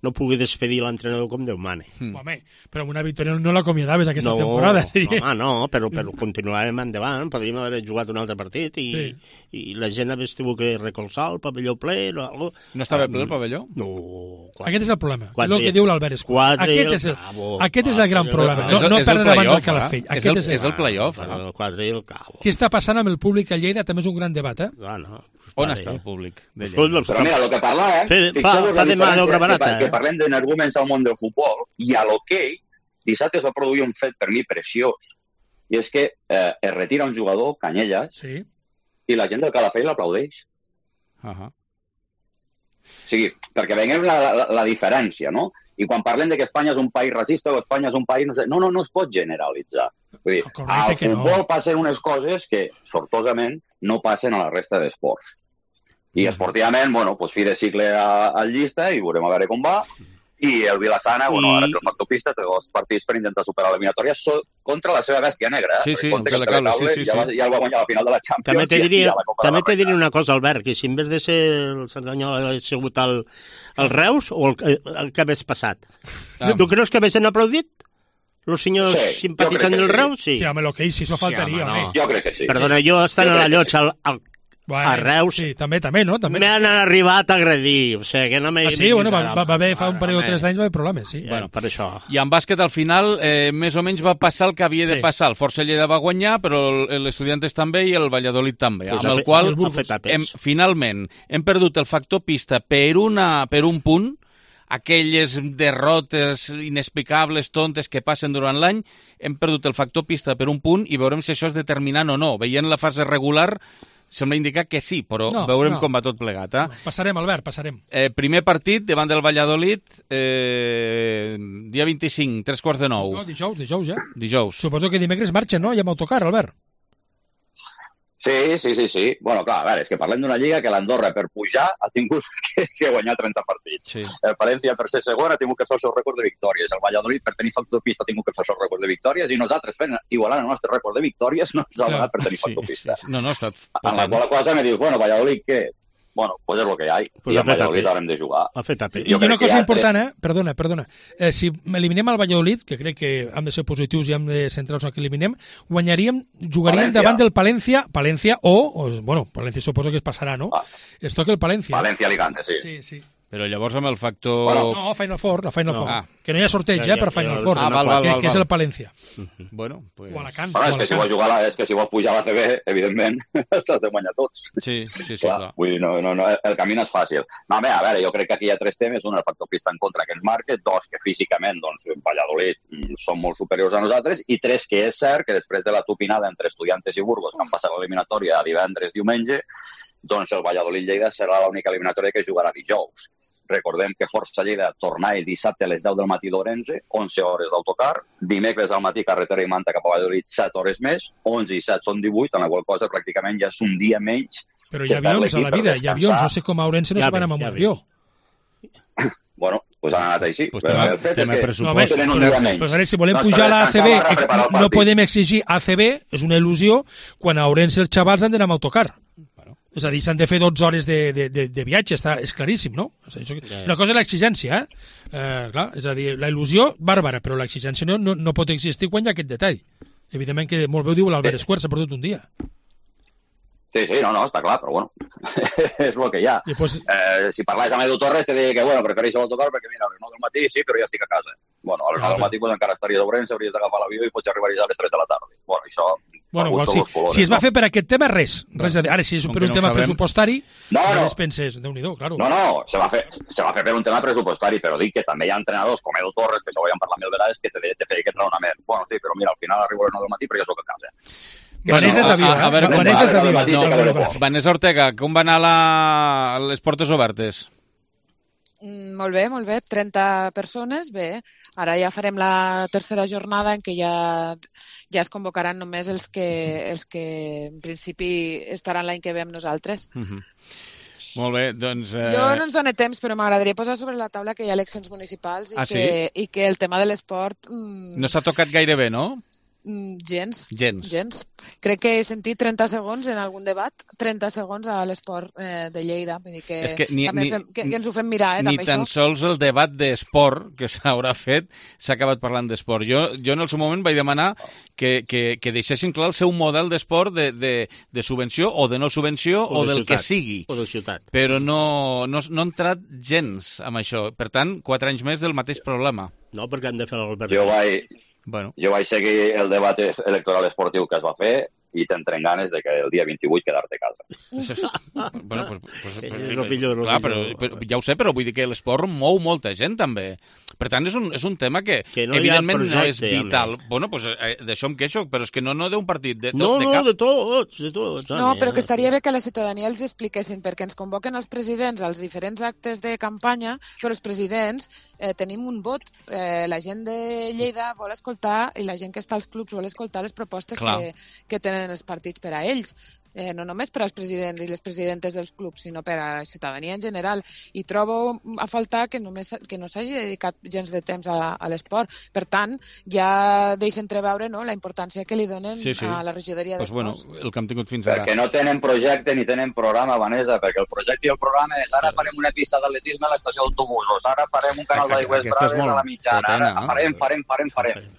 Speaker 6: no pugui despedir l'entrenador com Déu mane.
Speaker 2: Mm. Home, però amb una victòria no l'acomiadaves aquesta
Speaker 6: no,
Speaker 2: temporada. Sí.
Speaker 6: No, no, però, però continuàvem endavant, podríem haver jugat un altre partit i, sí. i la gent hagués tingut que recolzar el pavelló ple o algo.
Speaker 1: No estava ple el pavelló?
Speaker 6: No.
Speaker 2: Quatre. Aquest és el problema, és el que diu l'Albert Escull. Aquest, és el,
Speaker 6: cabo,
Speaker 2: aquest és el gran problema, no, no perdre davant del Calafell.
Speaker 1: Eh? És el, és el play-off.
Speaker 6: Eh? El quatre i el cabo.
Speaker 2: Què està passant amb el públic a Lleida també és un gran debat, eh?
Speaker 6: Ah, no.
Speaker 1: On està el públic de Lleida?
Speaker 8: Però mira, el que parla, eh?
Speaker 6: Fe, fa, fa de mà d'obra barata,
Speaker 8: eh? Que parlem d'energúmens al món del futbol i a l'hoquei, dissabte es va produir un fet per mi preciós. I és que eh, es retira un jugador, Canyelles,
Speaker 2: sí.
Speaker 8: i la gent del Calafell l'aplaudeix.
Speaker 1: Uh -huh.
Speaker 8: O sigui, perquè veiem la, la, la diferència, no? I quan parlem de que Espanya és un país racista o Espanya és un país... No, no, no es pot generalitzar. Vull dir, al futbol no. passen unes coses que, sortosament, no passen a la resta d'esports. I esportivament, bueno, pues fi de cicle al llista i veurem a veure com va. I el Vilassana, bueno, ara que el factor pista té dos partits per intentar superar l'eliminatòria contra la seva bèstia negra. Eh?
Speaker 1: Sí, sí, que cable, sí, sí,
Speaker 8: ja, va, ja el va guanyar a la final de la Champions.
Speaker 6: També te diria, també te diria una cosa, Albert, que si en vez de ser el Cerdanyola hagués sigut el, el Reus o el, el que hagués passat. Ah. Tu creus que haguessin aplaudit? Els senyors sí, simpatitzants del Reus? Sí,
Speaker 2: sí home, el que sí, això faltaria.
Speaker 8: Sí, home, no. Jo crec que sí.
Speaker 6: Perdona, jo estant a la llotja al, al
Speaker 2: Bueno,
Speaker 6: a Reus
Speaker 2: sí, també, també, no? També.
Speaker 6: m'han arribat a agredir, o sigui, que no m'he...
Speaker 2: Ah, sí? Bueno, va, va, va haver fa un parell o tres d'anys va haver problemes, sí.
Speaker 6: Bueno, per això.
Speaker 1: I en bàsquet, al final, eh, més o menys va passar el que havia sí. de passar. El Força Lleida va guanyar, però l'Estudiantes també i el Valladolid també, pues amb el qual, hem, finalment, hem perdut el factor pista per, una, per un punt, aquelles derrotes inexplicables, tontes que passen durant l'any, hem perdut el factor pista per un punt i veurem si això és determinant o no. Veient la fase regular, sembla indicar que sí, però no, veurem no. com va tot plegat. Eh?
Speaker 2: Passarem, Albert, passarem.
Speaker 1: Eh, primer partit davant del Valladolid, eh, dia vint-i-cinc, tres quarts de nou.
Speaker 2: No, dijous, dijous ja.
Speaker 1: Dijous.
Speaker 2: Suposo que dimecres marxa, no? Ja amb autocar, Albert.
Speaker 8: Sí, sí, sí, sí. Bueno, clar, a veure, és que parlem d'una lliga que l'Andorra per pujar ha tingut que, que guanyar trenta partits.
Speaker 1: Sí.
Speaker 8: El València per ser segon ha tingut que fer el seu rècord de victòries. El Valladolid per tenir factor pista ha tingut que fer el seu rècord de victòries i nosaltres fent igualant el nostre rècord de victòries no ens ha donat per tenir factor pista.
Speaker 1: Sí, sí. No, no, ha estat...
Speaker 8: En la qual cosa me dius, bueno, Valladolid, què? Bueno, pues és el que hi ha.
Speaker 6: Pues
Speaker 8: I el Valladolid haurem de jugar.
Speaker 6: Ha fet
Speaker 2: I una cosa important, eh? Perdona, perdona. Eh, si eliminem el Valladolid, que crec que hem de ser positius i hem de centrar-nos en que eliminem, guanyaríem, jugaríem València. davant del Palència, Palència o, o, bueno, Palència suposo que es passarà, no?
Speaker 8: Ah.
Speaker 2: Es toca el Palència.
Speaker 8: València-Alicante, sí.
Speaker 2: Sí, sí.
Speaker 1: Però llavors amb el factor...
Speaker 2: Bueno, no, Final Four, la Final
Speaker 1: no.
Speaker 2: Four.
Speaker 1: Ah.
Speaker 2: Que no hi ha sorteig, ja, eh, per Final Four.
Speaker 1: Ah, val, val,
Speaker 2: que,
Speaker 1: val,
Speaker 2: que és
Speaker 1: val.
Speaker 2: el Palència.
Speaker 1: Uh-huh. Bueno, pues...
Speaker 2: O Alacant.
Speaker 8: Bueno, és,
Speaker 2: o
Speaker 8: que si vols jugar la, és que si vols pujar a la C B, evidentment, s'has de guanyar tots.
Speaker 1: Sí, sí, sí.
Speaker 8: Clar,
Speaker 1: clar.
Speaker 8: Vull dir, no, no, no, el camí no és fàcil. No, bé, a veure, jo crec que aquí hi ha tres temes. Un, el factor pista en contra que ens marca. Dos, que físicament, doncs, Valladolid són molt superiors a nosaltres. I tres, que és cert que després de la tupinada entre Estudiantes i Burgos, que han passat l'eliminatòria divendres, diumenge, doncs el Valladolid-Lleida serà l'única eliminatòria que jugarà dijous. Recordem que Força Lleida torna el dissabte a les deu del matí d'Orense, onze hores d'autocar, dimecres al matí carretera i Manta cap a Valladolid, set hores més, onze i set són divuit, en la qual cosa pràcticament ja és un dia menys.
Speaker 2: Però hi ha avions a la vida, hi ha avions, no sé com a Orense no ja se van amb un avió.
Speaker 8: Bueno, pues han anat així.
Speaker 1: Pues tema,
Speaker 8: el fet
Speaker 1: tema
Speaker 8: és que
Speaker 1: pressupost.
Speaker 8: tenen un dia menys.
Speaker 2: Pues a veure, si volem no, pujar a la A C B, no podem exigir A C B, és una il·lusió, quan a Orense els xavals han d'anar amb autocar. És a dir, s'han de fer dotze hores de, de, de, de viatge, està, és claríssim, no? Una cosa és l'exigència, eh? eh? Clar, és a dir, la il·lusió, bàrbara, però l'exigència no, no, no pot existir quan hi ha aquest detall. Evidentment que molt bé ho diu l'Albert Escuer, s'ha perdut un dia.
Speaker 8: Sí, sí, no, no, està clar, però bueno, és el que hi ha.
Speaker 2: Després...
Speaker 8: Eh, si parlàs amb Edu Torres, te diria que, bueno, prefereixo l'autocar perquè, mira, a les nou del matí sí, però ja estic a casa. Bueno, a les nou del matí pues, encara estaria d'Ourense, hauries d'agafar l'avió i pots arribar a les tres de la tarda. Bueno, això...
Speaker 2: Bueno, igual, si, colores, si es va no? fer per aquest tema, res. res no. Ara, si és per un no tema sabem. pressupostari,
Speaker 8: no, no.
Speaker 2: res penses, Déu-n'hi-do, claro.
Speaker 8: No, no, se va, fer, se va fer per un tema pressupostari, però dic que també hi ha entrenadors com Edu Torres, que això ho vam parlar mil vegades, que te, te feia aquest raonament. Bueno, sí, però mira, al final arribo a les nou del matí, però ja soc a casa.
Speaker 2: Vanessa és de Viva, eh?
Speaker 1: A
Speaker 2: Vanessa és de Viva.
Speaker 1: No, Vanessa Ortega, com va anar la... les portes obertes?
Speaker 9: Mm, molt bé, molt bé. trenta persones, bé. Ara ja farem la tercera jornada en què ja, ja es convocaran només els que, els que en principi estaran l'any que ve amb nosaltres.
Speaker 1: Uh-huh. Molt bé, doncs... Eh...
Speaker 9: Jo no ens dóna temps, però m'agradaria posar sobre la taula que hi ha eleccions municipals i,
Speaker 1: ah,
Speaker 9: que,
Speaker 1: sí?
Speaker 9: i que el tema de l'esport... Mm...
Speaker 1: No s'ha tocat gaire bé, no?
Speaker 9: Mm, gens.
Speaker 1: Gens.
Speaker 9: Gens. Crec que he sentit trenta segons en algun debat, trenta segons a l'esport eh, de Lleida. Vull dir que,
Speaker 1: És que, ni,
Speaker 9: també
Speaker 1: ni,
Speaker 9: fem, que, que ens ho fem mirar, eh,
Speaker 1: ni
Speaker 9: també
Speaker 1: tan
Speaker 9: això.
Speaker 1: sols el debat d'esport que s'haurà fet s'ha acabat parlant d'esport. Jo, jo en el seu moment vaig demanar que, que, que deixessin clar el seu model d'esport de, de, de subvenció o de no subvenció o,
Speaker 6: O de
Speaker 1: del
Speaker 6: ciutat.
Speaker 1: que sigui.
Speaker 6: O de ciutat.
Speaker 1: Però no, no, no ha entrat gens amb això. Per tant, quatre anys més del mateix problema.
Speaker 6: No, perquè han de fer l'Albert.
Speaker 8: Jo vaig,
Speaker 1: bueno.
Speaker 8: jo vaig seguir el debat electoral esportiu que es va fer i tenen ganes de que el dia vint-i-vuit quedar-te a casa.
Speaker 1: bueno, pues, pues,
Speaker 6: És el millor, el
Speaker 1: clar,
Speaker 6: millor.
Speaker 1: però, però, ja ho sé, però vull dir que l'esport mou molta gent, també. Per tant, és un, és un tema que,
Speaker 6: Que no hi ha
Speaker 1: evidentment,
Speaker 6: projecte,
Speaker 1: no és
Speaker 6: home.
Speaker 1: vital. Bueno, pues, eh, d'això em queixo, però és que no, no d'un partit, de,
Speaker 6: No,
Speaker 1: de
Speaker 6: no,
Speaker 1: cap.
Speaker 6: de tots, de tots.
Speaker 9: No, però que estaria bé que la ciutadania els expliquessin, perquè ens convoquen els presidents als diferents actes de campanya, però els presidents eh, tenim un vot. Eh, la gent de Lleida vol escoltar, i la gent que està als clubs vol escoltar les propostes que, que tenen els partits per a ells. Eh, no només per als presidents i les presidentes dels clubs, sinó per a la ciutadania en general. I trobo a faltar que només que no s'hagi dedicat gens de temps a, a l'esport. Per tant, ja deixa entreveure, no?, la importància que li donen
Speaker 1: Sí, sí.
Speaker 9: a la regidoria
Speaker 1: Pues, bueno,
Speaker 9: d'esports.
Speaker 1: el que hem tingut fins ara.
Speaker 8: Perquè no tenen projecte ni tenen programa, Vanessa, perquè el projecte i el programa és ara farem una pista d'atletisme a l'estació d'autobusos, ara farem un canal d'aigües
Speaker 1: Aquesta és
Speaker 8: braves
Speaker 1: molt
Speaker 8: a la mitjana,
Speaker 1: potent,
Speaker 8: ara
Speaker 1: eh?
Speaker 8: farem, farem, farem, farem.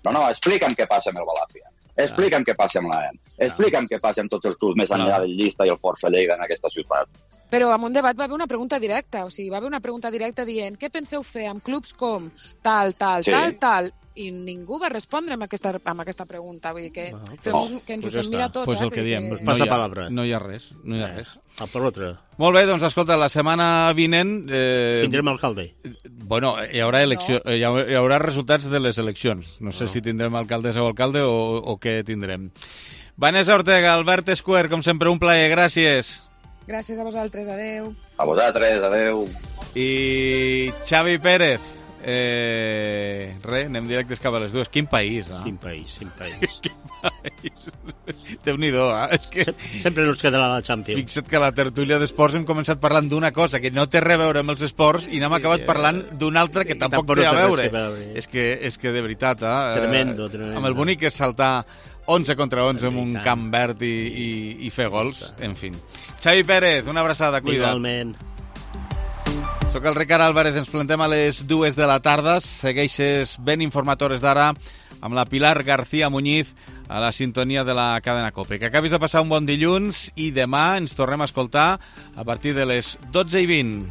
Speaker 8: No, no, explica'm què passa amb el Balàfia. Explica'm què passa amb l'A E M. Explica'm què passa amb tots els clubs més enllà del Llista i el Força Lleida en aquesta ciutat.
Speaker 9: Però en un debat va haver una pregunta directa, o sigui, va haver una pregunta directa dient què penseu fer amb clubs com tal, tal,
Speaker 8: Sí.
Speaker 9: tal, tal, i ningú va respondre amb aquesta, amb aquesta pregunta. Vull dir que,
Speaker 6: Bueno,
Speaker 9: fem,
Speaker 6: pues-
Speaker 9: que ens
Speaker 6: pues
Speaker 9: ho
Speaker 6: ja
Speaker 9: fem
Speaker 6: està.
Speaker 9: mirar tots.
Speaker 1: Pues
Speaker 9: eh?
Speaker 1: el que
Speaker 9: Vull dir
Speaker 1: diem.
Speaker 9: que-
Speaker 1: No
Speaker 6: Passa
Speaker 1: hi ha,
Speaker 6: palabra.
Speaker 1: no hi ha res. No hi ha res.
Speaker 6: A per l'altre.
Speaker 1: Molt bé, doncs escolta, la setmana vinent... Eh,
Speaker 6: Tindrem alcalde.
Speaker 1: Bueno, hi haurà, elecció, no. hi, haurà, hi haurà resultats de les eleccions. No sé no. si tindrem alcaldessa o alcalde o, o què tindrem. Vanessa Ortega, Albert Escuer, com sempre, un plaer. Gràcies.
Speaker 9: Gràcies a vosaltres, adeu.
Speaker 8: A vosaltres, adeu.
Speaker 1: I Xavi Pérez. Eh, res, anem directes cap a les dues. Quin país, eh?
Speaker 6: Quin país, quin país.
Speaker 1: Quin país. Déu-n'hi-do, eh? És que...
Speaker 6: Sempre ens quedarà la Champions.
Speaker 1: Fixa't que a la tertúlia d'esports hem començat parlant d'una cosa que no té res a veure amb els esports i n'hem
Speaker 6: Sí,
Speaker 1: acabat
Speaker 6: sí,
Speaker 1: parlant d'una altra que
Speaker 6: sí,
Speaker 1: tampoc,
Speaker 6: tampoc
Speaker 1: té a
Speaker 6: no té res
Speaker 1: veure.
Speaker 6: a veure.
Speaker 1: És que, és que de veritat, eh?
Speaker 6: Tremendo, tremendo.
Speaker 1: Amb el bonic que és saltar onze contra onze en un camp verd i, i, i fer gols, en fi. Xavi Pérez, una abraçada, cuida.
Speaker 6: Igualment.
Speaker 1: Soc el Ricard Álvarez, ens plantem a les dues de la tarda. Segueixes ben informatores d'ara amb la Pilar García Muñiz a la sintonia de la cadena COPE. Que acabis de passar un bon dilluns i demà ens tornem a escoltar a partir de les dotze i vint.